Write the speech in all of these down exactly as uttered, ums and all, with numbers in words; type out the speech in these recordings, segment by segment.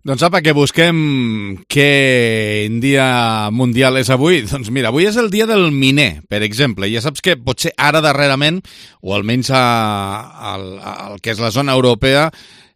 Doncs apa, que busquem quin dia mundial és avui. Doncs mira, avui és el dia del miner, per exemple. Ja saps que potser ara darrerament, o almenys a, a, a, al que és la zona europea,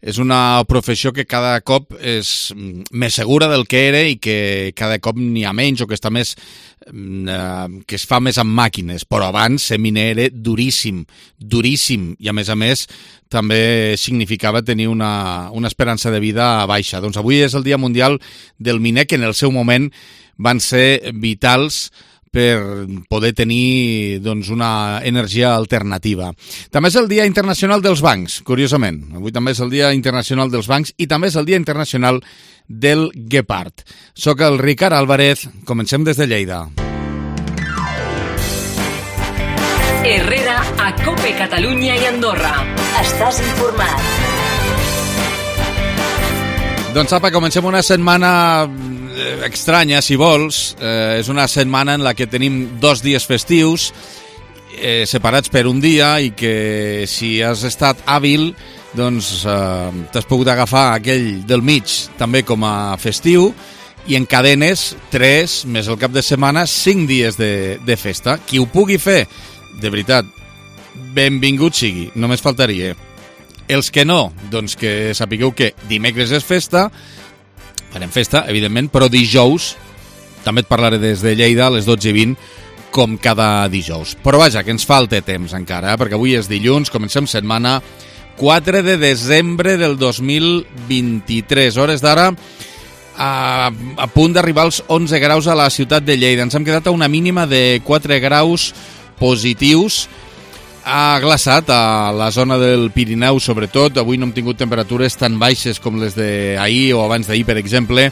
és una professió que cada cop és més segura del que era i que cada cop n'hi ha menys o que està més eh, que es fa més amb màquines. Però abans ser miner era duríssim, duríssim. I a més a més també significava tenir una, una esperança de vida baixa. Doncs avui és el Dia Mundial del Miner, que en el seu moment van ser vitals per poder tenir doncs, una energia alternativa. També és el Dia Internacional dels Bancs, curiosament. Avui també és el Dia Internacional dels Bancs i també és el Dia Internacional del Guepard. Soc el Ricard Álvarez, comencem des de Lleida. Herrera, a Cope Catalunya i Andorra. Estàs informat. Doncs apa, comencem una setmana estranya, si vols. Eh, és una setmana en la que tenim dos dies festius eh, separats per un dia i que si has estat hàbil doncs eh, t'has pogut agafar aquell del mig també com a festiu i encadenes tres, més el cap de setmana, cinc dies de, de festa. Qui ho pugui fer, de veritat, benvingut sigui, només faltaria. Els que no, doncs que sapigueu que dimecres és festa, farem festa, evidentment, però dijous també et parlaré des de Lleida a les dotze i vint, com cada dijous. Però vaja, que ens falta temps encara, eh? Perquè avui és dilluns, comencem setmana, quatre de desembre del dos mil vint-i-tres, hores d'ara, a, a punt d'arribar als onze graus a la ciutat de Lleida. Ens hem quedat a una mínima de quatre graus positius. Ha glaçat a la zona del Pirineu, sobretot. Avui no hem tingut temperatures tan baixes com les d'ahir o abans d'ahir, per exemple.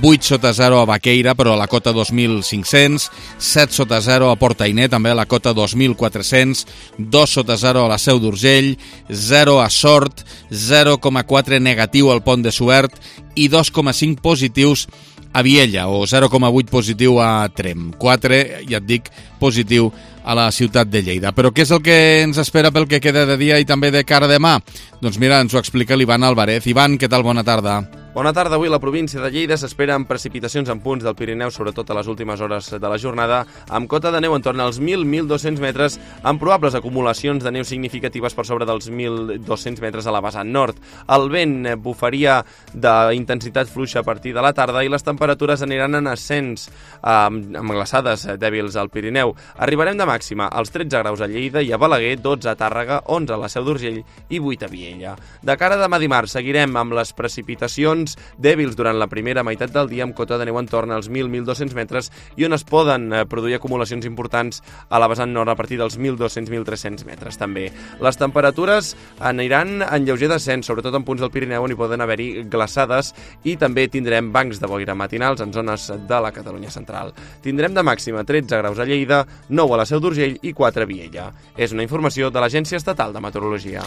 vuit sota zero a Baqueira, però a la cota dos mil cinc-cents. set sota zero a Portainer, també a la cota dos mil quatre-cents. dos sota zero a la Seu d'Urgell. zero a Sort. zero coma quatre negatiu al Pont de Suert. I dos coma cinc positius a Viella, o zero coma vuit positiu a Trem. quatre, ja et dic, positiu a la ciutat de Lleida. Però què és el que ens espera pel que queda de dia i també de cara a demà? Doncs mira, ens ho explica l'Ivan Álvarez. Ivan, què tal? Bona tarda. Bona tarda. Avui a la província de Lleida s'esperen precipitacions en punts del Pirineu, sobretot a les últimes hores de la jornada, amb cota de neu en torn als mil a mil dos-cents metres, amb probables acumulacions de neu significatives per sobre dels mil dos-cents metres a la vessant nord. El vent bufaria d'intensitat fluixa a partir de la tarda i les temperatures aniran en ascens, amb, amb glaçades dèbils al Pirineu. Arribarem de màxima als tretze graus a Lleida i a Balaguer, dotze a Tàrrega, onze a la Seu d'Urgell i vuit a Viella. De cara a demà dimarts seguirem amb les precipitacions dèbils durant la primera meitat del dia, amb cota de neu en torn als mil a mil dos-cents metres i on es poden produir acumulacions importants a la vessant nord a partir dels mil dos-cents a mil tres-cents metres també. Les temperatures aniran en lleuger descens, sobretot en punts del Pirineu on hi poden haver-hi glaçades, i també tindrem bancs de boira matinals en zones de la Catalunya central. Tindrem de màxima tretze graus a Lleida, nou a la Seu d'Urgell i quatre a Viella. És una informació de l'Agència Estatal de Meteorologia.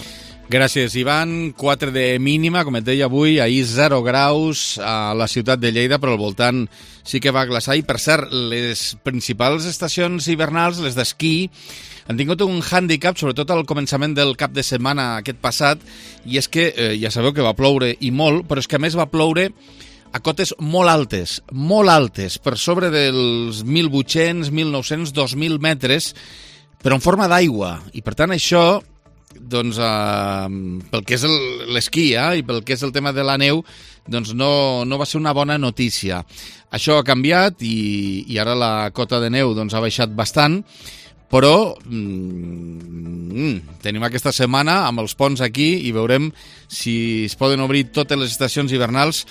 Gràcies, Ivan. quatre de mínima, com et deia avui, ahir zero graus a la ciutat de Lleida, però al voltant sí que va glaçar. I, per cert, les principals estacions hivernals, les d'esquí, han tingut un hàndicap, sobretot al començament del cap de setmana aquest passat, i és que, eh, ja sabeu que va ploure i molt, però és que a més va ploure a cotes molt altes, molt altes, per sobre dels mil vuit-cents, mil nou-cents, dos mil metres, però en forma d'aigua. I, per tant, això, doncs, eh, pel que és l'esquí eh, i pel que és el tema de la neu, doncs no, no va ser una bona notícia. Això ha canviat i, i ara la cota de neu doncs, ha baixat bastant, però mm, tenim aquesta setmana amb els ponts aquí i veurem si es poden obrir totes les estacions hivernals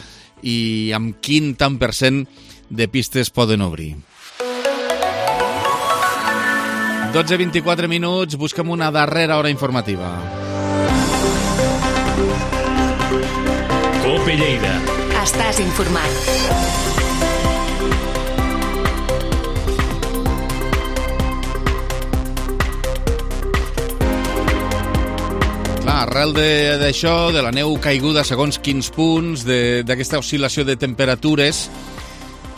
i amb quin tant per cent de pistes poden obrir. dotze i vint-i-quatre minuts, busquem una darrera hora informativa. Cope Lleida. Estàs informat. Clar, arrel d'això, de, de la neu caiguda segons quins punts, d'aquesta oscil·lació de temperatures,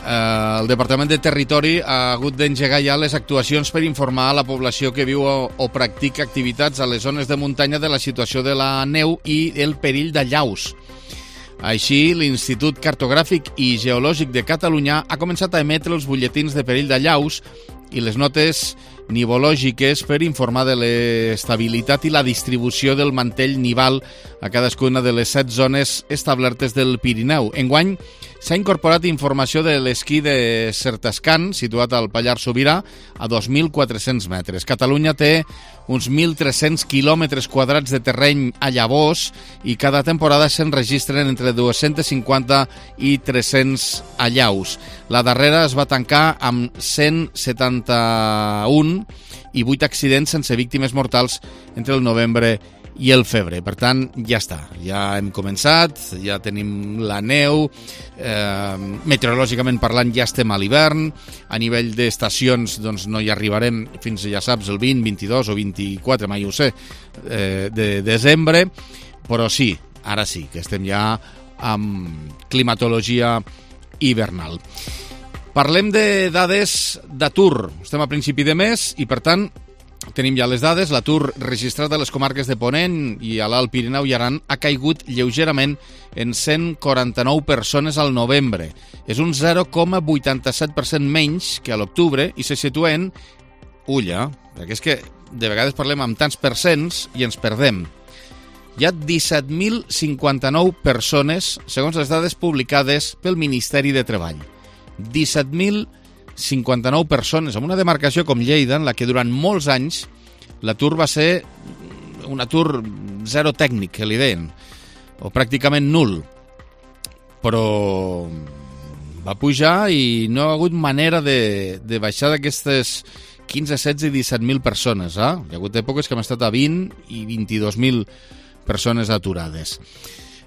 eh, el Departament de Territori ha hagut d'engegar ja les actuacions per informar a la població que viu o, o practica activitats a les zones de muntanya de la situació de la neu i el perill d'allaus. Així, l'Institut Cartogràfic i Geològic de Catalunya ha començat a emetre els butlletins de perill d'allaus i les notes nivològiques per informar de l'estabilitat i la distribució del mantell nival a cadascuna de les set zones establertes del Pirineu. Enguany s'ha incorporat informació de l'esquí de Certascan, situat al Pallars Sobirà, a dos mil quatre-cents metres. Catalunya té uns mil tres-cents quilòmetres quadrats de terreny a llavors i cada temporada se'n registren entre dos-cents cinquanta i tres-cents allaus. La darrera es va tancar amb cent setanta-un i vuit accidents sense víctimes mortals entre el novembre i el febrer. Per tant, ja està. Ja hem començat, ja tenim la neu, eh, meteorològicament parlant ja estem a l'hivern, a nivell d'estacions doncs, no hi arribarem fins, ja saps, el vint, vint-i-dos o vint-i-quatre, mai ho sé, eh, de desembre, però sí, ara sí, que estem ja amb climatologia hivernal. Parlem de dades d'atur. Estem a principi de mes i, per tant, tenim ja les dades. L'atur registrat a les comarques de Ponent i a l'Alt Pirineu i Aran ha caigut lleugerament en cent quaranta-nou persones al novembre. És un zero coma vuitanta-set per cent menys que a l'octubre i se situa en... Ulla, perquè és que de vegades parlem amb tants percents i ens perdem. Hi ha disset mil cinquanta-nou persones, segons les dades publicades pel Ministeri de Treball. disset mil cinquanta-nou persones, en una demarcació com Lleida, en la que durant molts anys l'atur va ser un atur zero tècnic, que li deien, o pràcticament nul. Però va pujar i no ha hagut manera de, de baixar d'aquestes quinze, setze i disset mil persones. Eh? Hi ha hagut èpoques que hem estat a vint i vint-i-dos mil persones aturades.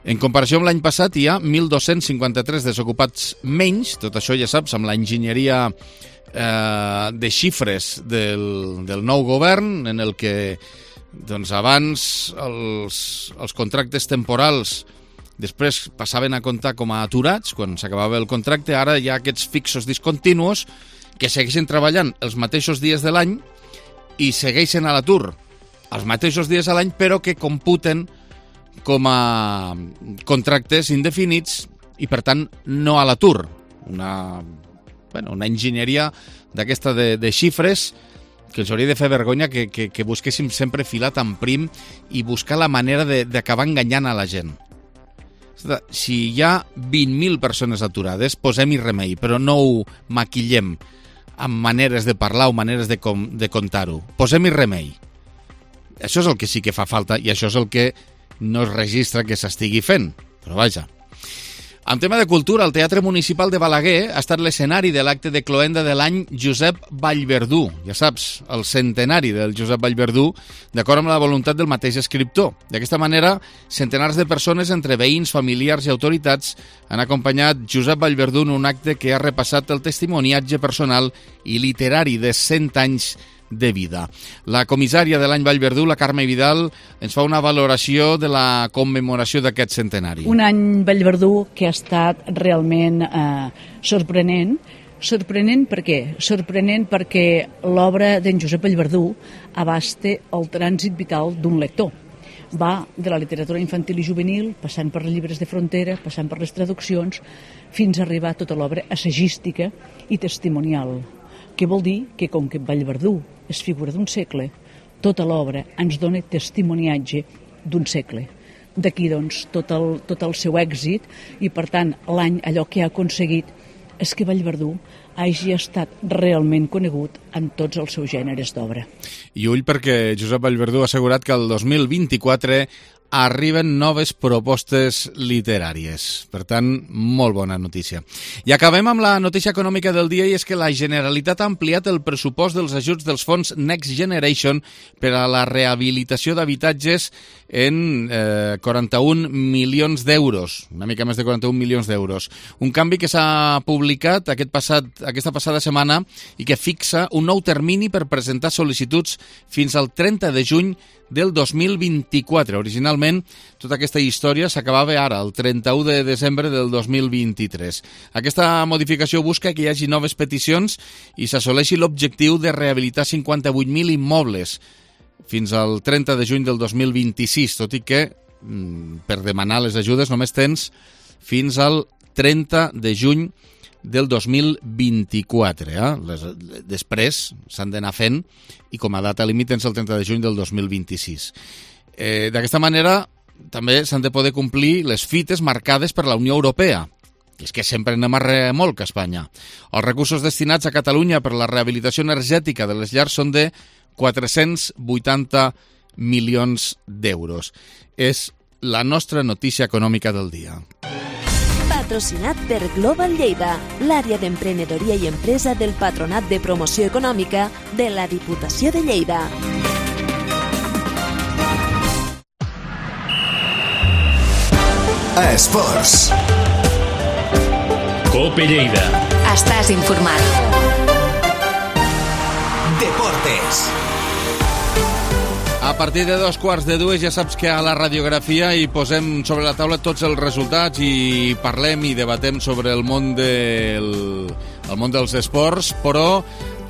En comparació amb l'any passat hi ha mil dos-cents cinquanta-tres desocupats menys, tot això ja saps, amb l'enginyeria eh, de xifres del, del nou govern, en el que doncs, abans els, els contractes temporals després passaven a comptar com a aturats quan s'acabava el contracte. Ara hi ha aquests fixos discontinus que segueixen treballant els mateixos dies de l'any i segueixen a l'atur els mateixos dies a l'any, però que computen com a contractes indefinits i, per tant, no a l'atur. Una, bueno, una enginyeria d'aquesta de, de xifres que ens hauria de fer vergonya que, que, que busquéssim sempre filat en prim i buscar la manera d'acabar enganyant a la gent. Si hi ha vint mil persones aturades, posem-hi remei, però no ho maquillem amb maneres de parlar o maneres de, com, de contar-ho. Posem-hi remei. Això és el que sí que fa falta i això és el que no es registra que s'estigui fent, però vaja. En tema de cultura, el Teatre Municipal de Balaguer ha estat l'escenari de l'acte de cloenda de l'any Josep Vallverdú. Ja saps, el centenari del Josep Vallverdú, d'acord amb la voluntat del mateix escriptor. D'aquesta manera, centenars de persones, entre veïns, familiars i autoritats, han acompanyat Josep Vallverdú en un acte que ha repassat el testimoniatge personal i literari de cent anys de vida. La comissària de l'any Vallverdú, la Carme Vidal, ens fa una valoració de la commemoració d'aquest centenari. Un any Vallverdú que ha estat realment eh, sorprenent. Sorprenent per què? Sorprenent perquè l'obra d'en Josep Vallverdú abasta el trànsit vital d'un lector. Va de la literatura infantil i juvenil, passant per els llibres de frontera, passant per les traduccions, fins a arribar a tota l'obra assagística i testimonial. Què vol dir? Que com que Vallverdú és figura d'un segle, tota l'obra ens dona testimoniatge d'un segle. D'aquí, doncs, tot el, tot el seu èxit i, per tant, l'any allò que ha aconseguit és que Vallverdú hagi estat realment conegut en tots els seus gèneres d'obra. I ull perquè Josep Vallverdú ha assegurat que el dos mil vint-i-quatre arriben noves propostes literàries. Per tant, molt bona notícia. I acabem amb la notícia econòmica del dia, i és que la Generalitat ha ampliat el pressupost dels ajuts dels fons Next Generation per a la rehabilitació d'habitatges en eh, quaranta-un milions d'euros, una mica més de quaranta-un milions d'euros. Un canvi que s'ha publicat aquest passat, aquesta passada setmana i que fixa un nou termini per presentar sol·licituds fins al trenta de juny del dos mil vint-i-quatre. Originalment, tota aquesta història s'acabava ara, el trenta-u de desembre del dos mil vint-i-tres. Aquesta modificació busca que hi hagi noves peticions i s'assoleixi l'objectiu de rehabilitar cinquanta-vuit mil immobles fins al trenta de juny del dos mil vint-i-sis, tot i que per demanar les ajudes només tens fins al trenta de juny del dos mil vint-i-quatre. Eh? Les, després s'han d'anar fent i com a data límit és el trenta de juny del dos mil vint-i-sis. Eh, D'aquesta manera també s'han de poder complir les fites marcades per la Unió Europea. És que sempre anem a remolc a Espanya. Els recursos destinats a Catalunya per la rehabilitació energètica de les llars són de quatre-cents vuitanta milions d'euros. És la nostra notícia econòmica del dia. Patrocinat per Global Lleida, l'àrea d'emprenedoria i empresa del Patronat de Promoció Econòmica de la Diputació de Lleida. Esports. Cope Lleida. Estàs informat. Deportes. A partir de dos quarts de dues ja saps que a la radiografia hi posem sobre la taula tots els resultats i parlem i debatem sobre el món del, el món dels esports, però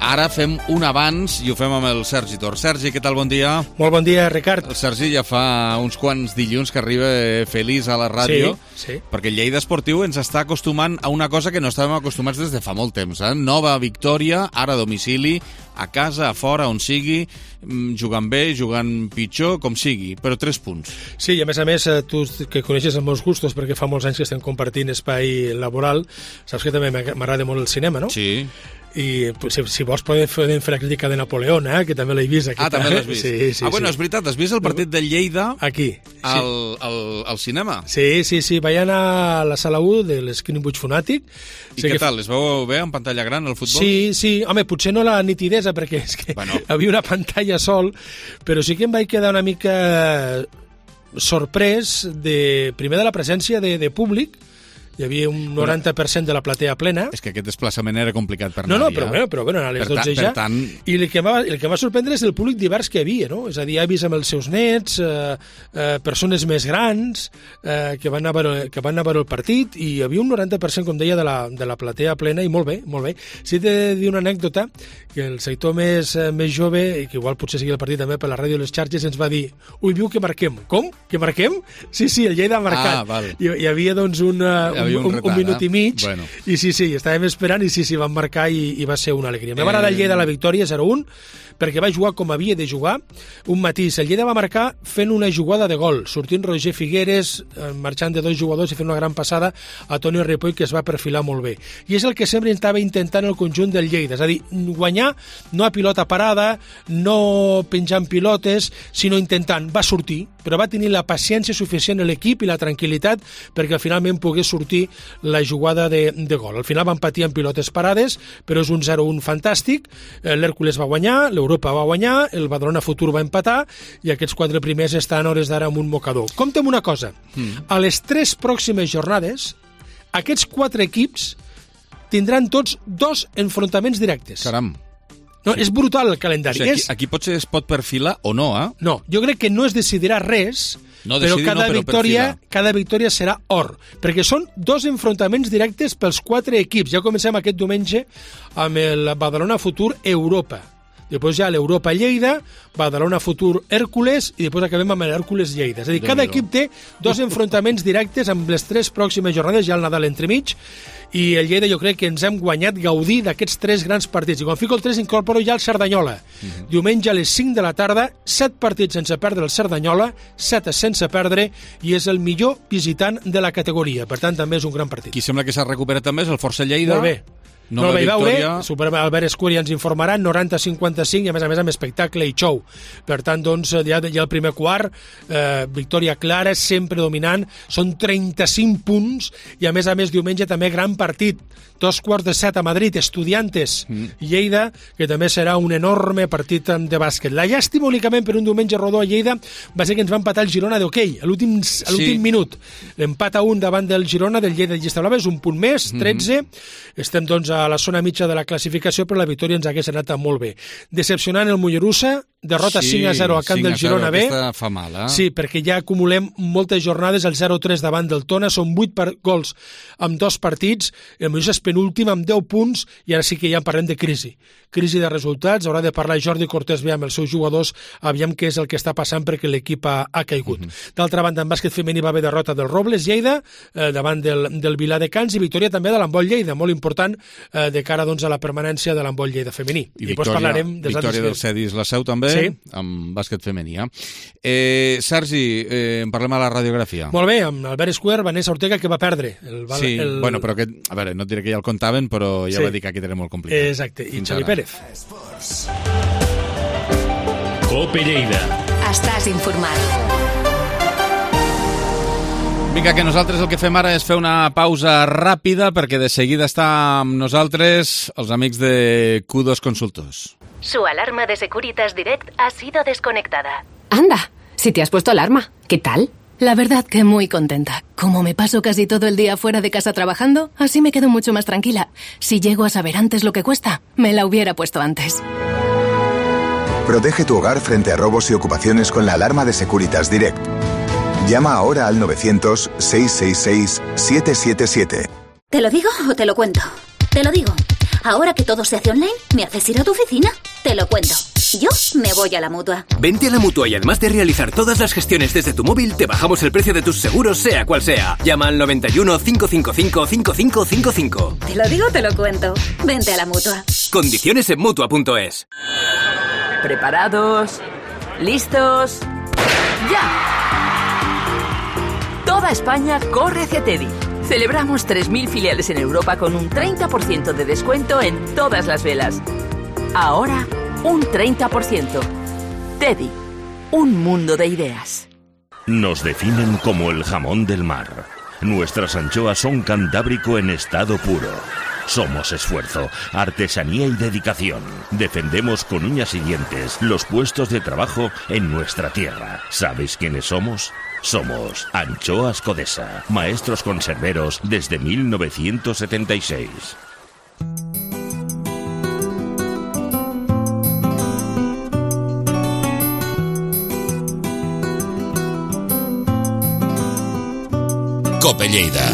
ara fem un abans i ho fem amb el Sergi Tor. Sergi, què tal? Bon dia. Molt bon dia, Ricard. El Sergi ja fa uns quants dilluns que arriba feliç a la ràdio, sí, sí. perquè el Lleida Esportiu ens està acostumant a una cosa que no estàvem acostumats des de fa molt temps. Eh? Nova victòria, ara a domicili, a casa, a fora, on sigui, jugant bé, jugant pitjor, com sigui, però tres punts. Sí, i a més a més, tu que coneixes els meus gustos, perquè fa molts anys que estem compartint espai laboral, saps que també m'agrada molt el cinema, no? Sí. I si, si vols podem fer, podem fer la crítica de Napoleón, eh? Que també l'he vist. Aquí, ah, també l'has vist? Sí, sí, ah, bueno, sí. És veritat, has vist el partit del Lleida aquí, al, al, al cinema? Sí, sí, sí, vaig anar a la sala u de l'Screenbush Fonàtic. I sí, què tal? Es veu bé en pantalla gran el futbol? Sí, sí, home, potser no la nitidesa, perquè és que bueno. Havia una pantalla sol, però sí que em vaig quedar una mica sorprès de, primer de la presència de, de públic. Hi havia un noranta per cent de la platea plena. És que aquest desplaçament era complicat per no, anar. No, però, bueno, però bueno, a les per dotze ja. Per tant... I el que, va, el que va sorprendre és el públic divers que hi havia, no? És a dir, avis amb els seus nets, eh, eh, persones més grans eh, que, van anar a veure, que van anar a veure el partit, i hi havia un noranta per cent, com deia, de la, de la platea plena, i molt bé, molt bé. Si t'he de dir una anècdota, que el sector més, eh, més jove, i que igual potser sigui el partit també per la ràdio i les xarxes, ens va dir, ui, viu que marquem. Com? Que marquem? Sí, sí, el Lleida ha marcat. Ah, val. Hi, hi havia, doncs, una... Un, un, un, retard, un minut i mig, bueno. I sí, sí, estàvem esperant, i sí, sí, van marcar i, i va ser una alegria. Me va agradar el Lleida la victòria zero un, perquè va jugar com havia de jugar. Un matís, el Lleida va marcar fent una jugada de gol, sortint Roger Figueres, marxant de dos jugadors i fent una gran passada a Toni Ripoll, que es va perfilar molt bé. I és el que sempre estava intentant el conjunt del Lleida, és a dir, guanyar no a pilota parada, no penjant pilotes, sinó intentant. Va sortir, però va tenir la paciència suficient a l'equip i la tranquil·litat perquè finalment pogués sortir la jugada de, de gol. Al final van patir amb pilotes parades, però és un zero un fantàstic. L'Hèrcules va guanyar, l'Europa va guanyar, el Badalona Futur va empatar, i aquests quatre primers estan a hores d'ara amb un mocador. Compta'm una cosa, mm. a les tres pròximes jornades, aquests quatre equips tindran tots dos enfrontaments directes. Caram. No, és brutal el calendari. O sigui, aquí, és... aquí potser es pot perfilar o no, eh? No, jo crec que no es decidirà res, no, però, cada, no, però victòria, cada victòria serà or, perquè són dos enfrontaments directes pels quatre equips. Ja comencem aquest diumenge amb el Badalona Futur Europa. Després ja l'Europa Lleida, Badalona Futur Hèrcules, i després acabem amb l'Hèrcules Lleida. És a dir, cada equip té dos enfrontaments directes amb les tres pròximes jornades, ja el Nadal entremig, i el Lleida jo crec que ens hem guanyat gaudir d'aquests tres grans partits. I quan fico el tres incorporo ja el Cerdanyola. Uh-huh. Diumenge a les cinc de la tarda, set partits sense perdre el Cerdanyola, set sense perdre, i és el millor visitant de la categoria. Per tant, també és un gran partit. Qui sembla que s'ha recuperat també és el Força Lleida. Molt bé. No el vaig veure, Super Albert Escuri ens informarà, noranta cinquanta-cinc, i a més a més amb espectacle i show. Per tant, doncs, ja, ja el primer quart, eh, victòria clara, sempre dominant, són trenta-cinc punts, i a més a més diumenge també gran partit, dos quarts de set a Madrid, Estudiantes mm. Lleida, que també serà un enorme partit de bàsquet. La llàstima únicament per un diumenge rodó a Lleida va ser que ens va empatar el Girona d'hoquei, a l'últim sí. minut. L'empat a un davant del Girona, del Lleida de Llista Blava, és un punt més, tretze, mm-hmm. estem doncs a a la zona mitja de la classificació, però la victòria ens hagués anat molt bé. Decepcionant el Mollerussa, derrota sí, cinc a zero a camp del Girona B. Fa mal, eh? Sí, perquè ja acumulem moltes jornades, el zero tres davant del Tona, són vuit per gols amb dos partits, el Mollerussa és penúltim amb deu punts, i ara sí que ja en parlem de crisi. Crisi de resultats, haurà de parlar Jordi Cortés bé amb els seus jugadors, aviam què és el que està passant perquè l'equip ha, ha caigut. Uh -huh. D'altra banda, en bàsquet femení va haver derrota del Robles Lleida, eh, davant del, del Viladecans, i victòria també de l'Handbol Lleida, molt important eh, de cara doncs, a la permanència de l'Handbol Lleida femení. I, I victòria, parlarem victòria del Cedis La Seu també, sí, amb bàsquet femení. Eh, Sergi, eh, en parlem a la radiografia. Molt bé, amb Albert Escuer, Vanessa Ortega, que va perdre. El, sí, el... bueno, però que, a veure, no et diré que ja el contaven, però ja sí, va dir que aquí tenen molt complicat. Exacte, i Xavi Pérez. Cope Lleida. Estàs informat. Vinga, que nosaltres el que fem ara és fer una pausa ràpida perquè de seguida està amb nosaltres els amics de Q dos Consultors. Su alarma de Securitas Direct ha sido desconectada. Anda, si te has puesto alarma, ¿qué tal? La verdad que muy contenta. Como me paso casi todo el día fuera de casa trabajando, así me quedo mucho más tranquila. Si llego a saber antes lo que cuesta, me la hubiera puesto antes. Protege tu hogar frente a robos y ocupaciones con la alarma de Securitas Direct. Llama ahora al novecientos, seiscientos sesenta y seis, setecientos setenta y siete. ¿Te lo digo o te lo cuento? Te lo digo. Ahora que todo se hace online, ¿me haces ir a tu oficina? Te lo cuento. Yo me voy a la Mutua. Vente a la Mutua y además de realizar todas las gestiones desde tu móvil, te bajamos el precio de tus seguros, sea cual sea. Llama al noventa y uno, cinco cinco cinco, cinco cinco cinco cinco. Te lo digo, te lo cuento. Vente a la Mutua. Condiciones en Mutua punto es. ¿Preparados? ¿Listos? ¡Ya! Toda España corre hacia Teddy. Celebramos tres mil filiales en Europa con un treinta por ciento de descuento en todas las velas. Ahora, un treinta por ciento. Teddy, un mundo de ideas. Nos definen como el jamón del mar. Nuestras anchoas son cantábrico en estado puro. Somos esfuerzo, artesanía y dedicación. Defendemos con uñas y dientes los puestos de trabajo en nuestra tierra. ¿Sabéis quiénes somos? Somos Anchoas Codesa, maestros conserveros desde mil novecientos setenta y seis. Cope Lleida.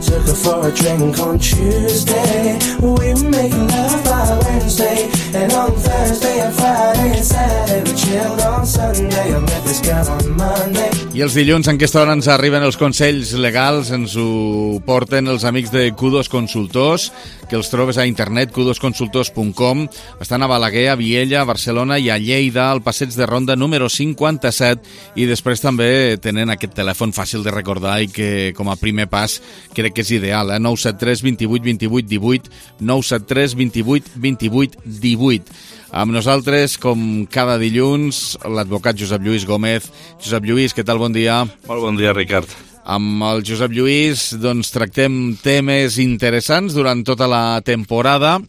Took her for a drink on Tuesday. We were making love by Wednesday. And on Thursday and Friday and Saturday we chilled on Sunday. I met this girl on Monday. I els dilluns en aquesta hora ens arriben els consells legals, ens ho porten els amics de Q dos Consultors, que els trobes a internet, q dos consultors punt com. Estan a Balaguer, a Viella, a Barcelona i a Lleida, al passeig de Ronda número cinquanta-set, i després també tenen aquest telèfon fàcil de recordar i que com a primer pas crec que és ideal, eh? nou set tres, vint vuit, vint vuit, divuit, nou set tres, vint vuit, vint vuit, divuit. Amb nosaltres, com cada dilluns, l'advocat Josep Lluís Gómez. Josep Lluís, què tal? Bon dia. Molt bon dia, Ricard. Amb el Josep Lluís doncs, tractem temes interessants durant tota la temporada.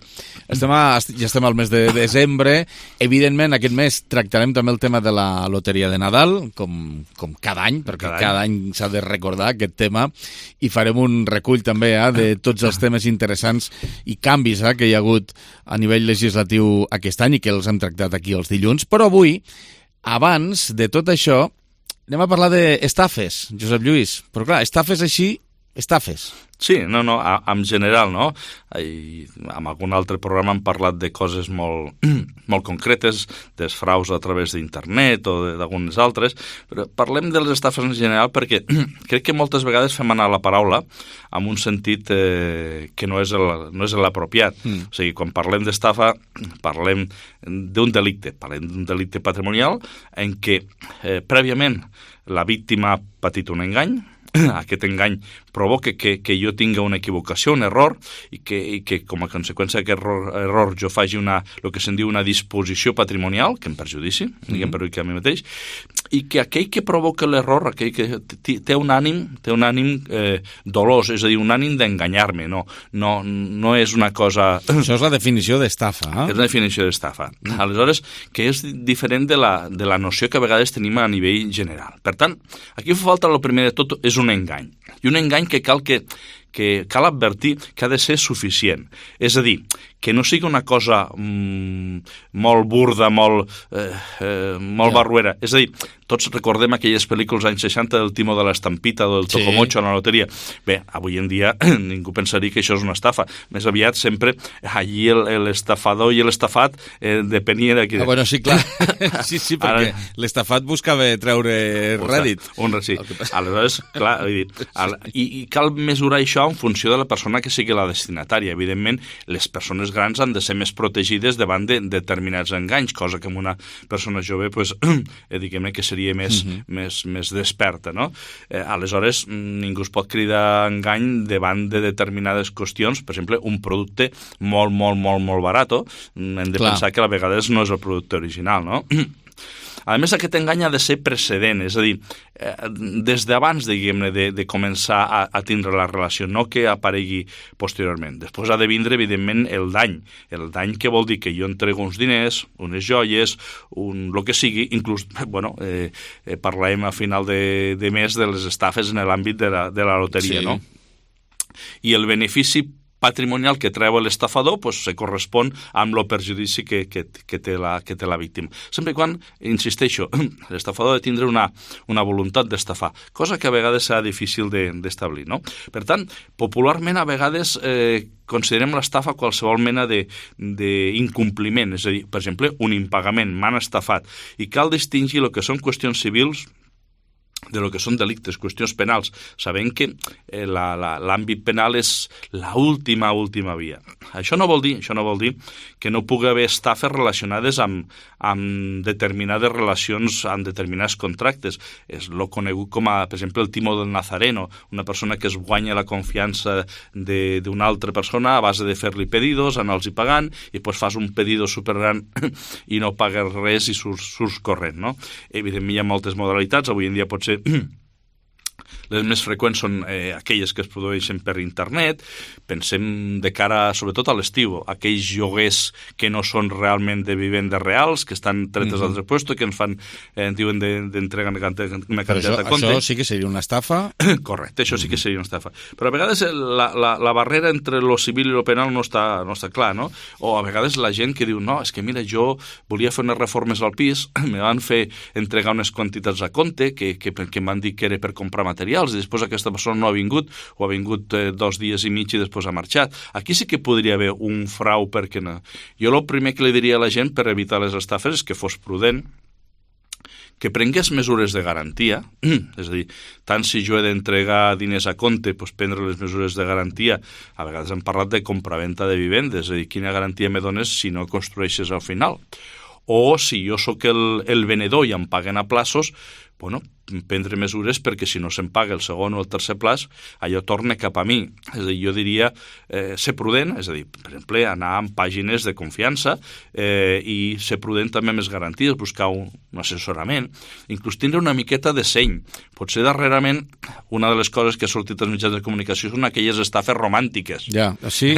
Estem a, ja estem al mes de desembre. Evidentment, aquest mes tractarem també el tema de la loteria de Nadal, com, com cada any, perquè cada, cada any, any s'ha de recordar aquest tema, i farem un recull també eh, de tots els temes interessants i canvis eh, que hi ha hagut a nivell legislatiu aquest any i que els hem tractat aquí els dilluns. Però avui, abans de tot això, anem a parlar d'estafes, Josep Lluís. Però clar, estafes així, estafes. Sí, no, no, a, en general, no? I en algun altre programa hem parlat de coses molt, molt concretes, dels fraus a través d'internet o d'algunes altres, però parlem de les estafes en general perquè crec que moltes vegades fem anar la paraula en un sentit eh, que no és el, no és l'apropiat. Mm. O sigui, quan parlem d'estafa, parlem d'un delicte, parlem d'un delicte patrimonial en què eh, prèviament la víctima ha patit un engany, aquest engany provoca que, que jo tinga una equivocació, un error, i que, i que com a conseqüència d'aquest error, error jo faci una, el que se'n diu una disposició patrimonial, que em perjudici, mm-hmm. diguem perjudici a mi mateix, i que aquell que provoca l'error, aquell que té un ànim, té un ànim eh, dolós, és a dir, un ànim d'enganyar-me, no, no, no és una cosa... Això és la definició d'estafa, eh? És la definició d'estafa. Mm. Aleshores, que és diferent de la, de la noció que a vegades tenim a nivell general. Per tant, aquí fa falta, el primer de tot, és un engany. I un engany que cal que, que cal advertir que ha de ser suficient. És a dir, que no sigui una cosa mmm, molt burda, molt, eh, eh, molt Ja. barruera. És a dir, tots recordem aquelles pel·lícules anys seixanta del Timo de l'Estampita o del Sí. Tocomocho a la loteria. Bé, avui en dia ningú pensaria que això és una estafa. Més aviat sempre allí el- l'estafador i l'estafat eh, depenia de qui... Ah, bueno, sí, clar. Sí, sí, perquè Ara- l'estafat buscava treure rèdit. Un, sí. Aleshores, clar, vull dir, al, i, i cal mesurar això en funció de la persona que sigui la destinatària. Evidentment, les persones grans han de ser més protegides davant de determinats enganys, cosa que amb una persona jove, pues, eh, diguem-ne que seria més, Mhm. més, més desperta, no? Eh, aleshores, ningú es pot cridar engany davant de determinades qüestions. Per exemple, un producte molt, molt, molt, molt barat, hem de Clar. pensar que a vegades no és el producte original, no? A més, aquest engany ha de ser precedent, és a dir, eh, des d'abans, diguem-ne, de, de començar a, a tindre la relació, no que aparegui posteriorment. Després ha de vindre, evidentment, el dany. El dany que vol dir que jo entrego uns diners, unes joies, un, el que sigui, inclús, bueno, eh, eh, parlem a final de, de mes de les estafes en l'àmbit de la, de la loteria, Sí. no? I el benefici patrimonial que treu l'estafador pues, se correspon amb el perjudici que, que, que, té la, que té la víctima. Sempre i quan, insisteixo, l'estafador ha de tindre una, una voluntat d'estafar, cosa que a vegades serà difícil d'establir, no? Per tant, popularment a vegades eh, considerem l'estafa qualsevol mena d'incompliment, és a dir, per exemple, un impagament, m'han estafat, i cal distingir el que són qüestions civils de lo que són delictes, qüestions penals, sabent que eh, l'àmbit penal és l'última, última via. Això no vol dir, això no vol dir que no pugui haver estafes relacionades amb, amb determinades relacions, amb determinats contractes. És el conegut com a, per exemple, el Timo del Nazareno, una persona que es guanya la confiança d'una altra persona a base de fer-li pedidos, anar-los pagant, i després fas un pedido supergran i no pagues res i surts, surts corrent, no? Evidentment hi ha moltes modalitats, avui en dia pot ser les més freqüents són eh, aquelles que es produeixen per internet. Pensem de cara, sobretot a l'estiu, aquells lloguers que no són realment de vivendes reals, que estan tretes Mhm. al repuesto, que ens fan, eh, en diuen d'entregar una quantitat Però això, de compte. això sí que seria una estafa? Correcte, això sí que seria una estafa. Però a vegades la, la, la barrera entre lo civil i lo penal no està, no està clar, no? O a vegades la gent que diu, no, és que mira, jo volia fer unes reformes al pis, me van fer entregar unes quantitats a compte que, que, que em van dir que era per comprar materials, i després aquesta persona no ha vingut, o ha vingut eh, dos dies i mig i després ha marxat. Aquí sí que podria haver un frau, perquè no. Jo el primer que li diria a la gent per evitar les estafes és que fos prudent, que prengués mesures de garantia, és a dir, tant si jo he d'entregar diners a compte, doncs prendre les mesures de garantia. A vegades hem parlat de compraventa de vivendes, és a dir, quina garantia me dones si no construeixes al final. O si jo sóc el, el venedor i em paguen a plaços, bueno, prendre mesures perquè si no se'n paga el segon o el tercer plaç, allò torna cap a mi. És a dir, jo diria eh, ser prudent, és a dir, per exemple, anar amb pàgines de confiança eh, i ser prudent també amb les garanties, buscar un, un assessorament, inclús tindre una miqueta de seny. Potser darrerament una de les coses que ha sortit als mitjans de comunicació són aquelles estafes romàntiques. Ja, sí,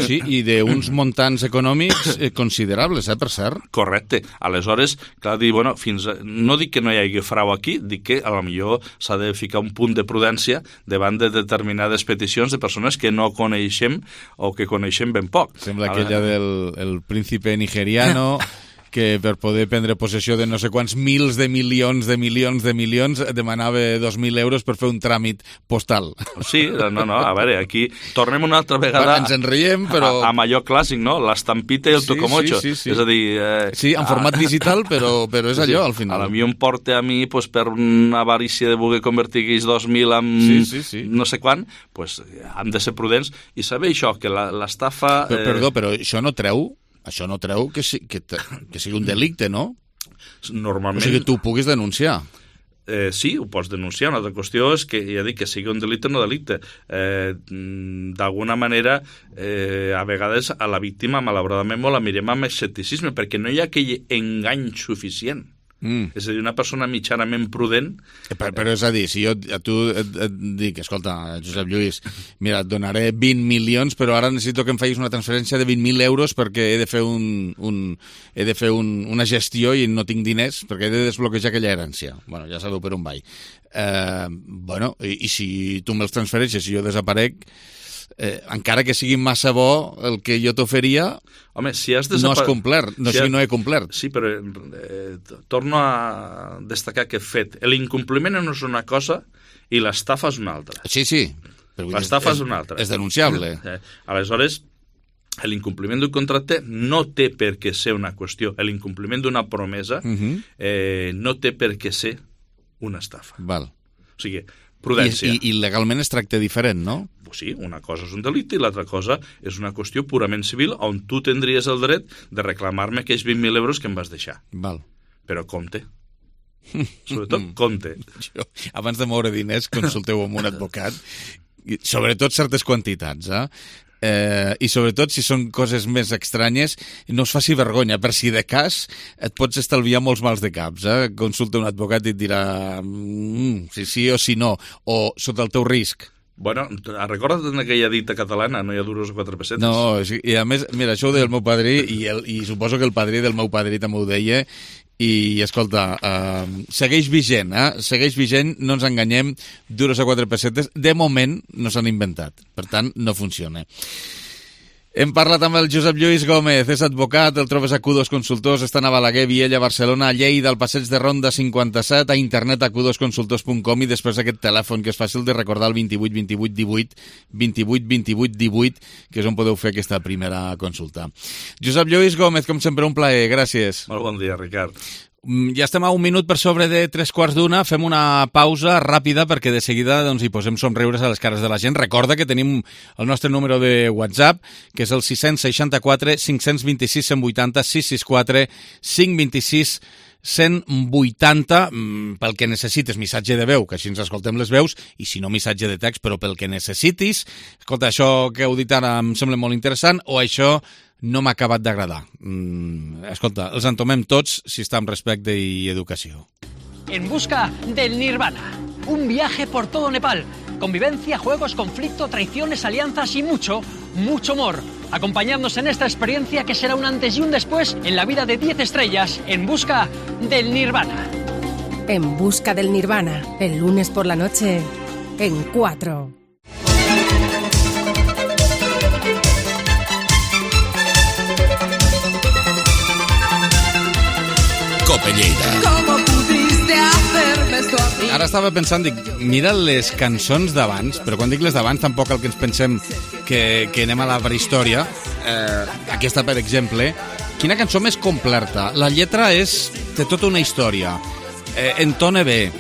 sí, i d'uns muntants econòmics eh, considerables, eh, per cert. Correcte. Aleshores, clar, dir, bueno, fins a... no dic que no hi hagi frau aquí, dic que a lo millor s'ha de ficar un punt de prudència davant de determinades peticions de persones que no coneixem o que coneixem ben poc. Sembla aquella del el príncipe nigeriano que per poder prendre possessió de no sé quants mils de milions de milions de milions demanava dos mil euros per fer un tràmit postal. Sí, no, no, a veure, aquí tornem una altra vegada... Ens en riem, però... A, amb allò clàssic, no? L'estampita i el Sí, tocomocho. sí, sí, sí. És a dir... Eh, Sí, en format digital, però, però és allò, al final. A mi em porta a mi, pues, per una avarícia de voler convertir aquells dos mil en Sí, sí, sí. no sé quan, pues, hem de ser prudents i saber això, que la- l'estafa... Però, perdó, però això no treu això no treu que, si, que, que sigui un delicte, no? Normalment... O sigui, que tu puguis denunciar. Eh, sí, ho pots denunciar. Una altra qüestió és que, ja dic, que sigui un delicte o no delicte. Eh, D'alguna manera, eh, a vegades a la víctima, malauradament, la mirem amb escepticisme, perquè no hi ha aquell engany suficient. Mm. És a dir, una persona mitjanament prudent... Però, però és a dir, si jo a tu et, et dic, escolta, Josep Lluís, mira, et donaré vint milions, però ara necessito que em facis una transferència de vint mil euros perquè he de fer, un, un, he de fer un, una gestió i no tinc diners, perquè he de desbloquejar aquella herència. Bueno, ja sabeu per on vaig. Eh, bueno, i, i si tu me'ls transfereixes i jo desaparec, eh, encara que sigui massa bo el que jo t'oferia... Home, si has desapar... no has complert, no, si has... no he complert. Sí, però eh, torno a destacar aquest fet. L'incompliment no és una cosa i l'estafa és una altra. Sí, sí. L'estafa és, és una altra. És denunciable. Eh, aleshores, l'incompliment d'un contracte no té per què ser una qüestió. L'incompliment d'una promesa uh-huh. eh, no té per què ser una estafa. Val. O sigui, prudència. I, i legalment es tracta diferent, no? Sí, una cosa és un delicte i l'altra cosa és una qüestió purament civil on tu tindries el dret de reclamar-me aquells vint mil euros que em vas deixar. Val. Però compte. Sobretot, compte. Jo, abans de moure diners, consulteu amb un advocat. Sobretot certes quantitats, eh? Eh, i sobretot si són coses més estranyes, no us faci vergonya, per si de cas et pots estalviar molts mals de caps, eh? Consulta un advocat i et dirà mm, si sí o si no, o sota el teu risc. Bueno, recorda't aquella dita catalana, no hi ha duros o quatre pessetes? No, i a més, mira, això ho deia el meu padrí i, el, i suposo que el padrí del meu padrí també ho deia. I, escolta, uh, segueix vigent, eh? Segueix vigent, no ens enganyem, duros a quatre pessetes, de moment no s'han inventat, per tant, no funciona. Hem parlat amb el Josep Lluís Gómez, és advocat, el trobes a Q dos Consultors, estan a Balaguer, Viella, Barcelona, a Lleida, al Passeig de Ronda cinquanta-set, a internet a q dos consultors punt com i després aquest telèfon que és fàcil de recordar, el vint-i-vuit vint-i-vuit divuit, vint-i-vuit vint-i-vuit divuit, que és on podeu fer aquesta primera consulta. Josep Lluís Gómez, com sempre, un plaer, gràcies. Molt bon dia, Ricard. Ja estem a un minut per sobre de tres quarts d'una, fem una pausa ràpida perquè de seguida doncs, hi posem somriures a les cares de la gent. Recorda que tenim el nostre número de WhatsApp, que és el sis seixanta-quatre cinc vint-i-sis cent vuitanta, sis sis quatre cinc vint-i-sis cent vuitanta, pel que necessites, missatge de veu, que així ens escoltem les veus, i si no, missatge de text, però pel que necessitis. Escolta, això que heu dit ara em sembla molt interessant, o això no m'ha acabat d'agradar. Mm, escolta, els entomem tots si està amb respecte i educació. En busca del Nirvana. Un viaje por todo Nepal. Convivencia, juegos, conflicto, traiciones, alianzas y mucho, mucho amor. Acompañadnos en esta experiencia que será un antes y un después en la vida de diez estrellas en busca del Nirvana. En busca del Nirvana, el lunes por la noche, en cuatro. Cope Lleida. ¿Cómo pudiste hacerme esto a mí? Ara estava pensant, dic, mira les cançons d'abans, però quan dic les d'abans tampoc el que ens pensem que, que anem a la prehistòria. Eh, aquesta, per exemple, quina cançó més completa. La lletra és, té tota una història, eh, entona bé,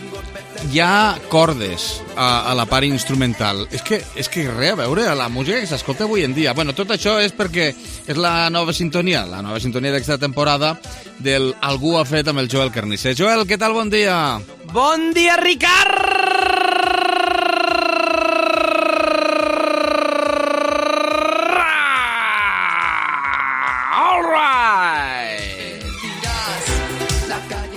hi ha cordes a, a la part instrumental. És que, és que res a veure a la música que s'escolta avui en dia. Bueno, tot això és perquè és la nova sintonia, la nova sintonia d'aquesta temporada del Algú ha fet amb el Joel Carnisser. Joel, què tal? Bon dia. Bon dia, Ricard!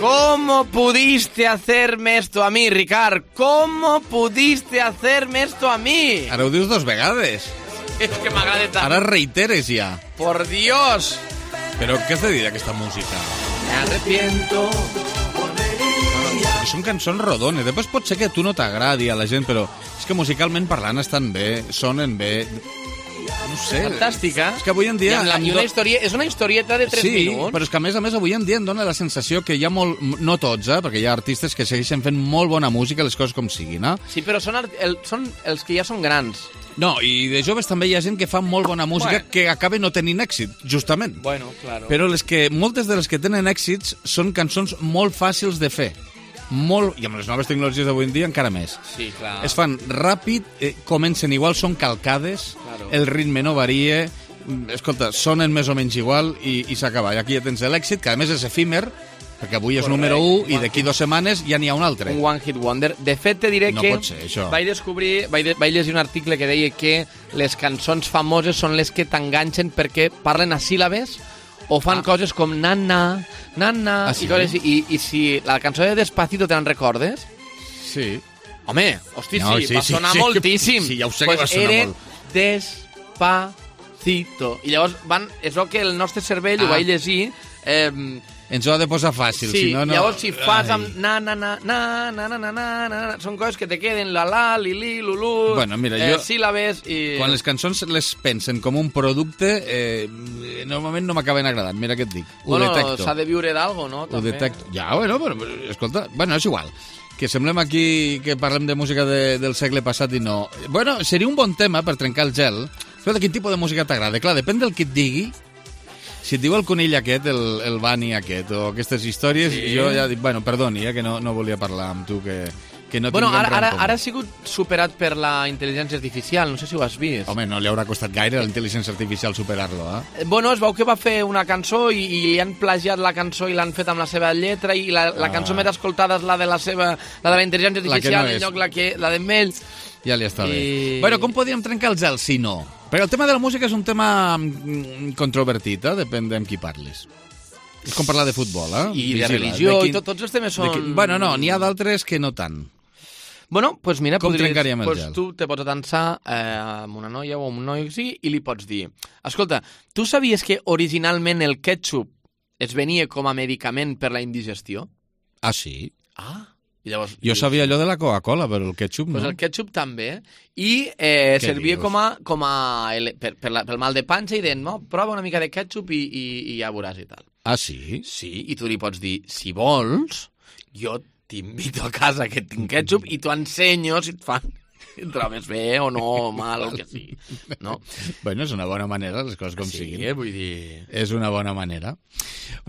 ¿Cómo pudiste hacerme esto a mí, Ricard? ¿Cómo pudiste hacerme esto a mí? Ara ho dius dos vegades. És que m'agrada tant. Ara reiteres ja. Por Dios. Però què has de dir d'aquesta música? Me arrepiento. Són cançons rodones. Després pot ser que a tu no t'agradi a la gent, però és que musicalment parlant estan bé, sonen bé. No sé. Fantàstica. És que avui en dia... I, la, i una història, és una historieta de tres sí, minuts. Sí, però és que a més a més avui en dia em dóna la sensació que hi ha molt... No tots, eh? Perquè hi ha artistes que segueixen fent molt bona música, les coses com siguin, eh? Sí, però són, el, són els que ja són grans. No, i de joves també hi ha gent que fa molt bona música bueno. que acaba no tenint èxit, justament. Bueno, claro. Però les que, moltes de les que tenen èxits són cançons molt fàcils de fer. Molt, i amb les noves tecnologies d'avui en dia encara més. Sí, clar. Es fan ràpid, eh, comencen igual, són calcades, claro. El ritme no varia, escolta, sonen més o menys igual i, i s'acaba. I aquí ja tens l'èxit, que a més és efímer, perquè avui és Correcte. número u i d'aquí dues setmanes ja n'hi ha un altre. Un one hit wonder. De fet, te diré no que pot ser, això. vaig descobrir, vaig, de, vaig llegir un article que deia que les cançons famoses són les que t'enganxen perquè parlen a síl·labes o fan ah. coses com na-na, na-na, ah, sí? i, coses, i, i si la cançó de Despacito te'n recordes? Sí. Home, hosti, no, sí, sí, va sonar sí, moltíssim. Sí, ja ho sé pues que va sonar era molt. Despacito. I llavors van, és el que el nostre cervell ah. ho va llegir... Eh, ens ho ha de posar fàcil, sí, si no, no... llavors si fas amb na, na, na, na, na, na, na, na, na, són coses que te queden la, la, li, li, lu, lu, bueno, mira, eh, jo, síl·labes i... Quan les cançons les pensen com un producte, eh, normalment no m'acaben agradant, mira què et dic. Ho bueno, detecto. s'ha de viure d'algo, no? Ho detecto. Ja, bueno, però, escolta, bueno, és igual. Que semblem aquí que parlem de música de, del segle passat i no... Bueno, seria un bon tema per trencar el gel. Escolta, quin tipus de música t'agrada? Clar, depèn del que et digui. Si et diu el conill aquest, el, el Bani aquest, o aquestes històries, sí. jo ja dic, bueno, perdoni, eh, que no, no volia parlar amb tu, que, que no bueno, tinguem ara, ara, res en ara ha sigut superat per la intel·ligència artificial, no sé si ho has vist. Home, no li haurà costat gaire a la intel·ligència artificial superar-lo, eh? Bueno, es veu que va fer una cançó i, i li han plagiat la cançó i l'han fet amb la seva lletra i la, la ah. cançó més escoltada és la de la seva, la de la intel·ligència artificial, no en lloc la, que, la d'en Mell. Ja li està I... bé. Bueno, com podríem trencar el gel si no? Perquè el tema de la música és un tema controvertit, eh? Depèn amb qui parlis. És com parlar de futbol, eh? I Vigila, de religió, de quin... i tot, tots els temes són... Quin... Bueno, no, n'hi ha d'altres que no tant. Bueno, doncs pues mira, com podries, trencaríem el pues gel? Tu te pots atansar eh, amb una noia o amb un noi sí, i li pots dir, escolta, tu sabies que originalment el ketchup es venia com a medicament per la indigestió? Ah, sí? Ah, i llavors... Jo sabia allò de la Coca-Cola, però el ketchup no. Pues el ketchup també. I eh, servia dius? com a... Com a per, per la, pel mal de panxa i deien, no, prova una mica de ketchup i, i, i ja veuràs i tal. Ah, sí? Sí, i tu li pots dir, si vols, jo t'invito a casa que tinc ketchup i t'ho ensenyo si et fan... Si et trobes bé o no, mal, o el que sigui. No? Bueno, és una bona manera, les coses com sí, siguin. Sí, vull dir... És una bona manera.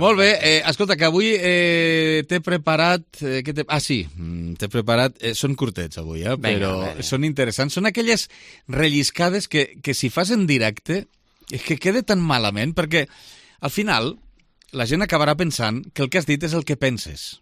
Molt bé, eh, escolta, que avui eh, t'he preparat... Eh, que ah, sí, t'he preparat... Eh, són curtets avui, eh, però Venga, són interessants. Són aquelles relliscades que, que si fas en directe és que queda tan malament, perquè al final la gent acabarà pensant que el que has dit és el que penses.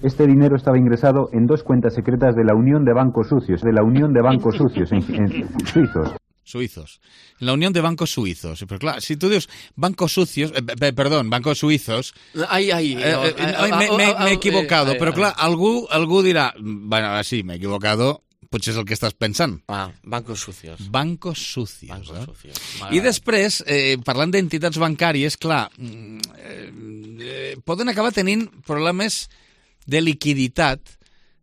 Este dinero estaba ingresado en dos cuentas secretas de la Unión de Bancos Sucios, de la Unión de Bancos Sucios en, en suizos. Suizos. La Unión de Bancos Suizos. Però clar, si tu dius bancos sucios, eh, perdón, bancos suizos... Ai, ai, eh, eh, m'he equivocado, però clar, algú, algú dirà, bueno, sí, m'he equivocado, potser és el que estàs pensant. Ah, bancos sucios. Bancos sucios. Bancos eh? sucios. I després, eh, parlant d'entitats bancàries, clar, eh, eh, poden acabar tenint problemes de liquiditat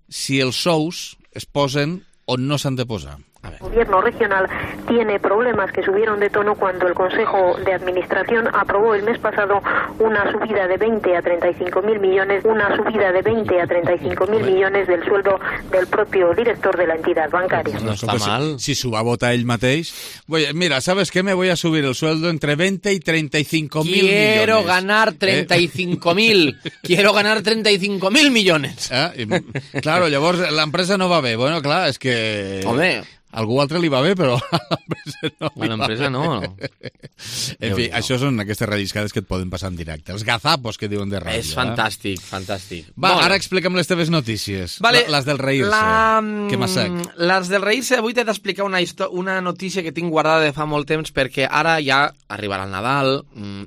si els sous es posen on no s'han de posar. El gobierno regional tiene problemas que subieron de tono cuando el Consejo de Administración aprobó el mes pasado una subida de veinte a treinta y cinco mil millones, una subida de veinte a treinta y cinco mil millones del sueldo del propio director de la entidad bancaria. No está mal. Si, si s'ho va votar ell mateix... Voy, mira, ¿sabes qué? Me voy a subir el sueldo entre veinte y treinta y cinco mil millones. Quiero ganar treinta y cinco mil. ¿Eh? Quiero ganar treinta y cinco mil millones. Eh? I, claro, llavors l'empresa no va bé. Bueno, clar, és que... Home... Algú altre li va bé, però a l'empresa no. A l'empresa no. En fi, això són aquestes relliscades que et poden passar en directe. Els gazapos que diuen de ràdio. És fantàstic, eh? fantàstic. Va, bon. Ara explica'm les teves notícies. Vale, les del reírse. La... Que m'assec. Les del reírse, avui t'he d'explicar una, una notícia que tinc guardada de fa molt temps, perquè ara ja arribarà el Nadal,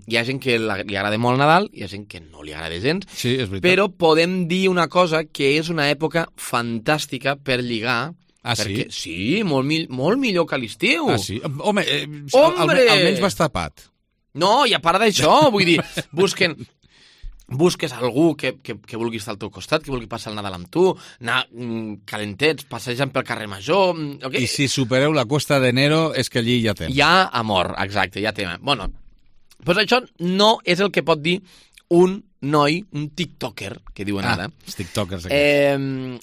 hi ha gent que li agrada molt el Nadal, hi ha gent que no li agrada gens, sí, és veritat. Però podem dir una cosa, que és una època fantàstica per lligar. Ah, perquè, sí? Sí, molt, mi molt millor que l'estiu. Ah, sí? Home, eh, Hombre! Al, almenys vas tapat. No, i a part d'això, vull dir, busquen... busques algú que, que, que vulgui estar al teu costat, que vulgui passar el Nadal amb tu, anar mm, calentets, passejant pel carrer Major... Okay. I si supereu la Cuesta d'Enero és que allí ja tem. Hi ha amor, exacte, ja tem. Bueno, doncs això no és el que pot dir un noi, un tiktoker, que diuen ah, ara, els tiktokers eh,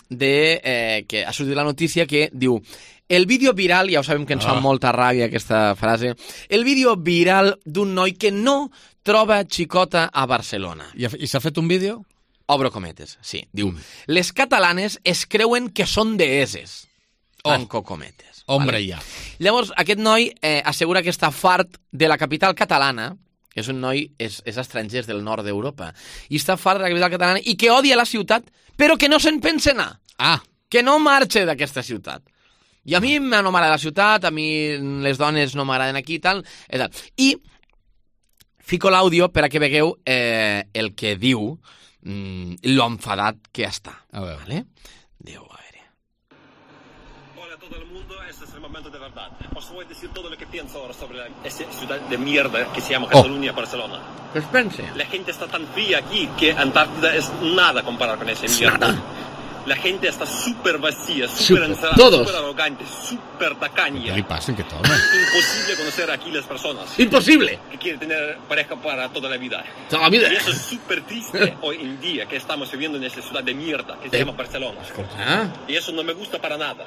de, eh, que ha sortit la notícia que diu el vídeo viral, ja ho sabem que ens oh. fa molta ràbia aquesta frase, el vídeo viral d'un noi que no troba xicota a Barcelona. I, i s'ha fet un vídeo? Obro cometes, sí. Diu, mm. les catalanes es creuen que són deeses. Tanco oh. cometes. Hombre, vale? ja. Llavors, aquest noi eh, assegura que està fart de la capital catalana, que és un noi, és, és estranger del nord d'Europa, i està fart de la capital catalana i que odia la ciutat, però que no se'n pensa anar. Ah. Que no marxa d'aquesta ciutat. I a mi no m'agrada la ciutat, a mi les dones no m'agraden aquí i tal, i tal. I Fico l'àudio per a que vegueu eh, el que diu mm, lo enfadat que està. A veure. ¿Vale? Déu, a veure. Hola a todo el mundo, este es el momento de verdad. Os voy a decir todo lo que pienso ahora sobre la, esa ciudad de mierda que se llama Cataluña, oh. Barcelona. ¿Qué os pense? La gente está tan fría aquí que Antártida es nada comparado con esa mierda. Nada. La gente está súper vacía, súper encerrada, súper arrogante, súper tacaña. ¿Qué le pasa? ¿Qué toma? Es imposible conocer aquí las personas. ¡Imposible! Que quieren tener pareja para toda la vida. Toda la vida. Y eso es súper triste hoy en día que estamos viviendo en esa ciudad de mierda que se eh. llama Barcelona. ¿Ah? Y eso no me gusta para nada.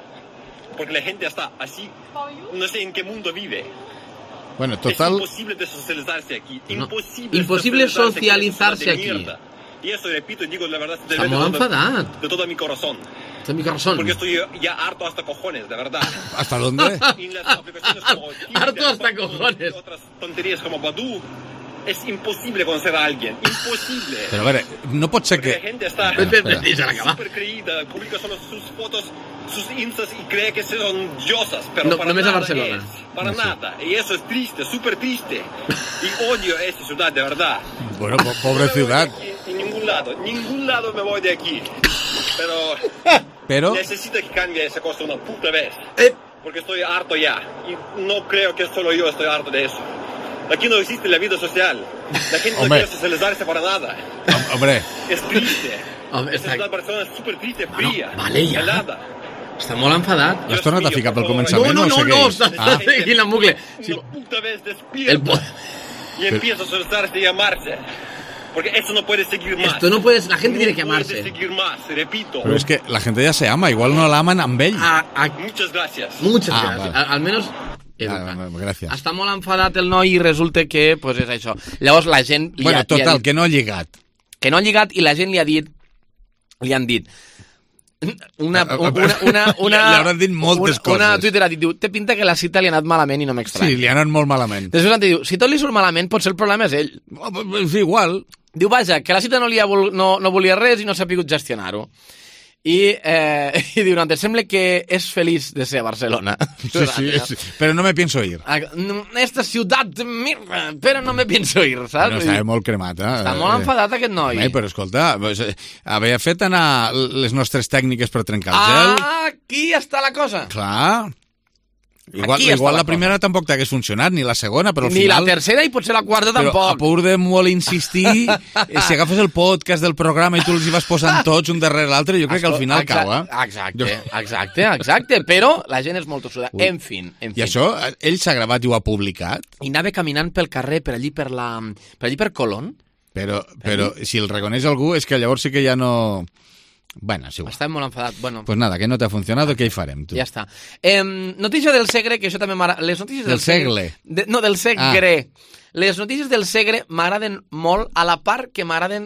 Porque la gente está así, no sé en qué mundo vive. Bueno, total... Es imposible de socializarse aquí. No. Imposible, Imposible socializarse de aquí. Mierda. Y eso, repito, digo la verdad de, Está de, molt todo, enfadat. de todo mi corazón. De mi corazón. Porque estoy ya harto hasta cojones, de verdad. ¿Hasta dónde? Y las aplicaciones como Tinder, harto hasta cojones. Otras tonterías como Badoo. Es imposible conocer a alguien. Imposible. Pero a ver, no pot ser Porque que... la gente está Espera. súper creída, publica solo sus fotos, sus instas y cree que son diosas, pero No, para només a nada Barcelona. es, para No sé. nada. Y eso es triste, súper triste. Y odio a esta ciudad, de verdad. Bueno, po pobre ciudad. En ningún lado, ningún lado me voy de aquí. Pero, Pero... necesito que cambie esa cosa una puta vez. Eh. Porque estoy harto ya. Y no creo que solo yo estoy harto de eso. Aquí no existe la vida social. La gente Hombre. no quiere socializarse para nada. Hombre. Es triste. Home, Esta està... ciudad de Barcelona es súper triste, fría, vale, ja. helada. Està molt enfadat. L'has tornat a ficar pel començament no, no, o no, no, segueix? està ah. seguint en bucle. Sí. Una puta vez despierta. El po... Y empieza a socializarse y a amarse. Porque eso no puede seguir más. Esto no puedes, la gente no tiene que amarse. No puede seguir más, repito. Pero es que la gente ya se ama, igual no la aman amb ell. A, a... Muchas gracias. Muchas Ah, gracias. vale. Al, al menos... Ah, gràcies. Està molt enfadat el noi i resulta que pues, és això. Llavors la gent... Li Bueno, ha, total, li ha dit, que no ha lligat. que no ha lligat i la gent li ha dit... Li han dit... Una, una, una, una, li hauran dit moltes una, coses. Una Twitter ha dit, diu, té pinta que la cita li ha anat malament i no m'estranya. Sí, li ha anat molt malament. Després l'han dit, diu, si tot li surt malament, potser el problema és ell. Sí, igual. Diu, vaja, que la cita no, li ha vol, no, no volia res i no s'ha pogut gestionar-ho. I, eh, i diu, no, te sembla que és feliç de ser a Barcelona. Sí, sí, sí, però no me pienso ir. Esta ciutat, mira, però no me pienso ir, saps? No, està molt cremat, eh? Està molt enfadat aquest noi. Home, però escolta, pues, eh, havia fet anar les nostres tècniques per trencar el gel. Ah, aquí està la cosa. Clar. Igual, Aquí igual està la la primera cosa. tampoc t'hagués funcionat, ni la segona, però al Ni final... la tercera i potser la quarta Però a tampoc. pur de molt insistir, eh, si agafes el podcast del programa i tu els hi vas posant tots un darrere l'altre, jo crec que al final Exacte, cau, eh? Exacte, exacte, exacte, però la gent és molt tossuda. Ui. En fin, en fin. I això, eh, ell s'ha gravat i ho ha publicat? I anava caminant pel carrer, per allí per la... per allí per Colón. Però, però si el reconeix algú és que llavors sí que ja no... Bueno, és igual. Està molt enfadat. Bueno, Pues nada, que no te ha funcionado, què hi farem, tu? ja està. Eh, notícia del Segre, que això també m'agrada... Les notícies del, Del Segle. De, no, del Segre. Ah. Les notícies del Segre m'agraden molt, a la part que m'agraden...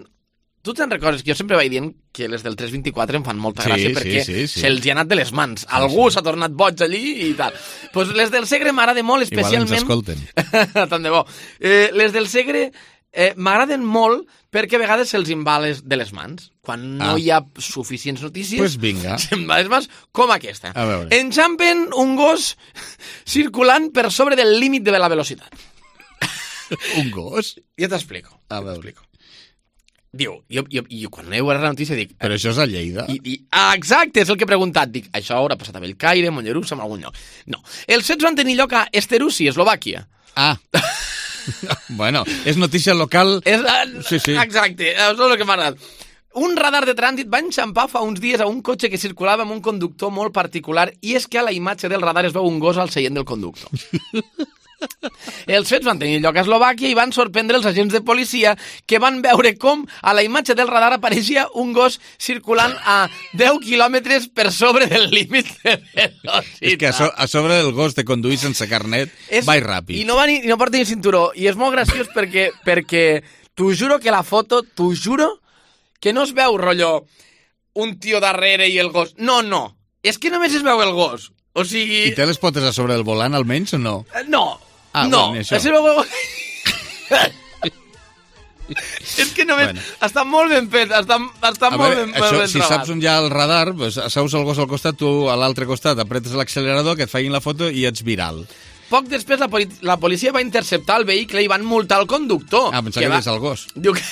Tu te'n recordes que jo sempre vaig dient que les del tres vint-i-quatre em fan molta Sí, gràcia sí, perquè sí, sí. se'ls ha anat de les mans. Algú s'ha tornat boig allí i tal. Pues les del Segre m'agraden molt, especialment... Igual ens escolten. Tant de bo. Eh, les del Segre eh, m'agraden molt perquè a vegades se'ls en va les, de les mans. Quan no Ah. hi ha suficients notícies, Pues vinga. se'n va de les mans, com aquesta. A veure. Enxampen un gos circulant per sobre del límit de la velocitat. Un gos? Ja t'explico. A veure. T'explico. Diu, jo, jo, jo quan he veure la notícia dic... Però això és a Lleida. I, i, ah, exacte, és el que he preguntat. Dic, això haurà passat a Bellcaire, Mollerussa, en algun lloc. No. Els fets van tenir lloc a Esterusi, Eslovàquia. Ah. Bueno, és notícia local... És, Sí, sí. Exacte, això és el que m'ha agradat. Un radar de trànsit va enxampar fa uns dies a un cotxe que circulava amb un conductor molt particular i és que a la imatge del radar es veu un gos al seient del conductor. Els fets van tenir lloc a Eslovàquia i van sorprendre els agents de policia que van veure com a la imatge del radar apareixia un gos circulant a deu quilòmetres per sobre del límit de velocitat. És que a, so, a sobre del gos de conduir sense carnet És- vai ràpid. I no, va ni, i no porta ni cinturó. I és molt graciós perquè, perquè t'ho juro que la foto, t'ho juro, que no es veu, rotllo, un tio darrere i el gos. No, no. És que només es veu el gos. O sigui... I té les potes a sobre del volant, almenys, o no? Eh, No. Ah, no. bueno, això. Es veu el gos... És que només... Bueno. Està molt ben fet, està, està A molt veure, ben, això, ben si trobat. saps on hi ha el radar, pues, asseus el gos al costat, tu a l'altre costat apretes l'accelerador, que et facin la foto i ets viral. poc després la, poli la policia va interceptar el vehicle i van multar el conductor. Ah, pensava que, que va... és el gos. Diu que,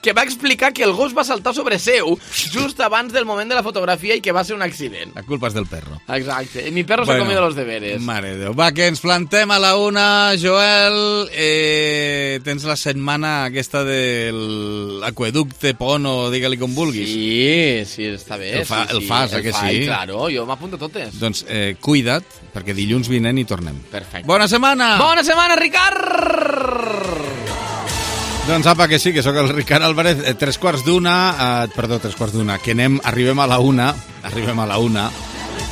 que va explicar que el gos va saltar sobre seu just abans del moment de la fotografia i que va ser un accident. La culpa és del perro. Exacte. Mi perro bueno, se ha comido los deberes. Mare de Déu. Va, que ens plantem a la una. Joel, eh, tens la setmana aquesta del aqueducte, pont o digue-li com vulguis. Sí, sí, està bé. El, fa, sí, el fas, el eh, que fa, sí? Claro, jo m'apunto totes. Doncs eh, cuida't, perquè dilluns vinent hi tornem. Perfecte. Bona setmana! Bona setmana, Ricard! Doncs apa, que sí, que sóc el Ricard Álvarez. Eh, tres quarts d'una, eh, perdó, tres quarts d'una, que anem, arribem a la una, arribem a la una,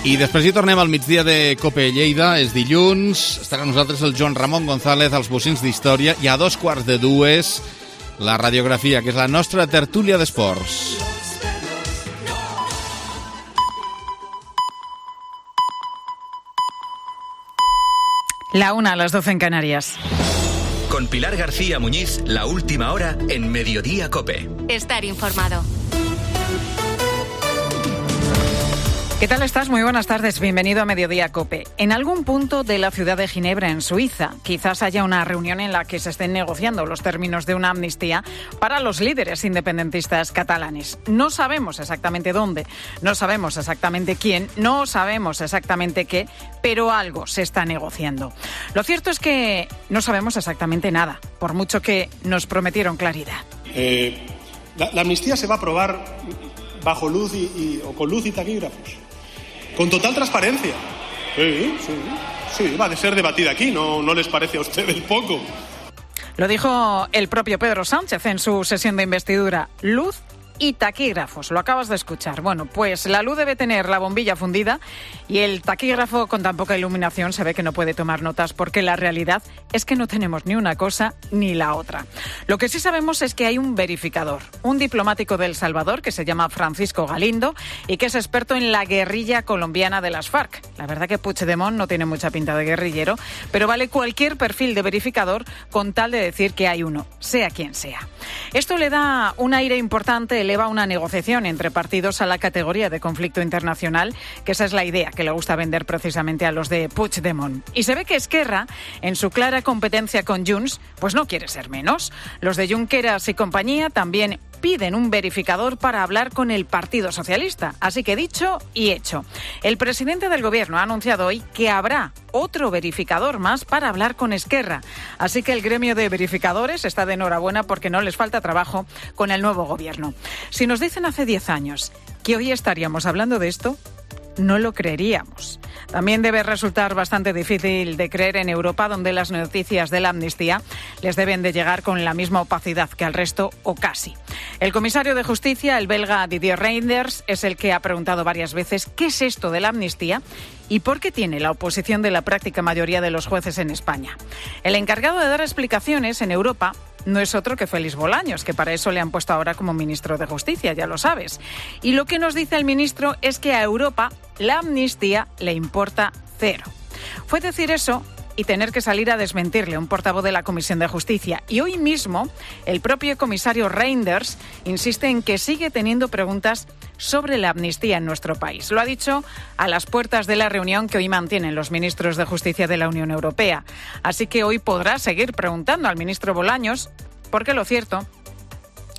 i després hi tornem al migdia de Cope Lleida, és dilluns, estarà amb nosaltres el Joan Ramon González, als bocins d'història, i a dos quarts de dues, la radiografia, que és la nostra tertúlia d'esports. La una a las doce en Canarias. Con Pilar García Muñiz, la última hora en Mediodía Cope. Estar informado. ¿Qué tal estás? Muy buenas tardes. Bienvenido a Mediodía Cope. En algún punto de la ciudad de Ginebra, en Suiza, quizás haya una reunión en la que se estén negociando los términos de una amnistía para los líderes independentistas catalanes. No sabemos exactamente dónde, no sabemos exactamente quién, no sabemos exactamente qué, pero algo se está negociando. Lo cierto es que no sabemos exactamente nada, por mucho que nos prometieron claridad. Eh, la, la amnistía se va a aprobar bajo luz y, y, o con luz y taquígrafos. Con total transparencia. Sí, sí, sí, va a ser debatida aquí, ¿no, no les parece a ustedes poco? Lo dijo el propio Pedro Sánchez en su sesión de investidura. Luz y taquígrafos, lo acabas de escuchar. Bueno, pues la luz debe tener la bombilla fundida y el taquígrafo con tan poca iluminación se ve que no puede tomar notas porque la realidad es que no tenemos ni una cosa ni la otra. Lo que sí sabemos es que hay un verificador, un diplomático de El Salvador que se llama Francisco Galindo y que es experto en la guerrilla colombiana de las FARC. La verdad que Puigdemont no tiene mucha pinta de guerrillero, pero vale cualquier perfil de verificador con tal de decir que hay uno, sea quien sea. Esto le da un aire importante, eleva una negociación entre partidos a la categoría de conflicto internacional, que esa es la idea que le gusta vender precisamente a los de Puigdemont. Y se ve que Esquerra, en su clara competencia con Junts, pues no quiere ser menos. Los de Junqueras y compañía también piden un verificador para hablar con el Partido Socialista. Así que dicho y hecho. El presidente del Gobierno ha anunciado hoy que habrá otro verificador más para hablar con Esquerra. Así que el gremio de verificadores está de enhorabuena porque no les falta trabajo con el nuevo Gobierno. Si nos dicen hace diez años que hoy estaríamos hablando de esto, no lo creeríamos. También debe resultar bastante difícil de creer en Europa, donde las noticias de la amnistía les deben de llegar con la misma opacidad que al resto o casi. El comisario de Justicia, el belga Didier Reynders, es el que ha preguntado varias veces qué es esto de la amnistía y por qué tiene la oposición de la práctica mayoría de los jueces en España. El encargado de dar explicaciones en Europa no es otro que Félix Bolaños, que para eso le han puesto ahora como ministro de Justicia, ya lo sabes. Y lo que nos dice el ministro es que a Europa la amnistía le importa cero. Fue decir eso y tener que salir a desmentirle un portavoz de la Comisión de Justicia. Y hoy mismo el propio comisario Reynders insiste en que sigue teniendo preguntas sobre la amnistía en nuestro país. Lo ha dicho a las puertas de la reunión que hoy mantienen los ministros de Justicia de la Unión Europea. Así que hoy podrá seguir preguntando al ministro Bolaños, porque lo cierto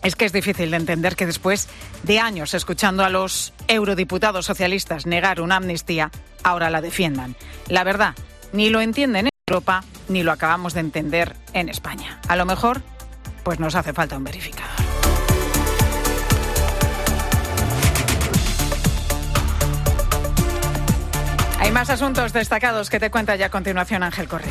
es que es difícil de entender que después de años escuchando a los eurodiputados socialistas negar una amnistía, ahora la defiendan. La verdad, ni lo entienden en Europa, ni lo acabamos de entender en España. A lo mejor, pues nos hace falta un verificador. Hay más asuntos destacados que te cuenta ya a continuación Ángel Correa.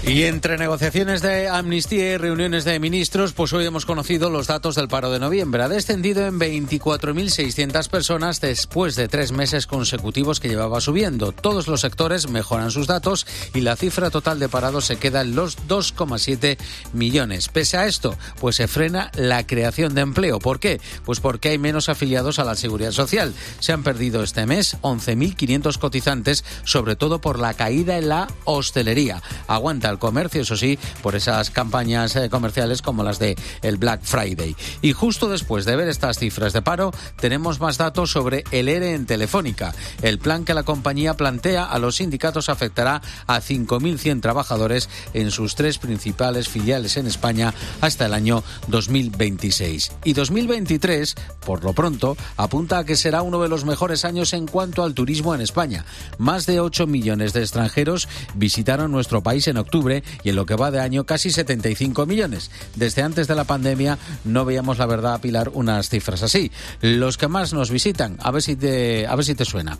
Y entre negociaciones de amnistía y reuniones de ministros, pues hoy hemos conocido los datos del paro de noviembre. Ha descendido en veinticuatro mil seiscientas personas después de tres meses consecutivos que llevaba subiendo. Todos los sectores mejoran sus datos y la cifra total de parados se queda en los dos coma siete millones. Pese a esto, pues se frena la creación de empleo. ¿Por qué? Pues porque hay menos afiliados a la Seguridad Social. Se han perdido este mes once mil quinientos cotizantes, sobre todo por la caída en la hostelería. Aguanta el al comercio, eso sí, por esas campañas eh, comerciales como las de el Black Friday. Y justo después de ver estas cifras de paro, tenemos más datos sobre el ERE en Telefónica. El plan que la compañía plantea a los sindicatos afectará a cinco mil cien trabajadores en sus tres principales filiales en España hasta el año dos mil veintiséis. Y dos mil veintitrés, por lo pronto, apunta a que será uno de los mejores años en cuanto al turismo en España. Más de ocho millones de extranjeros visitaron nuestro país en octubre y en lo que va de año casi setenta y cinco millones. Desde antes de la pandemia no veíamos, la verdad, Pilar, unas cifras así. Los que más nos visitan, a ver si te, a ver si te suena.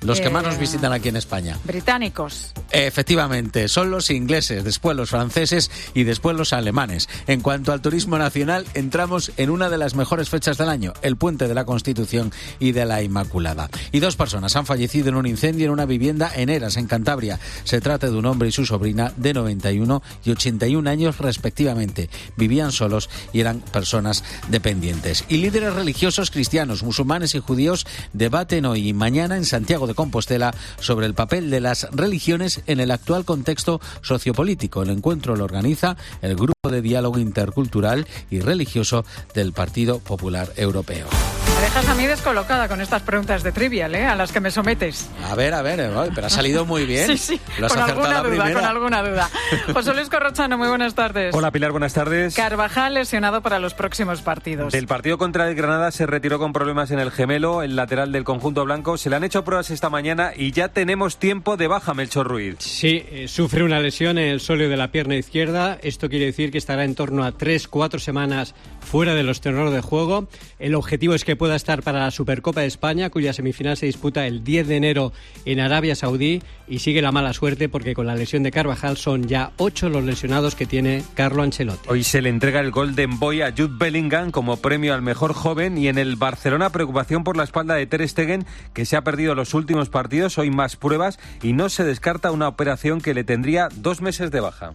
Los que eh, más nos visitan aquí en España. Británicos. Efectivamente, son los ingleses, después los franceses y después los alemanes. En cuanto al turismo nacional, entramos en una de las mejores fechas del año, el Puente de la Constitución y de la Inmaculada. Y dos personas han fallecido en un incendio en una vivienda en Eras, en Cantabria. Se trata de un hombre y su sobrina de noventa y uno y ochenta y un años respectivamente. Vivían solos y eran personas dependientes. Y líderes religiosos cristianos, musulmanes y judíos debaten hoy y mañana en Santiago de Compostela sobre el papel de las religiones en el actual contexto sociopolítico. El encuentro lo organiza el Grupo de Diálogo Intercultural y Religioso del Partido Popular Europeo. Me dejas a mí descolocada con estas preguntas de Trivial, ¿eh? A las que me sometes. A ver, a ver, pero ha salido muy bien. Sí, sí, lo has con acertado alguna la duda, primera. con alguna duda. José Luis Corrochano, muy buenas tardes. Hola Pilar, buenas tardes. Carvajal lesionado para los próximos partidos. Del partido contra el Granada se retiró con problemas en el gemelo, el lateral del conjunto blanco. Se le han hecho pruebas esta mañana y ya tenemos tiempo de baja, Melchor Ruiz. Sí, eh, sufre una lesión en el sóleo de la pierna izquierda. Esto quiere decir que estará en torno a tres, cuatro semanas fuera de los terrenos de juego. El objetivo es que pueda estar para la Supercopa de España, cuya semifinal se disputa el diez de enero en Arabia Saudí, y sigue la mala suerte porque con la lesión de Carvajal son ya ocho los lesionados que tiene Carlo Ancelotti. Hoy se le entrega el Golden Boy a Jude Bellingham como premio al mejor joven, y en el Barcelona preocupación por la espalda de Ter Stegen, que se ha perdido los últimos partidos, hoy más pruebas y no se descarta una operación que le tendría dos meses de baja.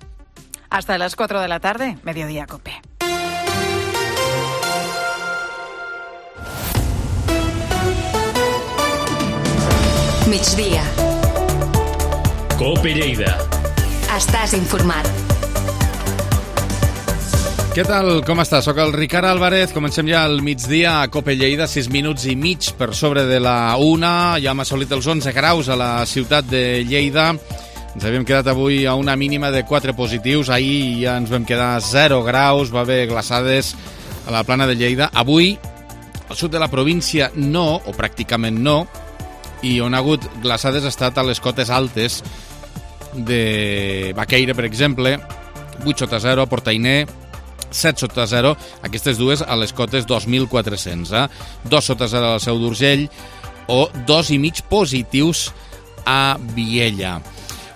Hasta las cuatro de la tarde, Mediodía Cope. Migdia. Cope Lleida. Estàs informat. Què tal? Com estàs? Soc el Ricard Álvarez. Comencem ja al migdia a Cope Lleida, sis minuts i mig per sobre de la una. Ja hem assolit els onze graus a la ciutat de Lleida. Ens havíem quedat avui a una mínima de quatre positius. Ahir ja ens vam quedar a zero graus. Va haver glaçades a la plana de Lleida. Avui, al sud de la província, no, o pràcticament no, i on ha hagut glaçades ha estat a les cotes altes de Baqueira, per exemple, vuit sota zero, a Portainer, set sota zero, aquestes dues a les cotes dos mil quatre-cents, eh? dos sota zero al Seu d'Urgell, o dos i mig positius a Viella.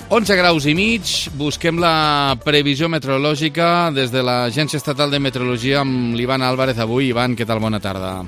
onze graus i mig, busquem la previsió meteorològica des de l'Agència Estatal de Meteorologia amb l'Ivan Álvarez avui. Ivan, què tal? Bona tarda.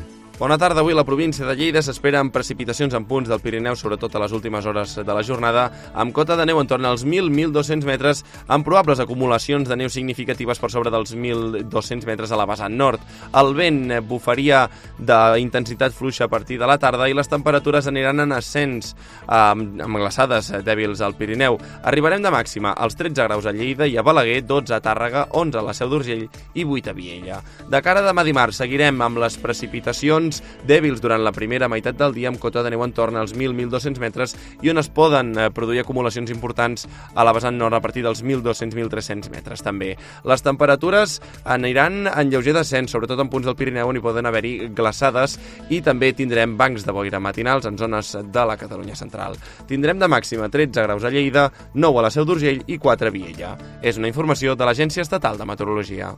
Bona tarda. Avui a la província de Lleida s'esperen precipitacions en punts del Pirineu, sobretot a les últimes hores de la jornada, amb cota de neu en torn als mil a mil dos-cents metres, amb probables acumulacions de neu significatives per sobre dels mil dos-cents metres a la vessant nord. El vent bufaria d'intensitat fluixa a partir de la tarda i les temperatures aniran en ascens, amb, amb glaçades dèbils al Pirineu. Arribarem de màxima als tretze graus a Lleida i a Balaguer, dotze a Tàrrega, onze a la Seu d'Urgell i vuit a Viella. De cara a demà dimarts seguirem amb les precipitacions dèbils durant la primera meitat del dia, amb cota de neu en torn als mil a mil dos-cents metres i on es poden eh, produir acumulacions importants a la vessant nord a partir dels mil dos-cents a mil tres-cents metres també. Les temperatures aniran en lleuger descens, sobretot en punts del Pirineu on hi poden haver-hi glaçades, i també tindrem bancs de boira matinals en zones de la Catalunya central. Tindrem de màxima tretze graus a Lleida, nou a la Seu d'Urgell i quatre a Viella. És una informació de l'Agència Estatal de Meteorologia.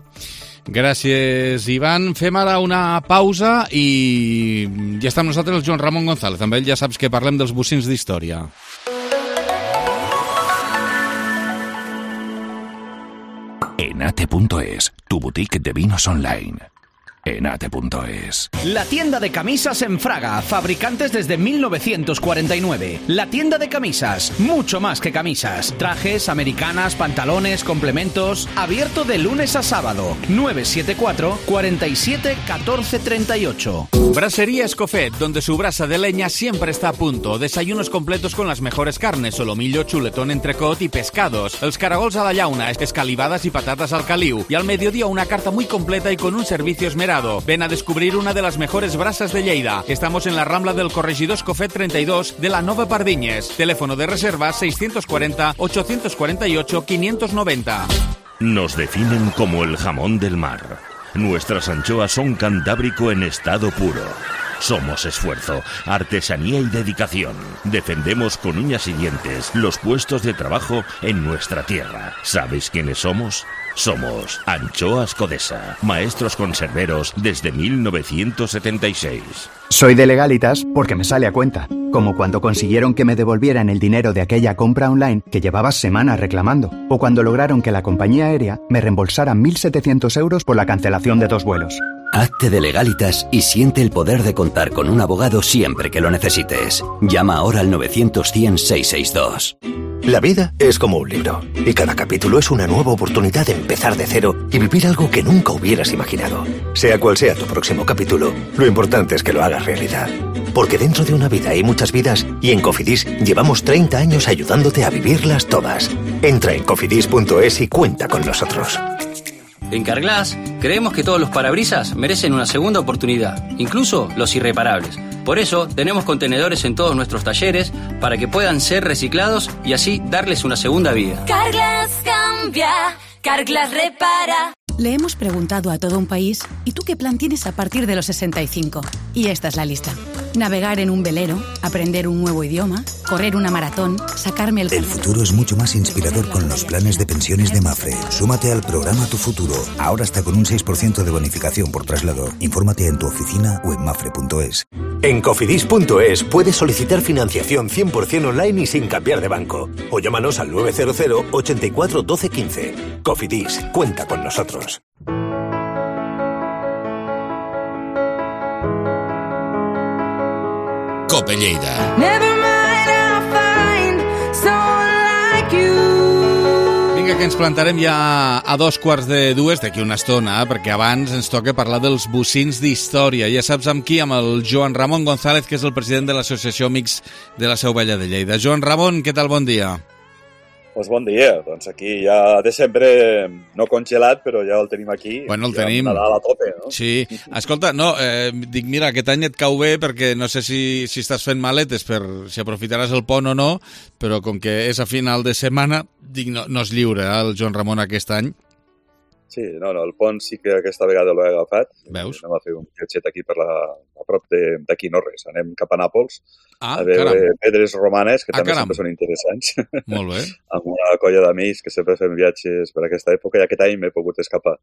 Gràcies, Ivan. Fem ara una pausa i ja està amb nosaltres el Joan Ramon González. Amb ell ja saps que parlem dels bocins d'història. Enate punto es, tu boutique de vinos online. en ate punto es. La tienda de camisas en Fraga, fabricantes desde mil novecientos cuarenta y nueve. La tienda de camisas, mucho más que camisas. Trajes, americanas, pantalones, complementos. Abierto de lunes a sábado. nueve siete cuatro, cuarenta y siete, catorce treinta y ocho. Brasería Escofet, donde su brasa de leña siempre está a punto. Desayunos completos con las mejores carnes, solomillo, chuletón, entrecot y pescados. Els caragols a la llauna, escalivadas y patatas al caliu. Y al mediodía una carta muy completa y con un servicio esmerado. Ven a descubrir una de las mejores brasas de Lleida. Estamos en la Rambla del Corregidor Escofet treinta y dos de la Nova Pardiñes. Teléfono de reserva seiscientos cuarenta, ochocientos cuarenta y ocho, quinientos noventa. Nos definen como el jamón del mar. Nuestras anchoas son cantábrico en estado puro. Somos esfuerzo, artesanía y dedicación. Defendemos con uñas y dientes los puestos de trabajo en nuestra tierra. ¿Sabes quiénes somos? Somos Anchoas Codesa, maestros conserveros desde mil novecientos setenta y seis. Soy de Legalitas porque me sale a cuenta, como cuando consiguieron que me devolvieran el dinero de aquella compra online que llevaba semanas reclamando, o cuando lograron que la compañía aérea me reembolsara mil setecientos euros por la cancelación de dos vuelos. Hazte de Legalitas y siente el poder de contar con un abogado siempre que lo necesites. Llama ahora al novecientos cien, seiscientos sesenta y dos. La vida es como un libro, y cada capítulo es una nueva oportunidad de empezar de cero y vivir algo que nunca hubieras imaginado. Sea cual sea tu próximo capítulo, lo importante es que lo hagas realidad. Porque dentro de una vida hay muchas vidas, y en Cofidis llevamos treinta años ayudándote a vivirlas todas. Entra en cofidis punto es y cuenta con nosotros. En Carglass creemos que todos los parabrisas merecen una segunda oportunidad, incluso los irreparables. Por eso tenemos contenedores en todos nuestros talleres para que puedan ser reciclados y así darles una segunda vida. Carglass cambia, Carglass repara. Le hemos preguntado a todo un país, ¿y tú qué plan tienes a partir de los sesenta y cinco? Y esta es la lista. Navegar en un velero, aprender un nuevo idioma, correr una maratón, sacarme el... El futuro es mucho más inspirador con los planes de pensiones de Mafre. Súmate al programa Tu Futuro. Ahora hasta con un seis por ciento de bonificación por traslado. Infórmate en tu oficina o en mafre punto es. En cofidis punto es puedes solicitar financiación cien por ciento online y sin cambiar de banco. O llámanos al nueve cero cero, ochenta y cuatro, doce, quince. Cofidis, cuenta con nosotros. Cope Lleida. Vinga, que ens plantarem ja a dos quarts de dues d'aquí una estona, perquè abans ens toca parlar dels bocins d'història. Ja saps amb qui? Amb el Joan Ramon González, que és el president de l'Associació Amics de la Seu Vella de Lleida. Joan Ramon, què tal? Bon dia. Pues bon dia, doncs aquí ja de sempre no congelat, però ja el tenim aquí. Bueno, el tenim. Nadal a tope, no? Sí. Escolta, no, eh, dic, mira, aquest any et cau bé perquè no sé si, si estàs fent maletes per si aprofitaràs el pont o no, però com que és a final de setmana, dic, no, no és lliure, eh, el Joan Ramon aquest any. Sí, no, no, el pont sí que aquesta vegada l'he agafat. Veus? Anem a fer un viatget aquí per la, a prop d'aquí no res. Anem cap a Nàpols ah, a veure caram. pedres romanes, que ah, també caram. sempre són interessants. Molt bé. Amb una colla d'amics que sempre fem viatges per aquesta època i aquest any m'he pogut escapar.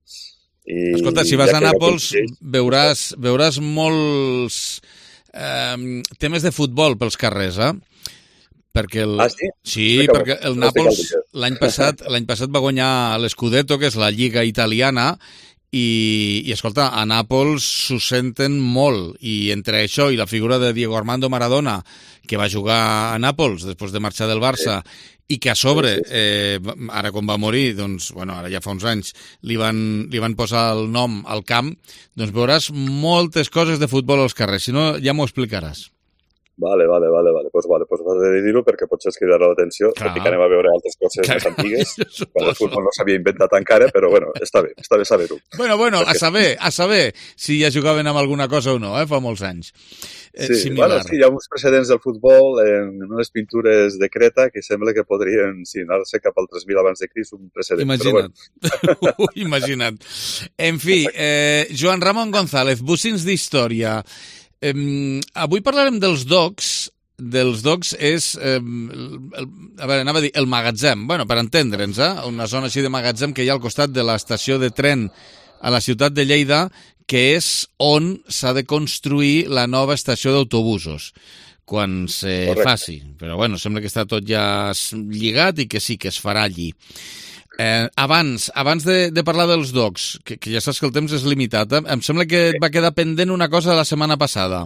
I Escolta, si vas ja a Nàpols ja veuràs, veuràs molts eh, temes de futbol pels carrers, eh? Perquè el... Ah, sí? Sí, Explica-m'ho. perquè el No estic al Nàpols dia. l'any passat l'any passat va guanyar l'Scudetto, que és la lliga italiana, i, i escolta, a Nàpols s'ho senten molt, i entre això i la figura de Diego Armando Maradona, que va jugar a Nàpols després de marxar del Barça, sí. i que a sobre, eh, ara quan va morir, doncs, bueno, ara ja fa uns anys, li van, li van posar el nom al camp, doncs veuràs moltes coses de futbol als carrers, si no ja m'ho explicaràs. Vale, vale, vale, vale. Pues vale, pues vas a dir-ho perquè potser es cridarà l'atenció, tot i que anem a veure altres coses Clar. més antigues, quan el futbol no s'havia inventat encara, però bueno, està bé, està bé saber-ho. Bueno, bueno, perquè... a saber, a saber si ja jugaven amb alguna cosa o no, eh, fa molts anys. Eh, sí, similar. bueno, sí, hi ha uns precedents del futbol en unes pintures de Creta que sembla que podrien, sí, anar-se cap al tres mil abans de Crist, un precedent. Imagina't. Però bueno. Imagina't. En fi, eh, Joan Ramon González, bocins d'història. Eh, avui parlarem dels docks. Dels docks és, eh, el, a veure, anava a dir, el magatzem. Bueno, per entendre'ns, eh? Una zona així de magatzem que hi ha al costat de l'estació de tren a la ciutat de Lleida, que és on s'ha de construir la nova estació d'autobusos quan se Correcte. faci. Però bueno, sembla que està tot ja lligat i que sí que es farà allí. Eh, abans abans de, de parlar dels docs, que, que ja saps que el temps és limitat, eh? Em sembla que et va quedar pendent una cosa la setmana passada.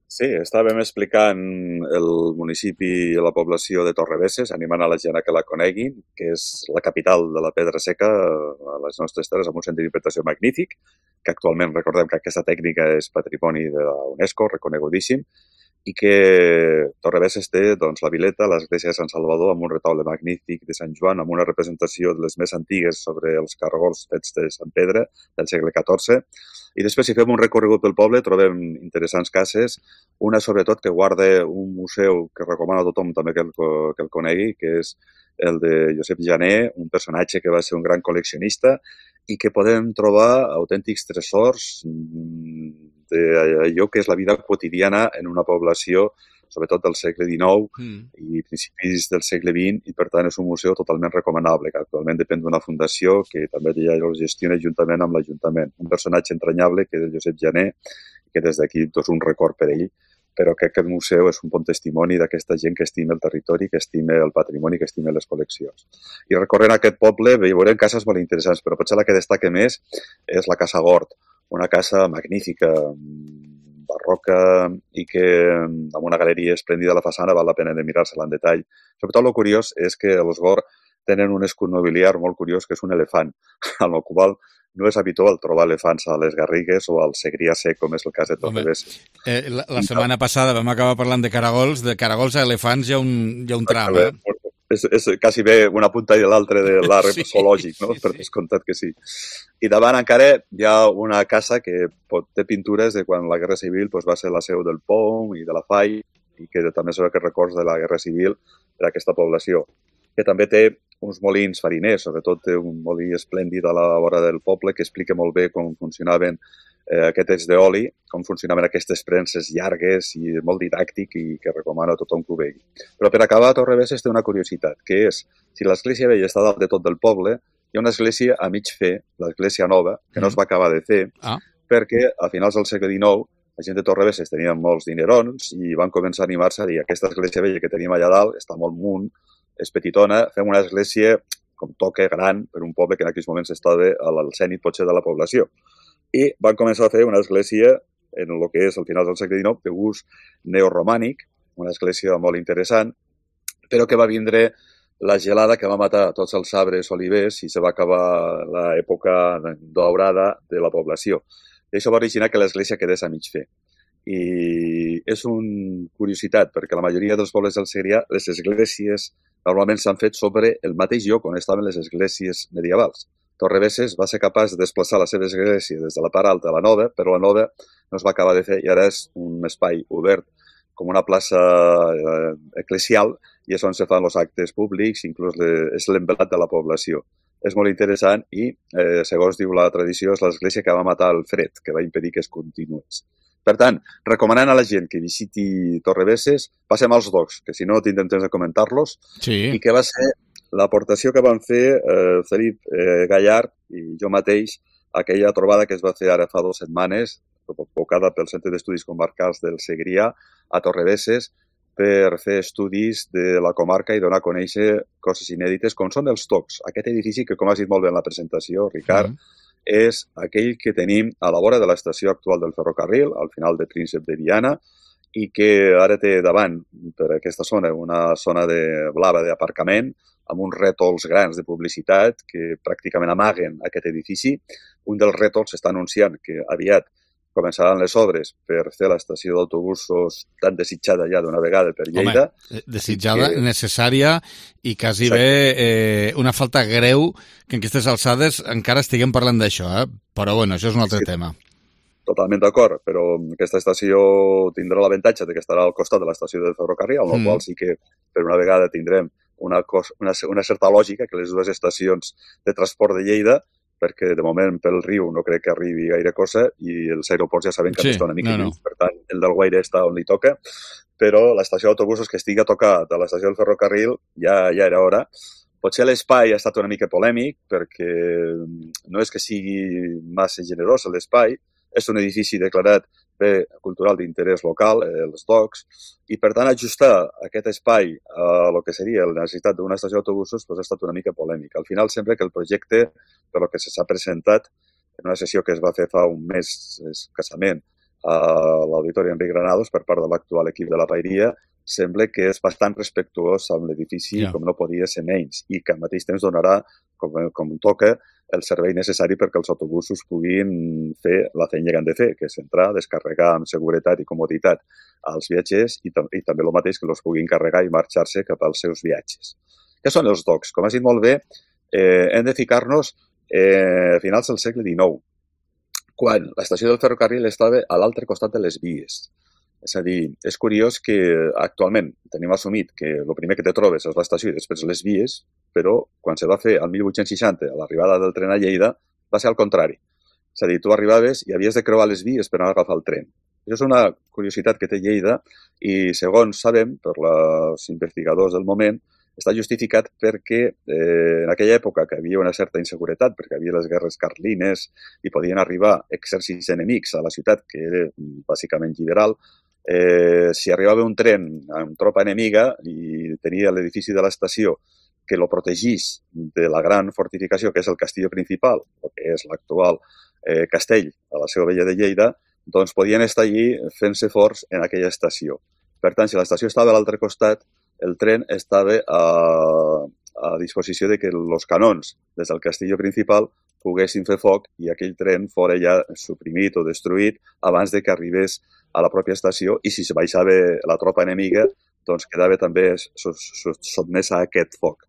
Sí, estàvem explicant el municipi i la població de Torrebesses, animant a la gent a que la coneguin, que és la capital de la pedra seca a les nostres terres, amb un centre d'interpretació magnífic, que actualment recordem que aquesta tècnica és patrimoni de la UNESCO, reconegudíssim, i que Torrebesses té doncs, la Vileta, l'església de Sant Salvador, amb un retaule magnífic de Sant Joan, amb una representació de les més antigues sobre els caragols fets de Sant Pedre del segle catorze. I després, si fem un recorregut pel poble, trobem interessants cases, una sobretot que guarda un museu que recomano a tothom també que el, que el conegui, que és el de Josep Jané, un personatge que va ser un gran col·leccionista i que podem trobar autèntics tresors d'allò que és la vida quotidiana en una població, sobretot del segle dinou mm. i principis del segle vint, i per tant és un museu totalment recomanable, que actualment depèn d'una fundació que també ja el gestiona juntament amb l'Ajuntament. Un personatge entranyable que és el Josep Jané, que des d'aquí doncs, un record per ell, però crec que el museu és un bon testimoni d'aquesta gent que estima el territori, que estima el patrimoni, que estima les col·leccions. I recorrent aquest poble veurem cases molt interessants, però potser la que destaca més és la Casa Gort, una casa magnífica, barroca i que amb una galeria esplèndida a la façana val la pena de mirar-se-la en detall. Sobretot el curiós és que els Gort tenen un escut nobiliar molt curiós que és un elefant, amb el qual no és habitual trobar elefants a les Garrigues o al Segrià Sec, com és el cas de Torrebesses. Eh, la, la setmana passada vam acabar parlant de caragols, de caragols a elefants hi ha un, hi ha un tram, eh? És, és quasi bé una punta i l'altra de l'arbre sí, zoològic, no? Sí, per descomptat que sí. I davant encara hi ha una casa que pot, té pintures de quan la Guerra Civil doncs, va ser la seu del P O M i de la F A I, i que també són aquests records de la Guerra Civil per a aquesta població, que també té uns molins fariners, sobretot té un molí esplèndid a la vora del poble que explica molt bé com funcionaven eh, aquests d'oli, com funcionaven aquestes premses llargues i molt didàctic i que recomano a tothom que ho vegi. Però per acabar, Torrebesses té una curiositat, que és, si l'església vella està dalt de tot del poble, hi ha una església a mig fer, l'església nova, que no es va acabar de fer, ah. perquè a finals del segle dinou la gent de Torrebesses tenia molts dinerons i van començar a animar-se a dir aquesta església vella que tenim allà dalt està molt munt, és petitona, fem una església com toca, gran, per un poble que en aquells moments estava al cènit potser de la població. I van començar a fer una església en el que és el final del segle dinou de gust neoromànic, una església molt interessant, però que va vindre la gelada que va matar tots els arbres olivers i se va acabar l'època daurada de la població. I això va originar que l'església quedés a mig fer. I és una curiositat, perquè la majoria dels pobles del Segrià, les esglésies normalment s'han fet sobre el mateix lloc on estaven les esglésies medievals. Torrebesses va ser capaç de desplaçar la seva església des de la part alta a la nova, però la nova no es va acabar de fer i ara és un espai obert com una plaça eh, eclesial i és on se fan els actes públics, inclús le, és l'embelat de la població. És molt interessant i, eh, segons diu la tradició, és l'església que va matar el fred, que va impedir que es continués. Per tant, recomanant a la gent que visiti Torrebesses, passem als docs, que si no tindrem temps de comentar-los, sí. I que va ser l'aportació que van fer eh, Felip eh, Gallard i jo mateix aquella trobada que es va fer ara fa dues setmanes, convocada pel Centre d'Estudis Comarcals del Segrià a Torrebesses, per fer estudis de la comarca i donar a conèixer coses inèdites, com són els tocs. Aquest edifici, que com has dit molt bé en la presentació, Ricard, mm. és aquell que tenim a la vora de l'estació actual del ferrocarril, al final de Príncep de Viana, i que ara té davant, per aquesta zona, una zona de blava d'aparcament, amb uns rètols grans de publicitat que pràcticament amaguen aquest edifici. Un dels rètols està anunciant que aviat començaran les obres per fer l'estació d'autobusos tan desitjada ja d'una vegada per Lleida. Home, desitjada, que... necessària i quasi Exacte. bé eh, una falta greu que en aquestes alçades encara estiguem parlant d'això, eh? Però bueno, això és un altre sí. tema. Totalment d'acord, però aquesta estació tindrà l'avantatge de que estarà al costat de l'estació del ferrocarril, amb mm. la qual sí que per una vegada tindrem una, cos, una, una certa lògica que les dues estacions de transport de Lleida, perquè de moment pel riu no crec que arribi gaire cosa i els aeroports ja saben que sí, està una mica no, no. Per tant el del Guaire està on li toca, però l'estació d'autobusos que estigui a tocar de l'estació del ferrocarril ja, ja era hora. Potser l'espai ha estat una mica polèmic perquè no és que sigui massa generós l'espai, és un edifici declarat bé cultural d'interès local, eh, els docks, i per tant ajustar aquest espai a el que seria la necessitat d'una estació d'autobusos pues, ha estat una mica polèmic. Al final sembla que el projecte, per lo que s'ha presentat en una sessió que es va fer fa un mes escassament a l'Auditori Enric Granados per part de l'actual equip de la Pairia, sembla que és bastant respectuós amb l'edifici, yeah. com no podia ser menys, i que al mateix temps donarà, com, com toca, el servei necessari perquè els autobusos puguin fer la feina que han de fer, que és entrar, descarregar amb seguretat i comoditat als viatgers i, i també el mateix que els puguin carregar i marxar-se cap als seus viatges. Què són els docks? Com has dit molt bé, eh, hem de ficar-nos eh, a finals del segle dinou, quan l'estació del ferrocarril estava a l'altre costat de les vies. És a dir, és curiós que actualment tenim assumit que el primer que te trobes és l'estació i després les vies, però quan se va fer el mil vuit-cents seixanta, a l'arribada del tren a Lleida, va ser al contrari. És a dir, tu arribaves i havies de creuar les vies per anar a agafar el tren. Això és una curiositat que té Lleida i, segons sabem, per els investigadors del moment, està justificat perquè eh, en aquella època que havia una certa inseguretat, perquè havia les guerres carlines i podien arribar exèrcits enemics a la ciutat, que era bàsicament liberal, eh, si arribava un tren amb tropa enemiga i tenia l'edifici de l'estació que lo protegís de la gran fortificació que és el castillo principal, o que és l'actual eh, castell a la Seu Vella de Lleida, doncs podien estar allí fent-se forts en aquella estació. Per tant, si l'estació estava a l'altre costat, el tren estava a, a disposició de que els canons des del castillo principal poguessin fer foc i aquell tren fora ja suprimit o destruït abans de que arribés a la pròpia estació i si se baixava la tropa enemiga doncs quedava també sotmesa a aquest foc.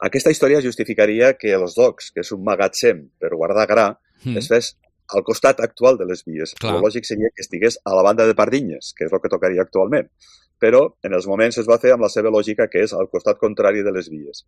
Aquesta història justificaria que els docks, que és un magatzem per guardar gra, mm. es fes al costat actual de les vies. Clar. El lògic seria que estigués a la banda de Pardinyes, que és el que tocaria actualment. Però en els moments es va fer amb la seva lògica, que és al costat contrari de les vies.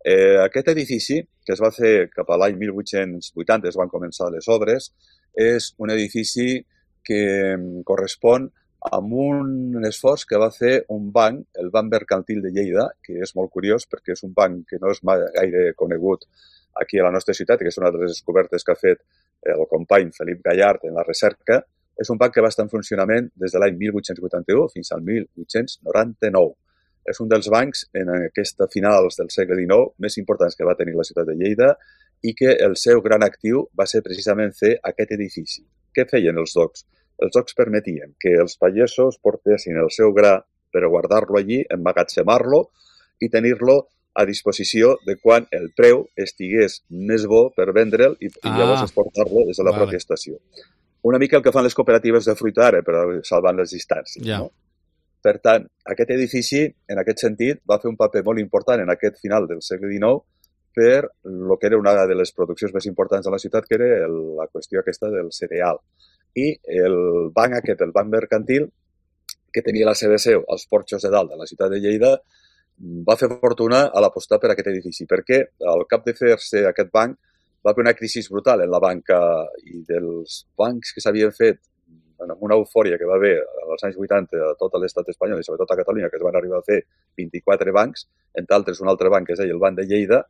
Eh, aquest edifici, que es va fer cap a l'any mil vuit-cents vuitanta, es van començar les obres, és un edifici que correspon amb un esforç que va fer un banc, el Banc Mercantil de Lleida, que és molt curiós perquè és un banc que no és gaire conegut aquí a la nostra ciutat, que és una de les descobertes que ha fet el company Felip Gallard en la recerca. És un banc que va estar en funcionament des de l'any mil vuit-cents vuitanta-u fins al mil vuit-cents noranta-nou. És un dels bancs en aquesta finals del segle dinou més importants que va tenir la ciutat de Lleida i que el seu gran actiu va ser precisament fer aquest edifici. Què feien els docks? Els docks permetien que els pagesos portessin el seu gra per guardar-lo allí, emmagatzemar-lo i tenir-lo a disposició de quan el preu estigués més bo per vendre'l i, ah, i llavors exportar-lo des de la vale. pròpia estació. Una mica el que fan les cooperatives de fruita ara, però salvant les distàncies. Yeah. No? Per tant, aquest edifici, en aquest sentit, va fer un paper molt important en aquest final del segle dinou per el que era una de les produccions més importants de la ciutat, que era el, la qüestió aquesta del cereal. I el banc aquest, el banc mercantil, que tenia la seva seu als porxos de dalt de la ciutat de Lleida, va fer fortuna a l'apostar per aquest edifici, perquè al cap de fer-se aquest banc va haver una crisi brutal en la banca i dels bancs que s'havien fet amb una eufòria que va haver als anys vuitanta a tot l'estat espanyol i sobretot a Catalunya, que es van arribar a fer vint-i-quatre bancs, entre altres un altre banc que es deia el Banc de Lleida.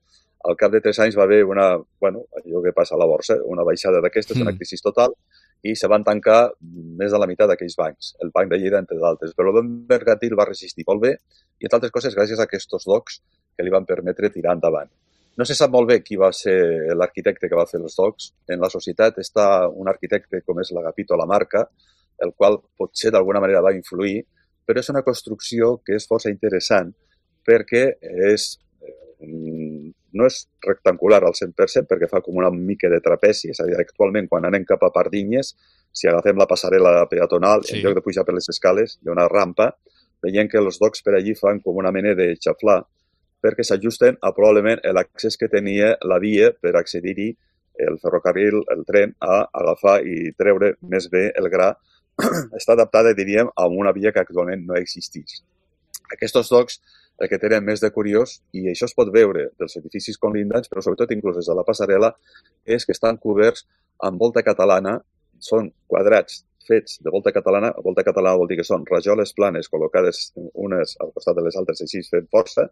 Al cap de tres anys va haver una, bueno, allò que passa a la borsa, una baixada d'aquestes, mm. una crisi total, i se van tancar més de la meitat d'aquells bancs, el Banc de Lleida entre d'altres. Però el Banc Mercantil va resistir molt bé i, entre altres coses, gràcies a aquests docks que li van permetre tirar endavant. No se sap molt bé qui va ser l'arquitecte que va fer els docks. En la societat està un arquitecte com és l'Agapito Lamarca, el qual potser d'alguna manera va influir, però és una construcció que és força interessant perquè és, no és rectangular al cent per cent perquè fa com una mica de trapezi. És a dir, actualment quan anem cap a Pardinyes, si agafem la passarel·la peatonal, sí. en lloc de pujar per les escales, hi ha una rampa, veiem que els docks per allí fan com una mena de xaflà perquè s'ajusten a probablement l'accés que tenia la via per accedir-hi el ferrocarril, el tren, a agafar i treure més bé el gra. Està adaptada, diríem, a una via que actualment no existís. Aquests docks, el que tenen més de curiós, i això es pot veure dels edificis conlindants, però sobretot inclús des de la passarel·la, és que estan coberts amb volta catalana, són quadrats fets de volta catalana. Volta catalana vol dir que són rajoles planes col·locades unes al costat de les altres així fent força,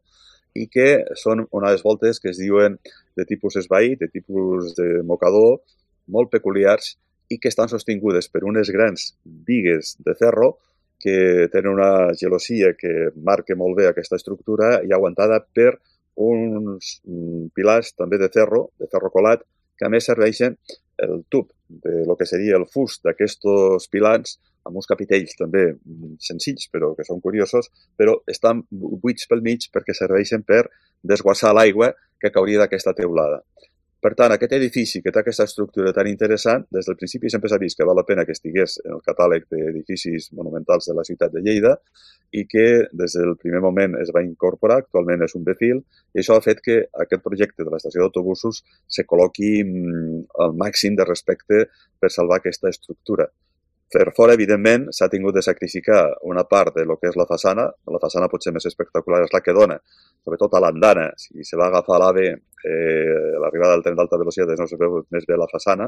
i que són unes voltes que es diuen de tipus esvaït, de tipus de mocador, molt peculiars i que estan sostingudes per unes grans bigues de ferro que tenen una gelosia que marca molt bé aquesta estructura i aguantada per uns pilars també de ferro, de ferro colat, que a més serveixen el tub de lo que seria el fust d'aquests pilars amb uns capitells també senzills, però que són curiosos, però estan buits pel mig perquè serveixen per desguassar l'aigua que cauria d'aquesta teulada. Per tant, aquest edifici que té aquesta estructura tan interessant, des del principi sempre s'ha vist que val la pena que estigués en el catàleg d'edificis monumentals de la ciutat de Lleida i que des del primer moment es va incorporar, actualment és un B-Fil, i això ha fet que aquest projecte de l'estació d'autobusos se col·loqui al màxim de respecte per salvar aquesta estructura. Per fora, evidentment, s'ha tingut de sacrificar una part de lo que és la façana. La façana potser més espectacular és la que dona, sobretot a l'andana. Si se va agafar l'AVE, eh, l'arribada del tren d'alta velocitat no se veu més bé la façana,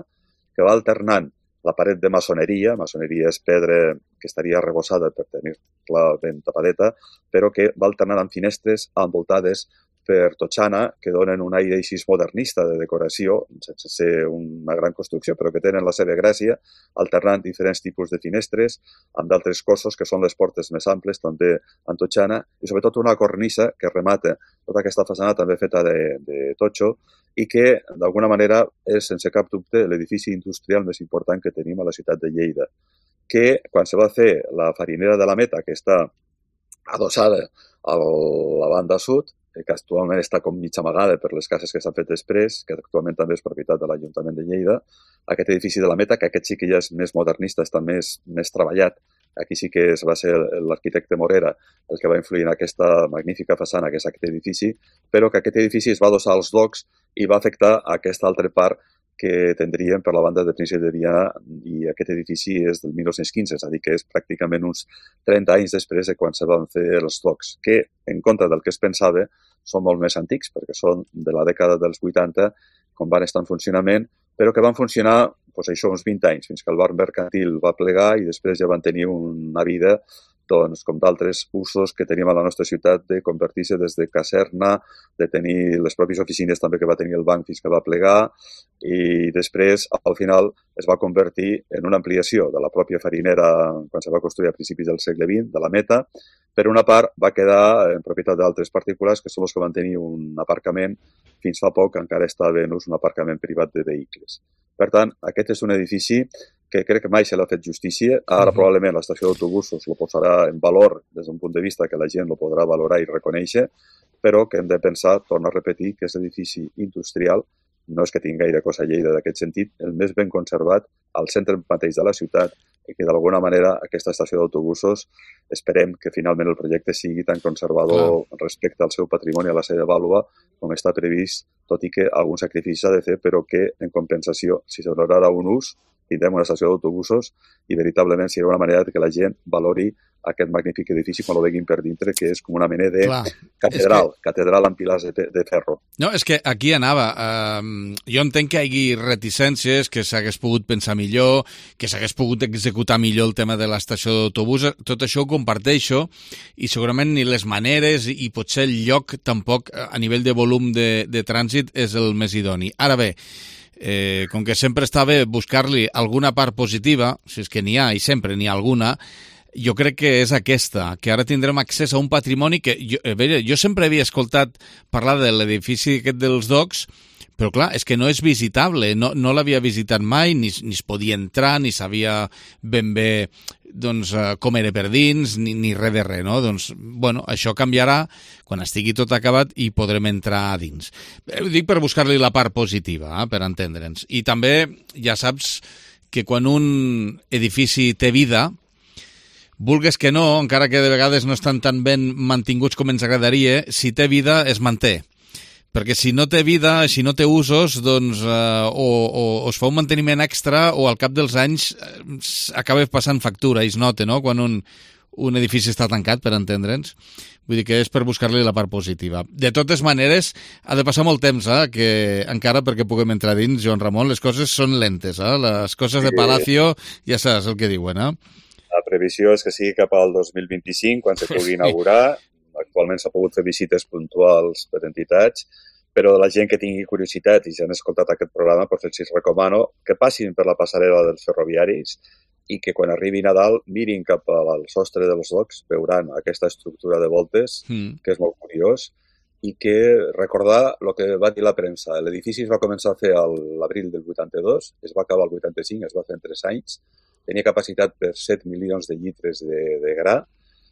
que va alternant la paret de maçoneria. Maçoneria és pedra que estaria arrebossada per tenir-la ben tapadeta, però que va alternant amb finestres envoltades per totxana, que donen un aire així modernista de decoració, sense ser una gran construcció, però que tenen la seva gràcia, alternant diferents tipus de finestres, amb d'altres cossos, que són les portes més amples, també en totxana, i sobretot una cornisa que remata tota aquesta façana també feta de, de totxo, i que, d'alguna manera, és, sense cap dubte, l'edifici industrial més important que tenim a la ciutat de Lleida, que, quan se va fer la farinera de la Meta, que està adossada a la banda sud, que actualment està com mig amagada per les cases que s'han fet després, que actualment també és propietat de l'Ajuntament de Lleida, aquest edifici de la Meta, que aquest sí que ja és més modernista, està més, més treballat. Aquí sí que es va ser l'arquitecte Morera el que va influir en aquesta magnífica façana, que és aquest edifici, però que aquest edifici es va adossar als docks i va afectar aquesta altra part que tindríem per la banda de Príncep de Viana, i aquest edifici és del mil nou-cents quinze, és a dir, que és pràcticament uns trenta anys després de quan se van fer els docks, que, en contra del que es pensava, són molt més antics, perquè són de la dècada dels vuitanta, quan van estar en funcionament, però que van funcionar doncs, això, uns vint anys, fins que el bar mercantil va plegar i després ja van tenir una vida doncs, com d'altres usos que tenim a la nostra ciutat, de convertir-se des de caserna, de tenir les pròpies oficines també que va tenir el banc fins que va plegar, i després, al final, es va convertir en una ampliació de la pròpia farinera quan se va construir a principis del segle vint, de la Meta. Per una part, va quedar en propietat d'altres particulars, que són els que van tenir un aparcament. Fins fa poc encara estava en ús un aparcament privat de vehicles. Per tant, aquest és un edifici que crec que mai se l'ha fet justícia. Ara, uh-huh. probablement, l'estació d'autobusos lo posarà en valor des d'un punt de vista que la gent lo podrà valorar i reconèixer, però que hem de pensar, torno a repetir, que és l'edifici industrial, no és que tingui gaire cosa a Lleida d'aquest sentit, el més ben conservat al centre mateix de la ciutat, i que d'alguna manera aquesta estació d'autobusos esperem que finalment el projecte sigui tan conservador Clar. respecte al seu patrimoni, a la seva vàlua, com està previst, tot i que algun sacrifici s'ha de fer, però que en compensació, si se donarà un ús, tindrem una estació d'autobusos i veritablement serà una manera que la gent valori aquest magnífic edifici quan ho veguin per dintre, que és com una mena de Clar, catedral, que... catedral amb pilars de, de ferro. No, és que aquí anava. Uh, jo entenc que hi hagi reticències, que s'hagués pogut pensar millor, que s'hagués pogut executar millor el tema de l'estació d'autobús. Tot això ho comparteixo, i segurament ni les maneres i potser el lloc tampoc a nivell de volum de, de trànsit és el més idoni. Ara bé, Eh, com que sempre està bé buscar-li alguna part positiva, si és que n'hi ha, i sempre n'hi ha alguna, jo crec que és aquesta, que ara tindrem accés a un patrimoni que jo, eh, bé, jo sempre havia escoltat parlar de l'edifici aquest dels docks, però clar, és que no és visitable, no, no l'havia visitat mai, ni, ni es podia entrar, ni sabia ben bé doncs, com era per dins, ni, ni res de res, no? Doncs, bueno, això canviarà quan estigui tot acabat i podrem entrar a dins. Ho dic per buscar-li la part positiva, eh, per entendre'ns. I també ja saps que quan un edifici té vida, vulgues que no, encara que de vegades no estan tan ben mantinguts com ens agradaria, si té vida es manté. Perquè si no té vida, si no té usos, doncs eh, o, o, o es fa un manteniment extra o al cap dels anys eh, acaba passant factura i es nota, no?, quan un, un edifici està tancat, per entendre'ns. Vull dir que és per buscar-li la part positiva. De totes maneres, ha de passar molt temps, eh, que encara perquè puguem entrar dins, Joan Ramon, les coses són lentes, eh? Les coses de Palacio ja saps el que diuen, eh? La previsió és que sigui cap al dos mil vint-i-cinc, quan se pugui inaugurar. Actualment s'ha pogut fer visites puntuals per entitats, però la gent que tingui curiositat i ja han escoltat aquest programa, doncs els recomano que passin per la passarel·la dels ferroviaris i que quan arribin a dalt mirin cap al sostre dels docks, veuran aquesta estructura de voltes, mm. que és molt curiós, i que recordar el que va dir la premsa. L'edifici es va començar a fer a l'abril del vuitanta-dos, es va acabar el vuitanta-cinc, es va fer en tres anys, tenia capacitat per set milions de litres de, de gra,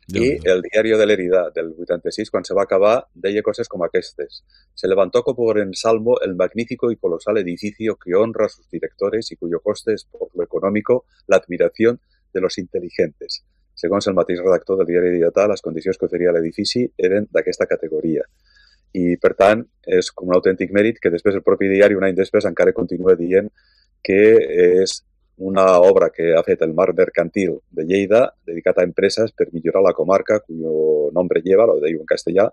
y el diario de Lérida del vuitanta-sis, cuando se va a acabar, deia cosas como aquestes. Se levantó como en salmo el magnífico y colosal edificio que honra a sus directores y cuyo coste es por lo económico la admiración de los inteligentes. Segons el mateix redactor del diari Lleidatà, les condicions que oferia l'edifici eren d'aquesta categoria. I, per tant, és com un autèntic mèrit que després el propi diari, un any després, encara continua dient que és una obra que ha fet el Mar Mercantil de Lleida, dedicat a empreses per millorar la comarca, cuyo nombre lleva, lo diu en castellà,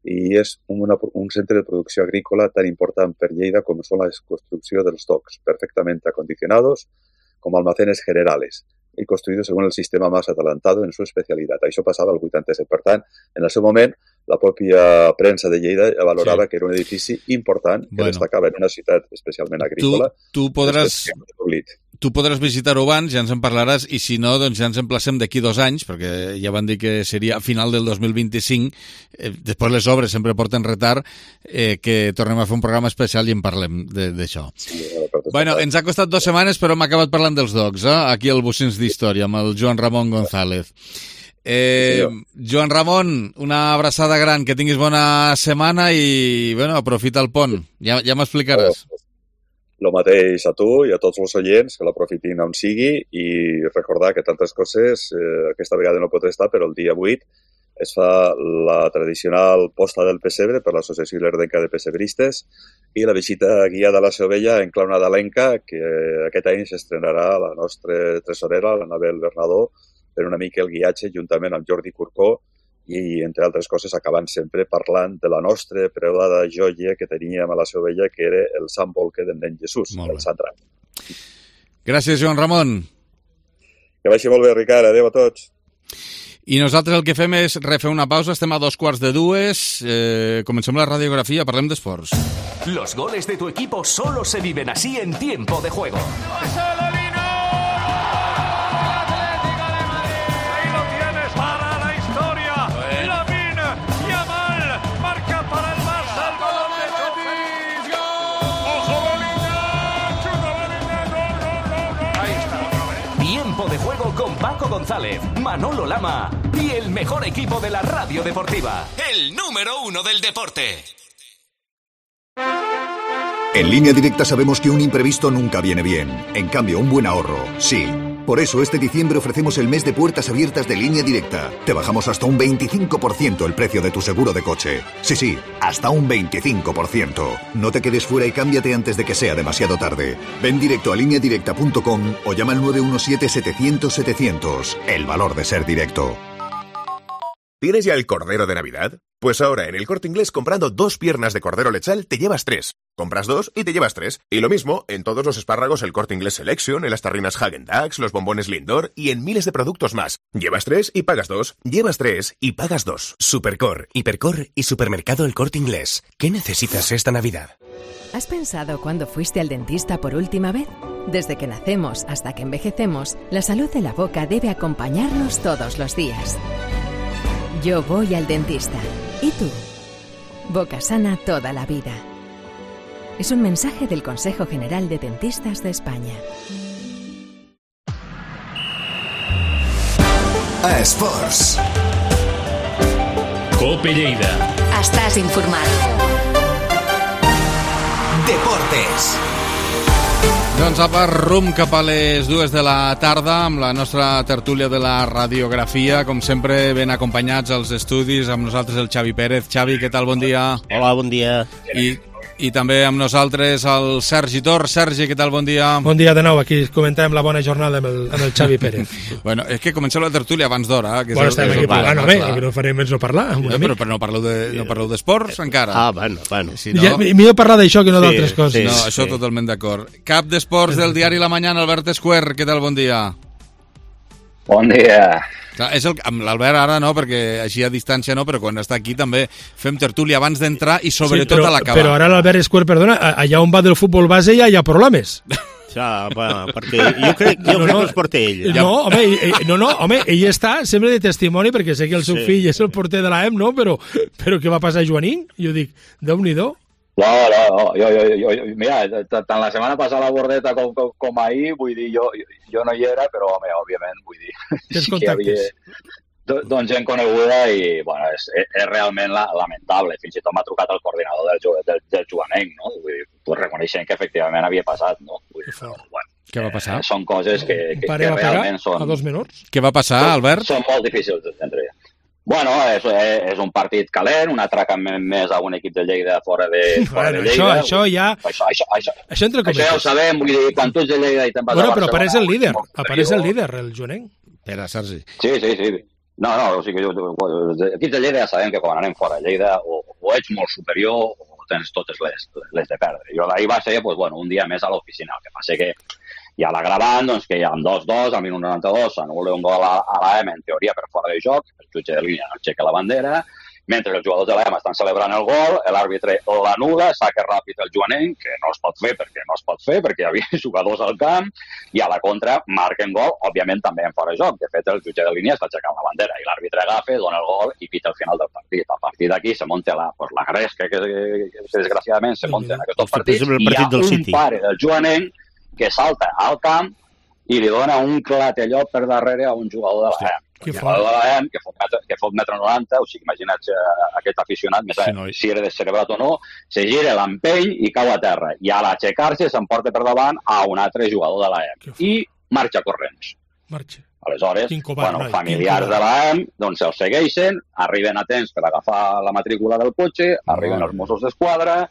i és una, un centre de producció agrícola tan important per Lleida com són la construcció dels docks, perfectament acondicionados com almacenes generales i construïdos según el sistema más adelantado en su especialidad. Això passava al vuitanta-set. Per tant, en el seu moment, la pròpia premsa de Lleida valorava sí. que era un edifici important que bueno. destacava en una ciutat especialment agrícola. Tu, tu podràs... Tu podràs visitar-ho abans, ja ens en parlaràs, i si no, doncs ja ens emplacem d'aquí dos anys, perquè ja van dir que seria a final del dos mil vint-i-cinc, eh, després les obres sempre porten retard, eh, que tornem a fer un programa especial i en parlem d'això. Sí, bueno, ens ha costat dues setmanes, però hem acabat parlant dels docs, eh? Aquí al Bocins d'Història, amb el Joan Ramon González. Eh, sí, Joan Ramon, una abraçada gran, que tinguis bona setmana i, bueno, aprofita el pont, ja, ja m'explicaràs. Oh. Lo mateix a tu i a tots els oients, que l'aprofitin on sigui i recordar que tantes coses, eh, aquesta vegada no pot estar, però el dia vuit es fa la tradicional posta del pessebre per l'Associació Ilerdenca de Pessebristes i la visita guiada a la Seovella en clau nadalenca, que aquest any s'estrenarà la nostra tresorera, l'Anabel Bernadó, per una mica el guiatge juntament amb Jordi Corcó i, entre altres coses, acabant sempre parlant de la nostra preuada joia que teníem a la Seovella, que era el Sant Bolque del nen Jesús, el Sant Ram. Gràcies, Joan Ramon. Que vagi molt bé, Ricard. Adéu a tots. I nosaltres el que fem és refer una pausa, estem a dos quarts de dues, eh, comencem la radiografia, parlem d'esports. Los goles de tu equipo solo se viven así en tiempo de juego. De juego con Paco González, Manolo Lama y el mejor equipo de la radio deportiva. El número uno del deporte. En Línea Directa sabemos que un imprevisto nunca viene bien. En cambio, un buen ahorro, sí. Por eso este diciembre ofrecemos el mes de puertas abiertas de Línea Directa. Te bajamos hasta un veinticinco por ciento el precio de tu seguro de coche. Sí, sí, hasta un veinticinco por ciento. No te quedes fuera y cámbiate antes de que sea demasiado tarde. Ven directo a línea directa punto com o llama al nueve uno siete setecientos setecientos. El valor de ser directo. ¿Tienes ya el cordero de Navidad? Pues ahora en el Corte Inglés, comprando dos piernas de cordero lechal te llevas tres. Compras dos y te llevas tres. Y lo mismo en todos los espárragos el Corte Inglés Selection, en las tarrinas Häagen-Dazs, los bombones Lindor y en miles de productos más. Llevas tres y pagas dos. Llevas tres y pagas dos. Supercor, Hipercor y Supermercado El Corte Inglés. ¿Qué necesitas esta Navidad? ¿Has pensado cuándo fuiste al dentista por última vez? Desde que nacemos hasta que envejecemos, la salud de la boca debe acompañarnos todos los días. Yo voy al dentista. ¿Y tú? Boca sana toda la vida. Es un mensaje del Consejo General de Dentistas de España. A Esports. Cope Lleida. Estàs informat. Deportes. Doncs apa, rum cap a les dues de la tarda amb la nostra tertúlia de la radiografia, com sempre ben acompanyats als estudis, amb nosaltres el Xavi Pérez. Xavi, què tal? Bon dia. Hola, bon dia. I, i també amb nosaltres el Sergi Tor. Sergi, què tal? Bon dia. Bon dia de nou, aquí comentem la bona jornada amb el, amb el Xavi Pérez. Bueno, és que comencem la tertúlia abans d'hora. Eh? Bueno, estem aquí parlant, home, que no farem més no parlar. Ja, però, però no parleu de, no parleu d'esports encara. Ah, bueno, bueno. Si no... Ja, millor parlar d'això que no sí, d'altres coses. Sí, no, això sí. Totalment d'acord. Cap d'esports del diari La Mañana, Albert Esquer, què tal? Bon dia. Bon dia. Clar, és el, amb l'Albert ara no, perquè així a distància no, però quan està aquí també fem tertúlia abans d'entrar i sobretot sí, però, a l'acabar. Però ara l'Albert Escuer, perdona, allà on va del futbol base ja hi ha problemes. Ja, bueno, perquè jo crec, jo no, crec no, que els porta ell. No, home, ell, no, no, home, ell està sempre de testimoni, perquè sé que el seu sí. fill és el porter de l'A E M, no? Però, però què va passar a Joanín? Jo dic, Déu-n'hi-do. No, no, no, jo, jo, jo, jo, mira, tant la setmana passada la Bordeta com, com, com ahir, vull dir, jo, jo no hi era, però, home, òbviament, vull dir, sí que hi havia doncs gent coneguda i, bueno, és, és realment la, lamentable. Fins i tot m'ha trucat el coordinador del, del, del Joanenc, no? Vull dir, pues reconeixent que efectivament havia passat, no? Vull dir, però, bueno, què va passar? Eh, són coses que, que, que realment són... a dos menors? Què va passar, Albert? Són molt difícils d'entendre. Bueno, és, és un partit calent, un atracament més a un equip de Lleida fora de, fora bueno, de Lleida. Això, això ja... Això, això, això, això, entre això ja ho sabem, vull dir, quan tu ets de Lleida i te'n vas bueno, a Barcelona... Bueno, però apareix el líder, apareix el líder, el Joanenc. Espera, Sergi. Sí, sí, sí. No, no, o sigui, jo, els equips de Lleida ja sabem que quan anem fora de Lleida o, o ets molt superior o tens totes les, les de perdre. Jo d'ahir va ser, pues, bueno, un dia més a l'oficina. El que passa que hi ha l'agravant, doncs, que hi ha un dos dos, al minut noranta-dos, s'anul·la un gol a, a l'A E M, en teoria, per fora de joc, el jutge de línia no aixeca la bandera, mentre els jugadors de l'A E M estan celebrant el gol, l'àrbitre l'anul·la, saca ràpid el Joanenc, que no es pot fer perquè no es pot fer, perquè hi havia jugadors al camp, i a la contra marquen gol, òbviament també en fora de joc. De fet, el jutge de línia està aixecant la bandera, i l'àrbitre agafa, dona el gol i pita al final del partit. A partir d'aquí se munta la, pues, la gresca que, que, que desgraciadament se munta en aquests partits, i hi ha un pare del Joanenc que salta al camp i li dona un clatellot per darrere a un jugador de l'A E M. Un jugador de l'A E M que fot, que fot metro noranta, o sigui, imagina't uh, aquest aficionat, més sí, no, si era descerebrat o no, se gira, l'empeny i cau a terra. I a l'aixecar-se s'emporta per davant a un altre jugador de l'A E M. I marxa corrents. Marxa. Aleshores, bueno, familiars de l'A E M doncs se'ls segueixen, arriben a temps per agafar la matrícula del cotxe, arriben els Mossos d'Esquadra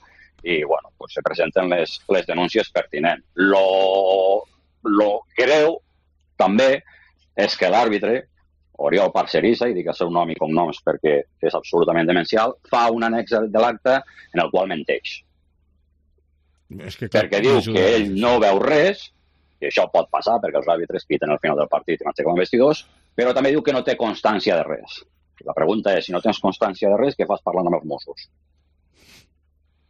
i, bueno, pues se presenten les, les denúncies pertinents. Lo, lo greu, també, és que l'àrbitre, Oriol Parcerisa, i dic el seu nom i cognoms perquè és absolutament demencial, fa un annex de l'acte en el qual menteix. És que, perquè diu que ell no veu res, i això pot passar perquè els àrbitres piten al final del partit i m'aixequen vestidors, però també diu que no té constància de res. La pregunta és, si no tens constància de res, què fas parlant amb els Mossos?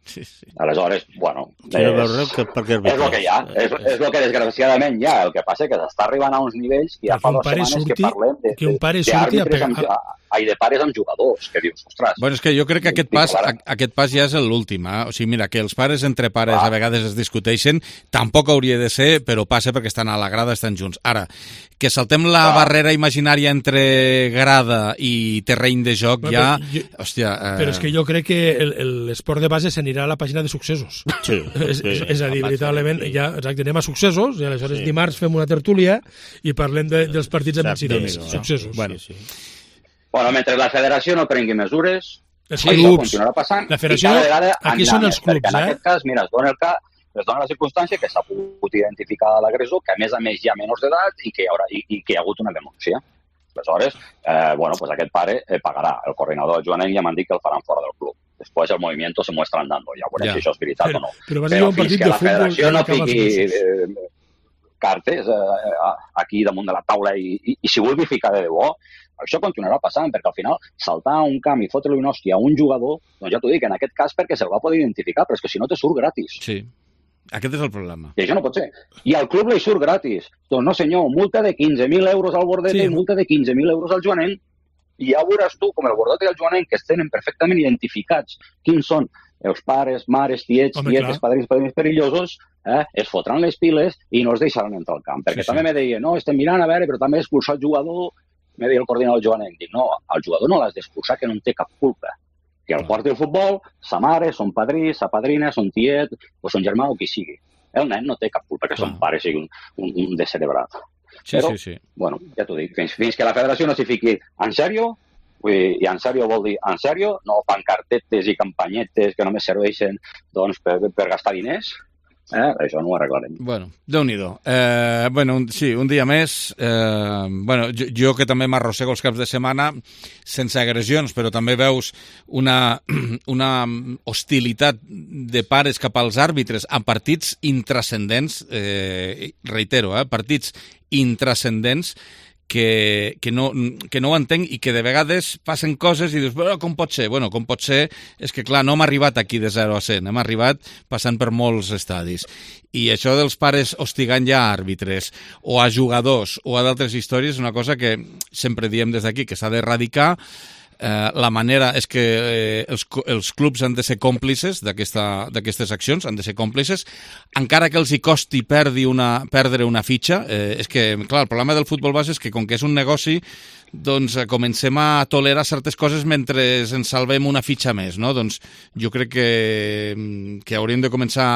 Sí, sí. Aleshores, bueno, és, sí, és, que és el que hi ha, és, és el que desgraciadament hi ha. El que passa és que s'està arribant a uns nivells que ja fa dues setmanes surti, que parlem de, que un pare surti a pegar... amb, ai, de pares amb jugadors, que dius, ostres... Bueno, és que jo crec que aquest pas, aquest pas ja és l'últim. Eh? O sigui, mira, que els pares entre pares ah. a vegades es discuteixen, tampoc hauria de ser, però passa perquè estan a la grada, estan junts. Ara, que saltem la ah. barrera imaginària entre grada i terreny de joc, bueno, ja... Jo, hòstia... Eh... Però és que jo crec que l'esport de base s'anirà a la pàgina de successos. Sí. és, és, és a dir, veritablement, sí. ja, exacte, anem a successos, i aleshores sí. dimarts fem una tertúlia i parlem de, dels partits amb incidents. Successos. Bueno, sí, sí. Bueno, mentre la federació no prengui mesures, sí, això clubs. continuarà passant. La federació, i cada aquí són els clubs, perquè en eh? aquest cas, mira, es dona, el cas, es dona la circumstància que s'ha pogut identificar l'agressor, que a més a més hi ha menors d'edat i, que hi haurà, i, i que hi ha hagut una denúncia. Aleshores, eh, bueno, pues aquest pare eh, pagarà. El coordinador Joanenc ja m'han dit que el faran fora del club. Després el movimiento se muestra andando. Ja veurem ja. si això és veritat però, o no. Però, però fins que la federació no fiqui eh, cartes eh, aquí damunt de la taula i, i, i si vulgui ficar de debò, això continuarà passant, perquè al final saltar a un camp i fotre-li una hòstia a un jugador, doncs ja t'ho dic, en aquest cas perquè se'l va poder identificar, però és que si no te surt gratis. Sí, aquest és el problema. I això no pot ser. I al club li surt gratis. Doncs no senyor, multa de quinze mil euros al Bordeta sí. i multa de quinze mil euros al Joanenc. I ja veuràs tu, com el Bordeta i el Joanenc, que es tenen perfectament identificats quins són els pares, mares, tiets, Home, tietes, clar. padrins, padrins perillosos, eh, es fotran les piles i no els deixaran entrar al camp. Perquè sí, també sí. me deia, no, estem mirant a veure, però també expulsar el jugador. Me deia el coordinador Joanenc, dic, no, el jugador no l'has d'expulsar, que no en té cap culpa. Que al porti el futbol, sa mare, son padrí, sa padrina, son tiet, o son germà o qui sigui. El nen no té cap culpa que son pare sigui un, un, un descerebrat. Sí, Però, sí, sí. bueno, ja t'ho dic, fins, fins que la federació no s'hi fiqui en sèrio, i en sèrio vol dir en sèrio, no pancartetes i campanyetes que només serveixen doncs, per, per gastar diners, Eh, això no ho arreglarem. Bueno, Déu-n'hi-do. Eh, bueno, un, sí, un dia més. Eh, bueno, jo, jo que també m'arrossego els caps de setmana sense agressions, però també veus una, una hostilitat de pares cap als àrbitres en partits intrascendents, eh, reitero, eh, partits intrascendents que, que, no, que no ho entenc i que de vegades passen coses i dius, bueno, com pot ser? Bueno, com pot ser és que, clar, no hem arribat aquí de zero a cent, hem arribat passant per molts estadis. I això dels pares hostigant ja a àrbitres o a jugadors o a d'altres històries és una cosa que sempre diem des d'aquí, que s'ha d'erradicar. Eh, la manera és que eh, els, els clubs han de ser còmplices d'aquestes accions, han de ser còmplices, encara que els hi costi perdi una, perdre una fitxa. Eh, és que, clar, el problema del futbol base és que com que és un negoci, doncs eh, comencem a tolerar certes coses mentre ens salvem una fitxa més, no? Doncs jo crec que, que hauríem de començar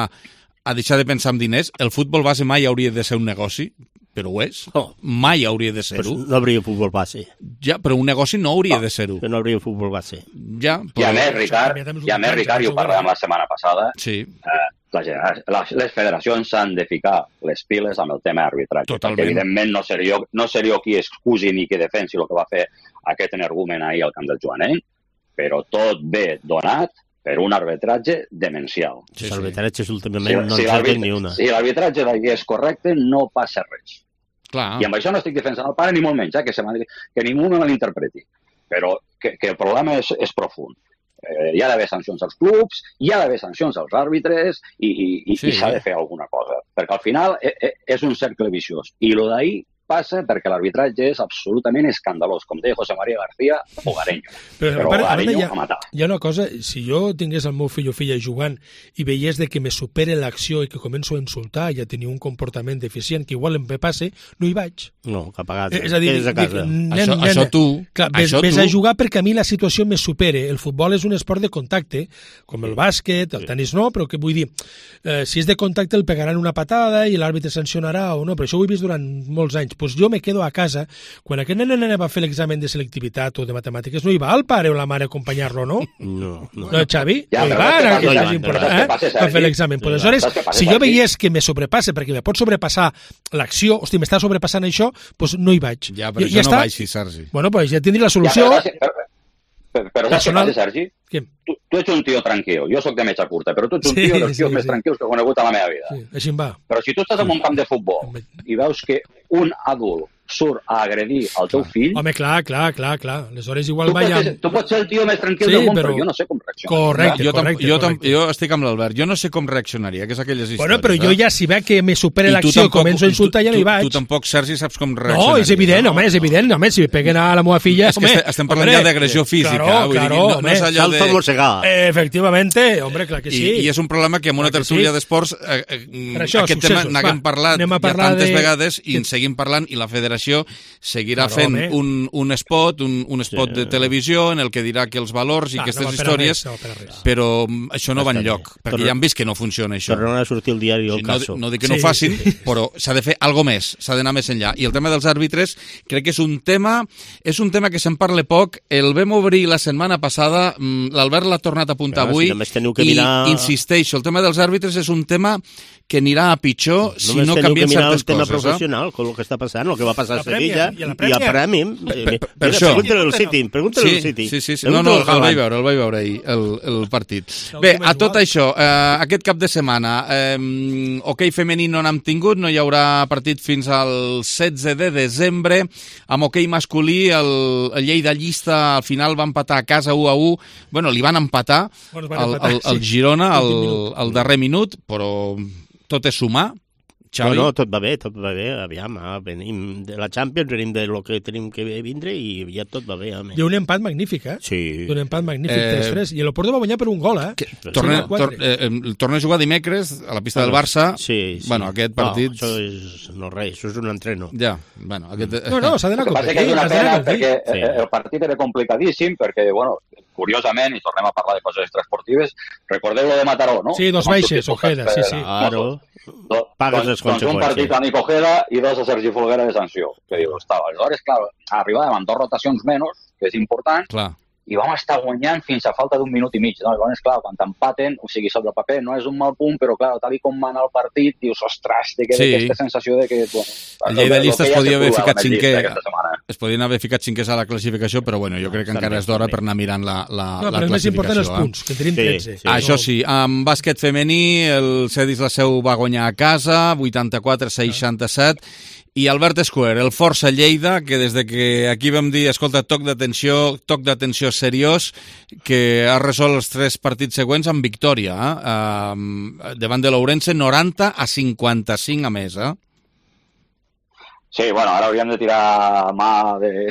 a deixar de pensar en diners. El futbol base mai hauria de ser un negoci, però ho és. Oh. Mai hauria de ser-ho. Però no hauria futbol base. Ja, però un negoci no hauria no. de ser-ho. No hauria futbol base. Ja, però... I a més, Ricard, i a més, Ricard, i ho parlàvem la setmana passada, sí. eh, la, la, les federacions s'han de ficar les piles amb el tema arbitratge. Totalment. Perquè, evidentment, no seré, jo, no seré jo qui excusi ni qui defensi el que va fer aquest energumen ahir al camp del Joanenc, però tot ve donat per un arbitratge demencial. Sí, sí. L'arbitratge últimament si, no si en ni una. Si l'arbitratge d'ahir és correcte, no passa res. Clar. I amb això no estic defensant el pare ni molt menys, eh, que, se que ningú me malinterpreti. Però que, que el problema és, és profund. Eh, hi ha d'haver sancions als clubs, hi ha d'haver sancions als àrbitres i, i, i, sí. i s'ha de fer alguna cosa. Perquè al final eh, eh, és un cercle viciós. I el d'ahir passa perquè l'arbitratge és absolutament escandalós, com deia José María García, hogareño. Però, però pare, hogareño a matar. Hi ha una cosa, si jo tingués el meu fill o filla jugant i veiés de que me supere l'acció i que començo a insultar i a tenir un comportament deficient que igual em passe, no hi vaig. No, cap a casa. És a dir, a casa. Dic, nen, això, nen, això tu... Clar, ves, això ves tu... a jugar perquè a mi la situació me supere. El futbol és un esport de contacte, com el bàsquet, el tenis no, però que vull dir, eh, si és de contacte el pegaran una patada i l'àrbitre sancionarà o no, però això ho he vist durant molts anys. Pues jo me quedo a casa, quan aquest nen nen va fer l'examen de selectivitat o de matemàtiques, no hi va el pare o la mare a acompanyar-lo, no? No, no. No, Xavi? Ja, no hi va, no, que no, és important, eh? Va fer l'examen. Pues aleshores, si jo veiés que me sobrepasse, perquè me pot sobrepassar l'acció, hosti, m'està sobrepassant això, doncs no hi vaig. Ja, però I, això ja no va així, Sergi. Bueno, doncs ja tindré la solució. Ja, però, però, però saps què passa, Sergi? Tu, tu ets un tio tranquil, jo sóc de metxa curta, però tu ets un sí, tio dels tios sí, més sí. tranquils que he conegut a la meva vida. Sí, així em va. Però si tu estàs en un camp de futbol i veus que un adult surt a agredir el teu fill... Home, clar, clar, clar, clar. Aleshores igual tu, vaya... pots, tu pots ser el tio més tranquil sí, del món, però... però jo no sé com reaccionar. Correcte, jo, correcte, jo, correcte. Jo estic amb l'Albert. Jo no sé com reaccionaria, que és aquelles històries. Bueno, però jo ja, si veig que me supera l'acció i començo a insultar, ja no hi vaig. Tu tampoc, Sergi, saps com reaccionaria. No, és evident, no, home, és evident. Home, si peguen a la meva filla... És que home, estem parlant ja d'agressió física. Claro, vull claro, dir, no, home. No és allò Salta de... mossegar. Eh, efectivamente, hombre, clar que sí. I, I és un problema que en una tertúlia sí. d'esports eh, eh, això, aquest tema n'haguem parlat ja tantes de... vegades i en seguim parlant i la federació seguirà claro, fent home. un, un spot, un, un spot sí. de televisió en el que dirà que els valors i ah, aquestes no històries, res, no però això no va enlloc, perquè Torna... ja han vist que no funciona això. Tornaran a sortir el diari el no, caso. No dic que no ho facin, sí, sí. però s'ha de fer algo més, s'ha d'anar més enllà. I el tema dels àrbitres crec que és un tema és un tema que se'n parla poc. El vam obrir la setmana passada, l'Albert l'ha tornat a apuntar però, avui si que mirar... i insisteixo, el tema dels àrbitres és un tema que anirà a pitjor si no canvien certes coses. Només teniu que mirar el tema professional, eh? Con el que està passant, el que va passar a Sevilla i a Premi. Per, per, per això. Pregúntale al City, pregúntale sí, al City. Sí, sí, sí. No, no, el vaig veure, el vaig veure ahir, el, el partit. Bé, a tot això, eh, aquest cap de setmana, eh, hoquei femení no n'hem tingut, no hi haurà partit fins al setze de desembre. Amb hoquei masculí, el, el Lleida Llista al final va empatar a casa u a u. Bueno, li van empatar al el, el Girona al, al darrer minut, però tot és sumar. Xavi? No, no, tot va bé, tot va bé, aviam, ah, venim de la Champions, venim de lo que tenim que vindre i ja tot va bé. Home. Hi ha un empat magnífic, eh? Sí. Un empat magnífic, eh... tres tres, i l'Oporto va guanyar per un gol, eh? Que, torna, tor, eh, torna a jugar dimecres a la pista bueno, del Barça. Sí, sí. Bueno, aquest partit... No, això és, no res, això és un entreno. Ja, bueno, aquest... No, no, s'ha d'anar a competir. Que és una pena perquè sí. el partit era complicadíssim, perquè, bueno, curiosament, i tornem a parlar de coses extraesportives, recordeu lo de Mataró, no? Sí, dos baixes, Ojeda, sí, sí. Claro. Do, pagues les conseqüències. Doncs un partit a Nico Ojeda i dos a Sergi Folguera de sanció. Que diu, estava. Aleshores, clar, arribàvem amb dos rotacions menys, que és important, clar. I vam estar guanyant fins a falta d'un minut i mig. No? Llavors, clar, quan t'empaten, o sigui, sobre el paper no és un mal punt, però, clar, tal com va anar el partit, dius, ostres, te queda sí. aquesta sensació de que... Bueno, el Lleida Llista es podia haver ficat cinquè Es podien haver ficat cinquers a la classificació, però bueno, jo crec que encara és d'hora per anar mirant la, la, no, la classificació. Però és més important els punts, que tenim tretze. Sí, sí. Això sí, amb bàsquet femení, el Cedis la Seu va guanyar a casa, vuitanta-quatre a seixanta-set, i Albert Escuer, el Força Lleida, que des de que aquí vam dir, escolta, toc d'atenció, toc d'atenció seriós, que ha resolt els tres partits següents amb victòria, eh? Uh, davant de l'Ourense, noranta a cinquanta-cinc a més, eh? Sí, bueno, ara hauríem de tirar mà de,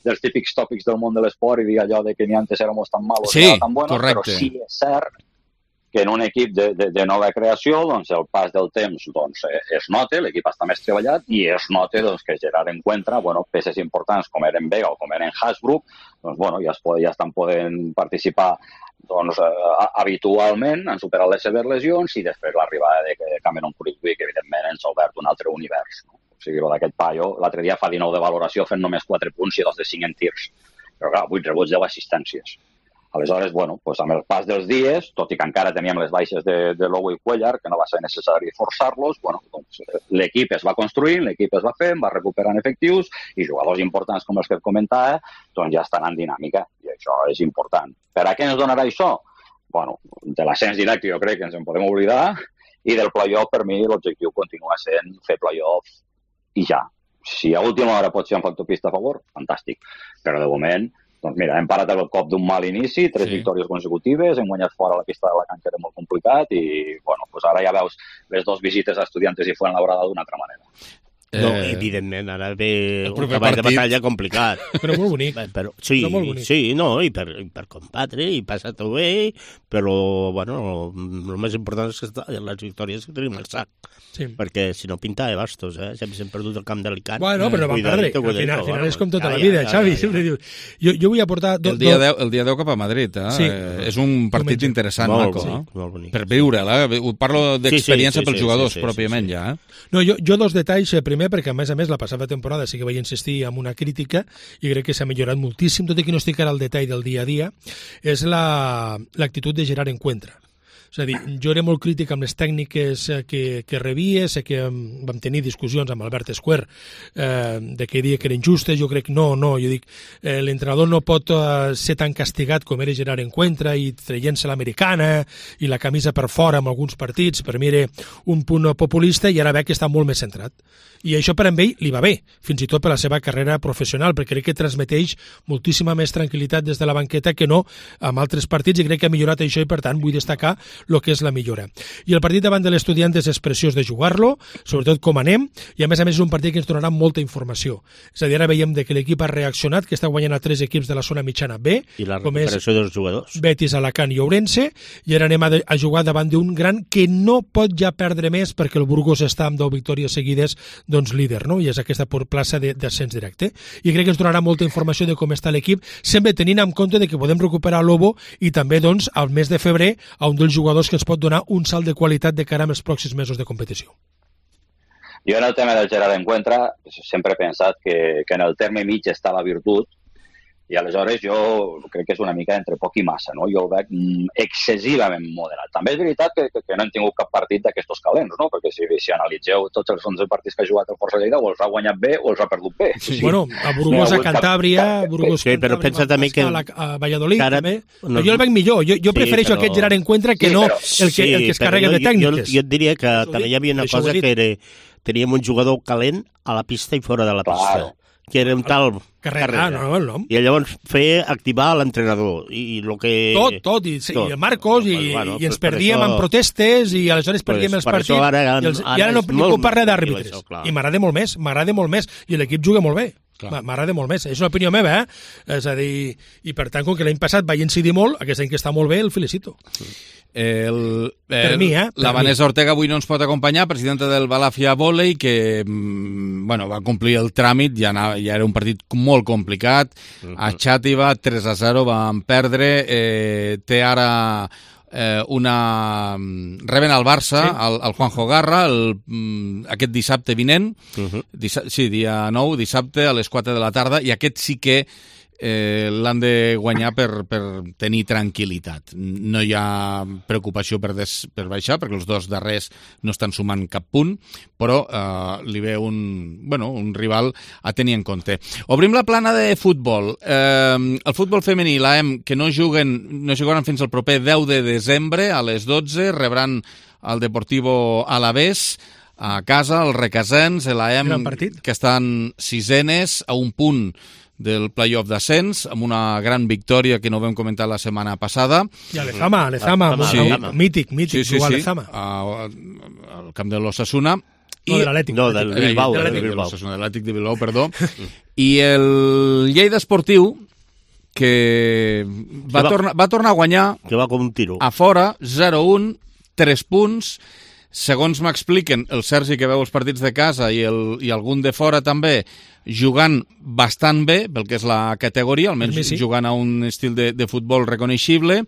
dels típics tòpics del món de l'esport i dir allò de que ni antes éramos tan malos sí, ni tan buenos, correcte. Però sí és cert que en un equip de, de, de nova creació, doncs el pas del temps doncs, es nota, l'equip està més treballat i es nota doncs, que Gerard Encuentra, bueno, peces importants com eren Vega o com eren Hasbrook, doncs, bueno, ja, es pot, ja estan podent participar doncs, eh, habitualment, han superat les seves lesions i després l'arribada de Cameron Kurikwi, que evidentment ens ha obert un altre univers. No? O sigui, d'aquest paio, l'altre dia fa dinou de valoració fent només quatre punts i dos de cinc en tirs. Però clar, vuit rebuts, deu assistències. Aleshores, bueno, doncs amb el pas dels dies, tot i que encara teníem les baixes de, de Lobo i Cuellar, que no va ser necessari forçar-los, bueno, doncs l'equip es va construint, l'equip es va fent, va recuperant efectius i jugadors importants com els que et comentava, doncs ja estan en dinàmica i això és important. Per a què ens donarà això? Bueno, de l'ascens directe jo crec que ens en podem oblidar i del playoff per mi l'objectiu continua sent fer playoff i ja. Si a última hora pot ser un factor pista a favor, fantàstic, però de moment doncs mira, hem parat el cop d'un mal inici, tres sí. victòries consecutives, hem guanyat fora la pista de la canxa, era molt complicat, i bueno, doncs ara ja veus les dues visites a Estudiantes i Fuenlabrada d'una altra manera. No, eh, evidentment, ara ve un treball de batalla complicat. Però molt bonic. Però, sí, però molt bonic. Sí, no, i per, i per combatre, i passar-ho bé, però, bueno, el més important és que les victòries que tenim al sac. Sí. Perquè si no pinta de bastos, eh? Sempre s'hem perdut el camp d'Alicant. Bueno, però vam perdre. Al final, al final és com tota la vida, Xavi. Sempre dius. Jo, jo vull aportar... El dia deu, el dia deu cap a Madrid, eh? Sí. Eh, és un partit Diumenge. Interessant, molt, maco, sí, eh? molt bonic. Per viure'l, eh? Parlo d'experiència sí, sí, sí, pels jugadors, sí, sí, pròpiament, sí, sí. ja, eh? No, jo, jo dos detalls, primer, perquè a més a més la passada temporada sí que vaig insistir en una crítica i crec que s'ha millorat moltíssim, tot i que no estic ara al detall del dia a dia, és l'actitud la, de Gerard Encuentra. És a dir, jo era molt crític amb les tècniques que, que rebia, sé que vam tenir discussions amb Albert Escuer eh, de que dia que eren justes, jo crec no, no, jo dic, eh, l'entrenador no pot eh, ser tan castigat com era Gerard Encuentra i traient-se l'americana i la camisa per fora en alguns partits, per mi era un punt populista i ara veig que està molt més centrat. I això per a ell li va bé, fins i tot per la seva carrera professional, perquè crec que transmeteix moltíssima més tranquil·litat des de la banqueta que no amb altres partits i crec que ha millorat això i per tant vull destacar el que és la millora. I el partit davant de l'Estudiantes és preciós de jugar-lo, sobretot com anem, i a més a més és un partit que ens donarà molta informació. És a dir, ara veiem de que l'equip ha reaccionat, que està guanyant a tres equips de la zona mitjana B, i la com és recuperació dels jugadors. Betis, Alacant i Ourense, i ara anem a, a jugar davant d'un gran que no pot ja perdre més perquè el Burgos està amb deu victòries seguides doncs líder, no? I és aquesta por plaça d'ascens directe. I crec que ens donarà molta informació de com està l'equip, sempre tenint en compte de que podem recuperar Lobo i també doncs al mes de febrer a un dels jugadors que ens pot donar un salt de qualitat de cara als pròxims mesos de competició. Jo en el tema del Gerard Encuentra sempre he pensat que, que en el terme mig està la virtut i aleshores jo crec que és una mica entre poc i massa, no? Jo el veig excessivament moderat. També és veritat que, que, que no hem tingut cap partit d'aquestos calents, no? Perquè si, si analitzeu tots els onze partits que ha jugat el Força Lleida o els ha guanyat bé o els ha perdut bé. Sí. Bueno, a Burgos, no, a Cantàbria, a Burgos, sí, però pensa també que... a, la, a Valladolid, cara, també. No, jo el veig millor, jo, jo sí, prefereixo però... aquest Gerard Encuentra que sí, no però... el que, el que es carrega no, de tècniques. Jo, jo et diria que això també hi havia una cosa que era... Teníem un jugador calent a la pista i fora de la pista. Claro. Que era un tal Carrera, no, no, el nom. I llavors fer activar l'entrenador. I lo que... Tot, tot, i, tot. I el Marcos, i, bueno, i ens perdíem això... en protestes, i aleshores perdíem pues, els partits, ara, i, els, ara i ara no puc parlar d'àrbitres. I m'agrada molt més, m'agrada molt més, i l'equip juga molt bé. M'agrada molt més, és una opinió meva, eh? És a dir, i per tant, com que l'any passat vaig incidir molt, aquest any que està molt bé, el felicito. El, el, per mi, eh? Per la Vanessa mi. Ortega avui no ens pot acompanyar, presidenta del Balàfia Vòlei, que bueno, va complir el tràmit, ja, anava, ja era un partit molt complicat, uh-huh. a Xàtiva, tres a zero, van perdre, eh, té ara... Eh, una... reben al Barça, sí. el, el Juanjo Garra, el, aquest dissabte vinent, uh-huh. dissa... sí, dia nou, dissabte, a les quatre de la tarda, i aquest sí que eh, l'han de guanyar per, per tenir tranquil·litat. No hi ha preocupació per, des, per baixar, perquè els dos darrers no estan sumant cap punt, però eh, li ve un, bueno, un rival a tenir en compte. Obrim la plana de futbol. Eh, el futbol femení, l'A E M, que no juguen, no jugaran fins al proper deu de desembre a les dotze, rebran el Deportivo Alavés a casa, el Requesens, l'A E M, que estan sisenes a un punt del playoff d'ascens, amb una gran victòria que no vam comentar la setmana passada. I a l'Ezama, a l'Ezama, sí. mític, mític, sí, sí, jugar sí. a l'Ezama. Al camp de l'Osasuna. No, de l'Atlètic. No, del Bilbao. De l'Atlètic de Bilbao, perdó. I el Lleida Esportiu, que va, va, tornar, va tornar a guanyar que va com un tiro. A fora, zero a un, tres punts. Segons m'expliquen, el Sergi, que veu els partits de casa, i, el, i algun de fora també, jugant bastant bé, pel que és la categoria, almenys sí. jugant a un estil de, de futbol reconeixible,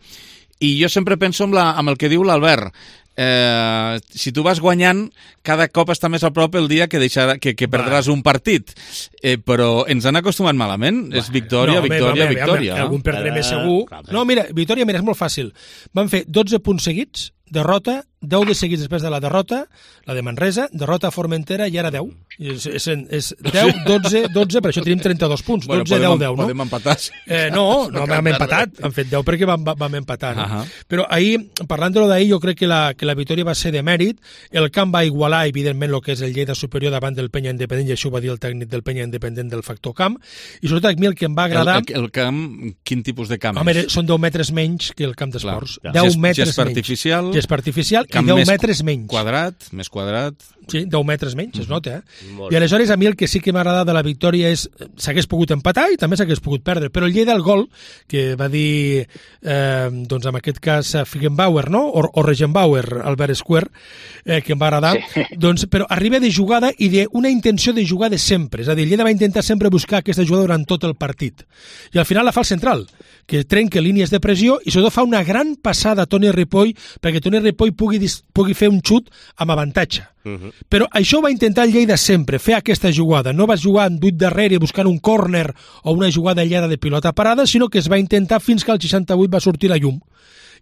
i jo sempre penso amb, la, amb el que diu l'Albert. Eh, si tu vas guanyant, cada cop està més a prop el dia que, deixarà, que, que perdràs un partit. Eh, però ens han acostumat malament. Va. És victòria, no, victòria, home, victòria. Home, algun perdrem és segur. No, mira, victòria, mira, és molt fàcil. Van fer dotze punts seguits, derrota, deu de seguits després de la derrota, la de Manresa, derrota a Formentera i ara deu. És, és, és deu, dotze, dotze, per això tenim trenta-dos punts. Bueno, dotze, deu, deu, no? Podem empatar. Eh, no, no vam empatat. Han fet deu perquè vam, vam empatar. No? Uh -huh. Però ahir, parlant de lo d'ahir, jo crec que la, que la victòria va ser de mèrit. El camp va igualar, evidentment, el que és el Lleida superior davant del Penya Independent, i això ho va dir el tècnic del Penya Independent del factor camp. I sobretot a mi el que em va agradar... El, el, el camp, quin tipus de camp Home, és? Són deu metres menys que el camp d'esports. Deu Gest, metres gespa menys. Artificial, gespa artificial i deu metres menys. Quadrat, més quadrat... Sí, deu metres menys, es nota, eh? Molt I aleshores a mi el que sí que m'ha agradat de la victòria és s'hagués pogut empatar i també s'hagués pogut perdre, però el Lleida, el gol, que va dir, eh, doncs en aquest cas, Figenbauer, no? O, o Regenbauer, Albert Square, eh, que em va agradar, sí. doncs, però arriba de jugada i d'una intenció de jugar de sempre, és a dir, el Lleida va intentar sempre buscar aquesta jugada durant tot el partit, i al final la fa el central, que trenca línies de pressió i sobretot fa una gran passada a Toni Ripoll perquè Toni Ripoll pugui, pugui fer un xut amb avantatge. Uh -huh. Però això va intentar el Lleida sempre, fer aquesta jugada. No va jugar en vuit darrere buscant un córner o una jugada aïllada de pilota parada, sinó que es va intentar fins que al seixanta-vuit va sortir la llum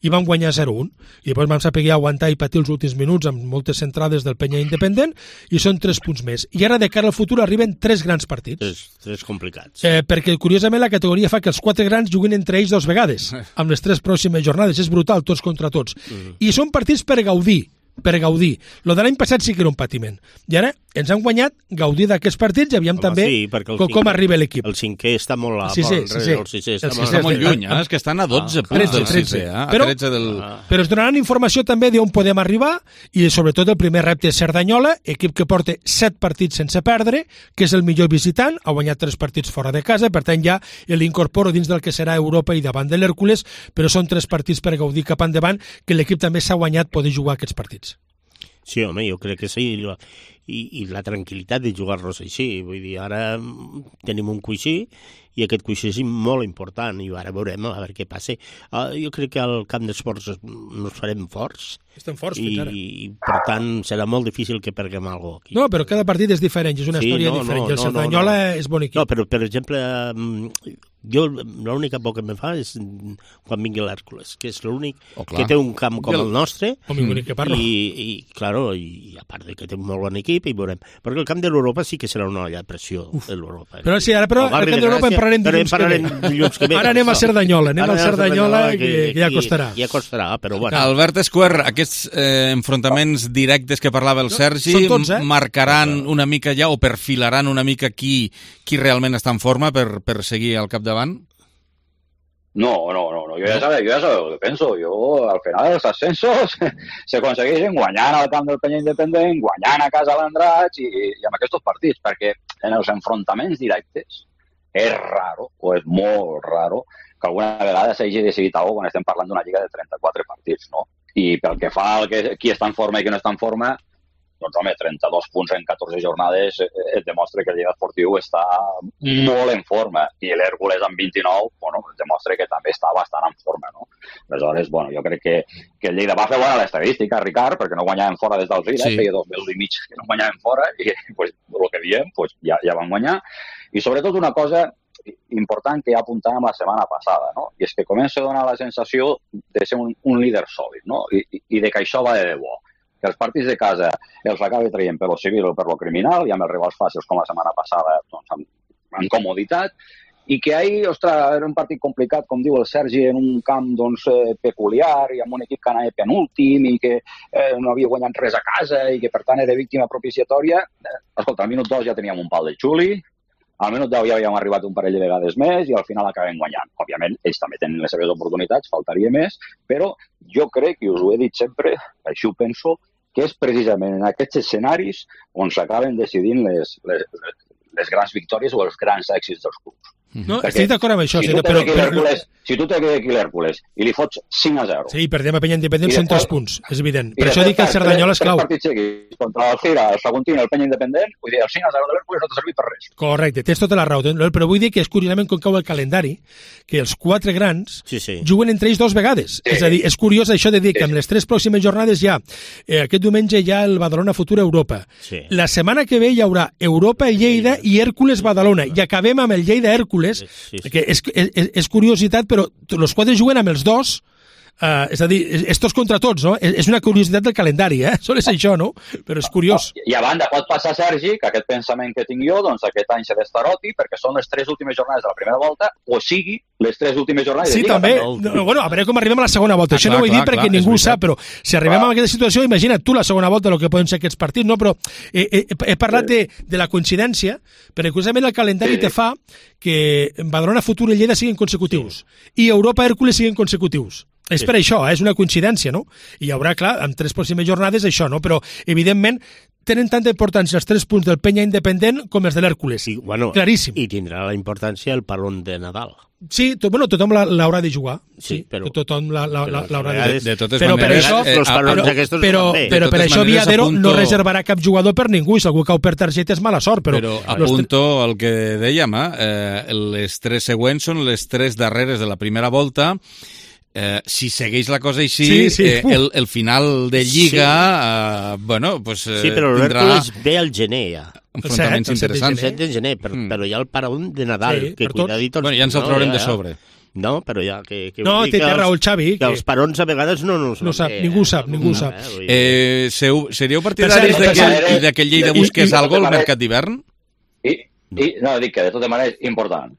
i vam guanyar zero a un. I després vam saber aguantar i patir els últims minuts amb moltes centrades del Penya Independent i són tres punts més. I ara, de cara al futur, arriben tres grans partits. Tres, tres complicats. Eh, perquè, curiosament, la categoria fa que els quatre grans juguen entre ells dos vegades, amb les tres pròximes jornades. És brutal, tots contra tots. Mm. I són partits per gaudir. per gaudir. Lo de l'any passat sí que era un patiment. I ara ens han guanyat gaudir d'aquests partits i aviam Home, també sí, com, cinquè, com arriba l'equip. El cinquè està molt a sí, sí, sí, sí. el sisè està, el sisè està molt lluny, eh? És que estan a dotze ah, punts del sisè, eh? Però, a tretze del... però ens donaran informació també d'on podem arribar i sobretot el primer repte és Cerdanyola, equip que porta set partits sense perdre, que és el millor visitant, ha guanyat tres partits fora de casa, per tant ja l'incorporo dins del que serà Europa i davant de l'Hèrcules, però són tres partits per gaudir cap endavant, que l'equip també s'ha guanyat poder jugar aquests partits. Sí, home, jo crec que sí, i, i la tranquil·litat de jugar-los així. Vull dir, ara tenim un coixí i aquest coixí és molt important i ara veurem a veure què passa. Uh, jo crec que al camp d'esports ens farem forts. Estem forts i, fins ara. I, per tant, serà molt difícil que perguem alguna cosa aquí. No, però cada partit és diferent, és una sí, història no, diferent. No, I el no, Cerdanyola no, no. és bon equip. No, però, per exemple, jo l'única por que me fa és quan vingui l'Hèrcules, que és l'únic oh, que té un camp com el, el nostre i, que parlo. I, i, claro, i a part de que té un molt bon equip, i veurem. Perquè el camp de l'Europa sí que serà una olla de pressió de l'Europa. Però sí, ara però el camp de l'Europa en parlarem dilluns que ve. dilluns que ve. Ara anem a Cerdanyola, anem al Cerdanyola, que, que, que ja costarà. Ja costarà, però bueno. Albert Esquer, aquests eh, enfrontaments directes que parlava el Sergi, tots, eh? marcaran una mica ja o perfilaran una mica qui, qui realment està en forma per, per seguir al capdavant? No, no, no, no. Yo ya sabes, yo ya sabes lo que pienso. Yo, al final, los ascensos se aconsegueixen guanyant al camp del Penya Independent, guanyant a casa l'Andratx i, i amb aquests partits, perquè en els enfrontaments directes és raro, o és molt raro, que alguna vegada s'hagi decidit alguna cosa quan estem parlant d'una lliga de trenta-quatre partits, no? I pel que fa al que qui està en forma i qui no està en forma, doncs, home, trenta-dos punts en catorze jornades et demostra que el Lleida Esportiu està molt en forma i l'Hèrcules amb vint-i-nou, bueno, et demostra que també està bastant en forma, no? Aleshores, bueno, jo crec que, que el Lleida va fer bona l'estadística, Ricard, perquè no guanyaven fora des del Vila, sí. Feia dos mesos i mig que no guanyaven fora i, pues, el que diem, pues, ja, ja van guanyar. I sobretot una cosa important que ja apuntàvem la setmana passada, no? I és que comença a donar la sensació de ser un, un líder sòlid, no? I, i de que això va de debò. Que els partits de casa els acabi traient per lo civil o per lo criminal, i amb els rivals fàcils com la setmana passada, doncs, amb, amb comoditat, i que ahir, ostres, era un partit complicat, com diu el Sergi, en un camp doncs, eh, peculiar, i amb un equip que anava penúltim, i que eh, no havia guanyat res a casa, i que per tant era víctima propiciatòria. Eh, escolta, al minut dos ja teníem un pal de xuli, al minut deu ja havíem arribat un parell de vegades més i al final acabem guanyant. Òbviament, ells també tenen les seves oportunitats, faltaria més, però jo crec, i us ho he dit sempre, així ho penso, que és precisament en aquests escenaris on s'acaben decidint les, les, les grans victòries o els grans èxits dels clubs. No, estic d'acord amb això. Si tu t'he d'Hèrcules si tu l'Hèrcules i li fots cinc a zero... Sí, perdem a Penya Independent cent tres punts, és evident. Per això dic que el Cerdanyola és clau. Tres partits seguits contra el Gira, el Saguntí i el Penya Independent, vull dir, el cinc a zero de l'Hèrcules no t'ha servit per res. Correcte, tens tota la raó. Però vull dir que és curiosament com cau el calendari, que els quatre grans sí, sí. juguen entre ells dos vegades. Sí. És a dir, és curiós això de dir que amb les tres pròximes jornades ja, eh, aquest diumenge hi ha el Badalona Futur Europa. Sí. La setmana que ve hi haurà Europa i Lleida i Hèrcules-Badalona. I acabem amb el Lleida-Hèrcules, sí, sí. que és, és, és curiositat, però els quatre juguen amb els dos, uh, és a dir, és tots contra tots, no? És una curiositat del calendari, eh? Sol és això, no? Però és curiós. I a banda, pot passar, Sergi, que aquest pensament que tinc jo, doncs aquest any se destaroti, perquè són les tres últimes jornades de la primera volta, o sigui, les tres últimes jornades sí, de Lliga. Sí, també. No, bueno, a veure com arribem a la segona volta. Ah, això clar, no ho he dit clar, perquè clar, ningú ho sap, però si arribem clar. a aquesta situació, imagina't tu la segona volta el que poden ser aquests partits, no? Però he, he, he parlat sí. de, de la coincidència, perquè curiosament el calendari sí. te fa que Badalona Futur i Lleida siguin consecutius sí. i Europa Hèrcules siguin consecutius. És sí. per això, eh? És una coincidència, no? I hi haurà, clar, en tres pròximes jornades això, no? Però, evidentment, tenen tanta importància els tres punts del Penya Independent com els de l'Hèrcules. I, bueno, claríssim. I tindrà la importància el parón de Nadal. Sí, to, bueno, tothom l'haurà de jugar. Sí, sí però... Tothom l'haurà de... De, de totes però maneres... Per això, eh, però, però, però, però per això Viadero apunto... no reservarà cap jugador per ningú, i si algú cau per targeta és mala sort. Però, però apunto el que dèiem, eh? les tres següents són les tres darreres de la primera volta. Eh, si segueix la cosa així, sí, sí. Eh, el, el final de Lliga, sí. eh, bueno, pues eh, sí, però l'Hèrcules ve al gener ja. Enfrontaments interessants. El set de gener, però, mm. però hi ha el parón de Nadal, sí, que cuidadito... Bueno, ja ens el traurem no, ja, de sobre. No, però ja que... que no, té raó el Xavi. Que, que els parons a vegades no... No, no sap, ningú sap, ningú sap. Eh, seu, seríeu partidaris de que el Lleida busqués alguna cosa al mercat d'hivern? I, i, no, dic que de tota manera és important.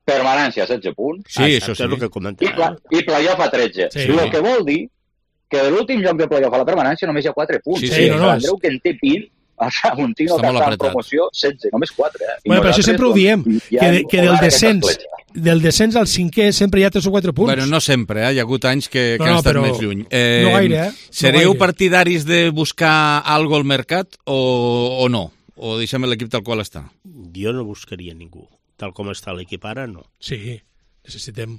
Permanència a setze punts. Sí, ah, això sí. És el que I, pla, i playoff a tretze. Sí. El que vol dir que de l'últim lloc de playoff a la permanència només hi ha quatre punts. Sí, sí, sí, no, no, Andreu, que en té vint, el Saguntino, que està en promoció, setze, només quatre. Eh? Bueno, però això sempre ho diem, que, de, que del descens del descens al cinquè sempre hi ha tres o quatre punts. Bueno, no sempre, eh? Hi ha hagut anys que, que no, no, han estat però... més lluny. Eh, no gaire, eh? Sereu no gaire. partidaris de buscar algo al mercat o, o no? O deixem l'equip tal qual està? Jo no buscaria ningú. Tal com està l'equip ara, no. Sí, necessitem.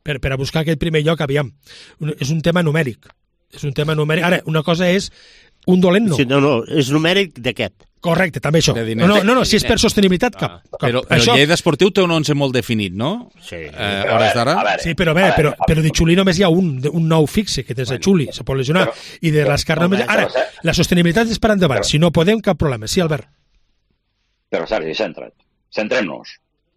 Per, per a buscar aquest primer lloc, aviam. És un tema numèric. És un tema numèric. Ara, una cosa és un dolent, no. Sí, no, no, és numèric d'aquest. Correcte, també això. No, no, no, no, si és per sostenibilitat, cap. cap. Però, però això... Lleida Esportiu té un onze molt definit, no? Sí. Eh, hores d'ara? Sí, però a veure, però, però de Xuli només hi ha un, un nou fixe, que és de Xuli, se pot lesionar. Però, I de l'Escar només... Ara, la sostenibilitat és per endavant. Però, si no podem, cap problema. Sí, Albert. Però, Sergi, centra't. Centrem-nos.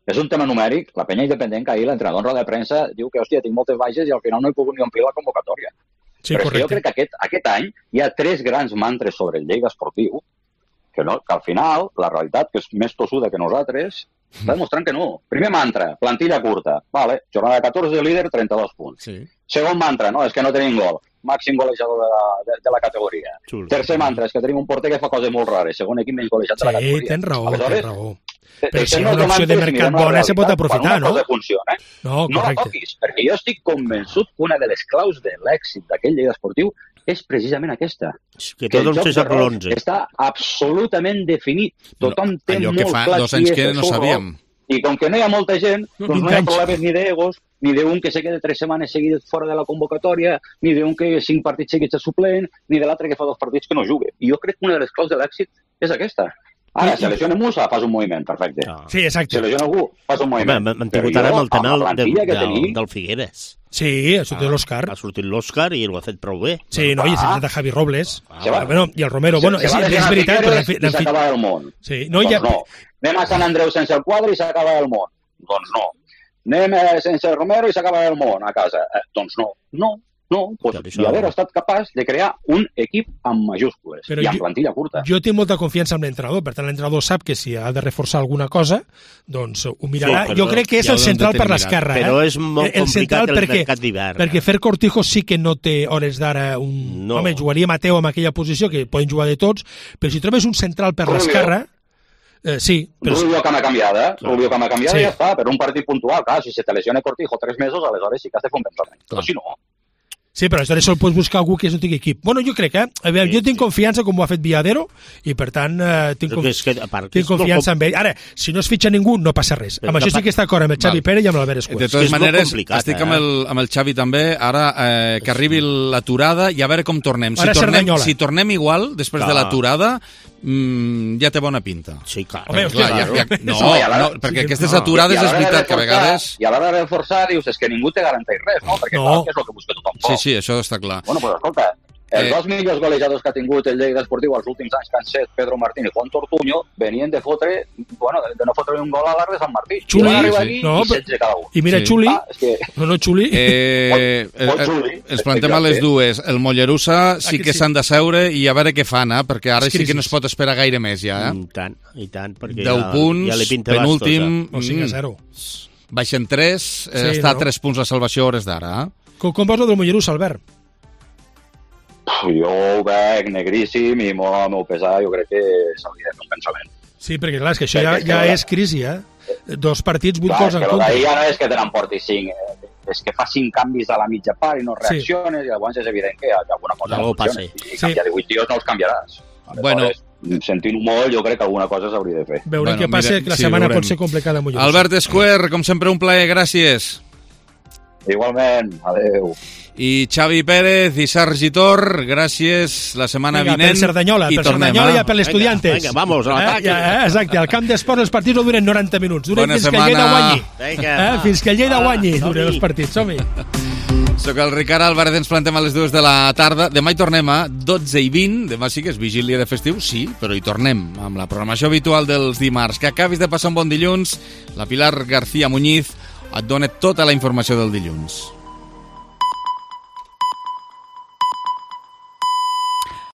És un tema numèric. La Penya Independent, que ahir l'entrenador en roda de premsa diu que, hòstia, tinc moltes baixes i al final no he pogut ni omplir la convocatòria. Sí, però correcte. Jo crec que aquest, aquest any hi ha tres grans mantres sobre el Lleida Esportiu que, no, que al final, la realitat, que és més tossuda que nosaltres, està demostrant que no. Primer mantra, plantilla curta. Vale, jornada catorze, líder, trenta-dos punts. Sí. Segon mantra, no, és que no tenim gol. Màxim golejador de la, de, de la categoria. Xul. Tercer mantra, és que tenim un porter que fa coses molt rares. Segon equip menys golejat sí, de la categoria. Sí, tens raó, Aleshores, tens raó. Però si una opció de mercat bona se pot aprofitar, no? Funciona, eh? No, no la toquis, perquè jo estic convençut que una de les claus de l'èxit d'aquell Lleida Esportiu és precisament aquesta. Que, que tot el joc de l'onze està absolutament definit. Tothom no, té allò molt que fa clar dos anys que no sabíem. I com que no hi ha molta gent, no, doncs no hi ha problemes ni d'egos, ni d'un que se quede tres setmanes seguides fora de la convocatòria, ni d'un que cinc partits seguits de suplent, ni de l'altre que fa dos partits que no jugue. I jo crec que una de les claus de l'èxit és aquesta. Ara, si lesiona Musa, fas un moviment, perfecte. No. Sí, exacte. Si lesiona algú, fas un moviment. Home, hem tingut ara amb el tema del, del, del, del Figueres. Sí, ha sortit ah, l'Òscar. Ha sortit l'Òscar i ho ha fet prou bé. Sí, no, i s'ha fet a Javi Robles. Ah, ah, bueno, i el Romero. Se, bueno, se és, és, és veritat. Però i s'acaba el món. Sí, no, doncs ja... no. Anem a Sant Andreu sense el quadre i s'acaba el món. Doncs no. Anem eh, sense Romero i s'acaba el món a casa. Eh, doncs no, no, no. Pues Viadero ha estat capaç de crear un equip amb majúscules però i amb jo, plantilla curta. Jo tinc molta confiança en l'entrenador, per tant l'entrenador sap que si ha de reforçar alguna cosa, doncs ho mirarà. Sí, jo crec que és el central per l'esquerra. Però és molt el complicat el perquè, mercat d'hivern. Perquè Fer Cortijo sí que no té hores d'ara un... No. Home, jugaria Mateu en aquella posició, que poden jugar de tots, però si trobes un central per l'esquerra... Eh, sí, però... Rubio cama canviada, Rubio cama canviada sí. I ja està, per un partit puntual, clar, si se te lesiona Cortijo tres mesos, aleshores sí que has de fer un pensament, però si no... Sí, però aleshores sol pots buscar algú que no tingui equip. Bueno, jo crec, eh? A veure, sí, jo tinc sí. confiança com ho ha fet Viadero i, per tant, eh, tinc, conf... que, part, tinc confiança en ell. Ara, si no es fitxa ningú, no passa res. Però amb això sí que està d'acord amb el Xavi Pérez i amb l'Albert Escuet. De totes maneres, estic amb el, amb el Xavi també, ara eh, que arribi l'aturada i a veure com tornem. Si tornem, si tornem igual, després clar. de l'aturada, mm, ja té bona pinta. Sí, clar. Home, clar, ja, ja, no, no, no, perquè sí, aquestes no. aturades és veritat que a vegades... I a l'hora de reforçar dius, és que ningú te garanteix res, no? Perquè no. clar, que és el que busca tothom. Sí, sí, això està clar. Bueno, pues escolta, els eh... dos millors golejadors que ha tingut el Lleida Esportiu els últims anys, que han set Pedro Martín i Juan Tortuño, venien de fotre, bueno, de no fotre un gol a l'Arc de Sant Martí. Xuli, sí. no, i setze cada un. I mira, sí. Xuli, ah, és que... no, no, Xuli. Eh, el, el, els plantem a les dues. El Mollerussa sí que s'han de seure i a veure què fan, eh? Perquè ara sí que no es pot esperar gaire més, ja. Eh? I tant, i tant. Perquè deu ja, punts, ja penúltim... O sigui, a zero. Baixen tres, sí, eh, està a no? tres punts la salvació a hores d'ara. Eh? Com, com veus el del Mollerussa, Albert? Jo ho veig negríssim i molt al meu pesar jo crec que s'hauria de fer un pensament. Sí, perquè clar, és que això ja, ja és crisi, eh? Dos partits, vuit gols en contra. Ja no és que te n'emportis cinc, eh? És que fa cinc canvis a la mitja part i no reacciones, sí. I llavors és evident que alguna cosa no funciona. I sí. Canviar divuit tios no els canviaràs. Bueno, sentint-ho molt, jo crec que alguna cosa s'hauria de fer. Veurem bueno, què passa, mira, que la sí, setmana pot ser complicada. Albert Escuer, com sempre, un plaer, gràcies. Igualment, adeu. I Xavi Pérez i Sergi Tor, gràcies, la setmana venga, vinent. Per Cerdanyola, i per tornem, Cerdanyola eh? i per l'Estudiantes. Vinga, vinga, vamos, a l'atac. Eh, eh, exacte, al camp d'esport els partits no duren noranta minuts, duren Bona fins setmana. que el Lleida guanyi. Vinga, eh, fins que el Lleida guanyi duren els partits, som-hi. Soc el Ricard Álvarez, ens plantem a les dues de la tarda. Demà hi tornem a dotze i vint, demà sí que és vigília de festiu, sí, però hi tornem amb la programació habitual dels dimarts. Que acabis de passar un bon dilluns, la Pilar García Muñiz et dona tota la informació del dilluns.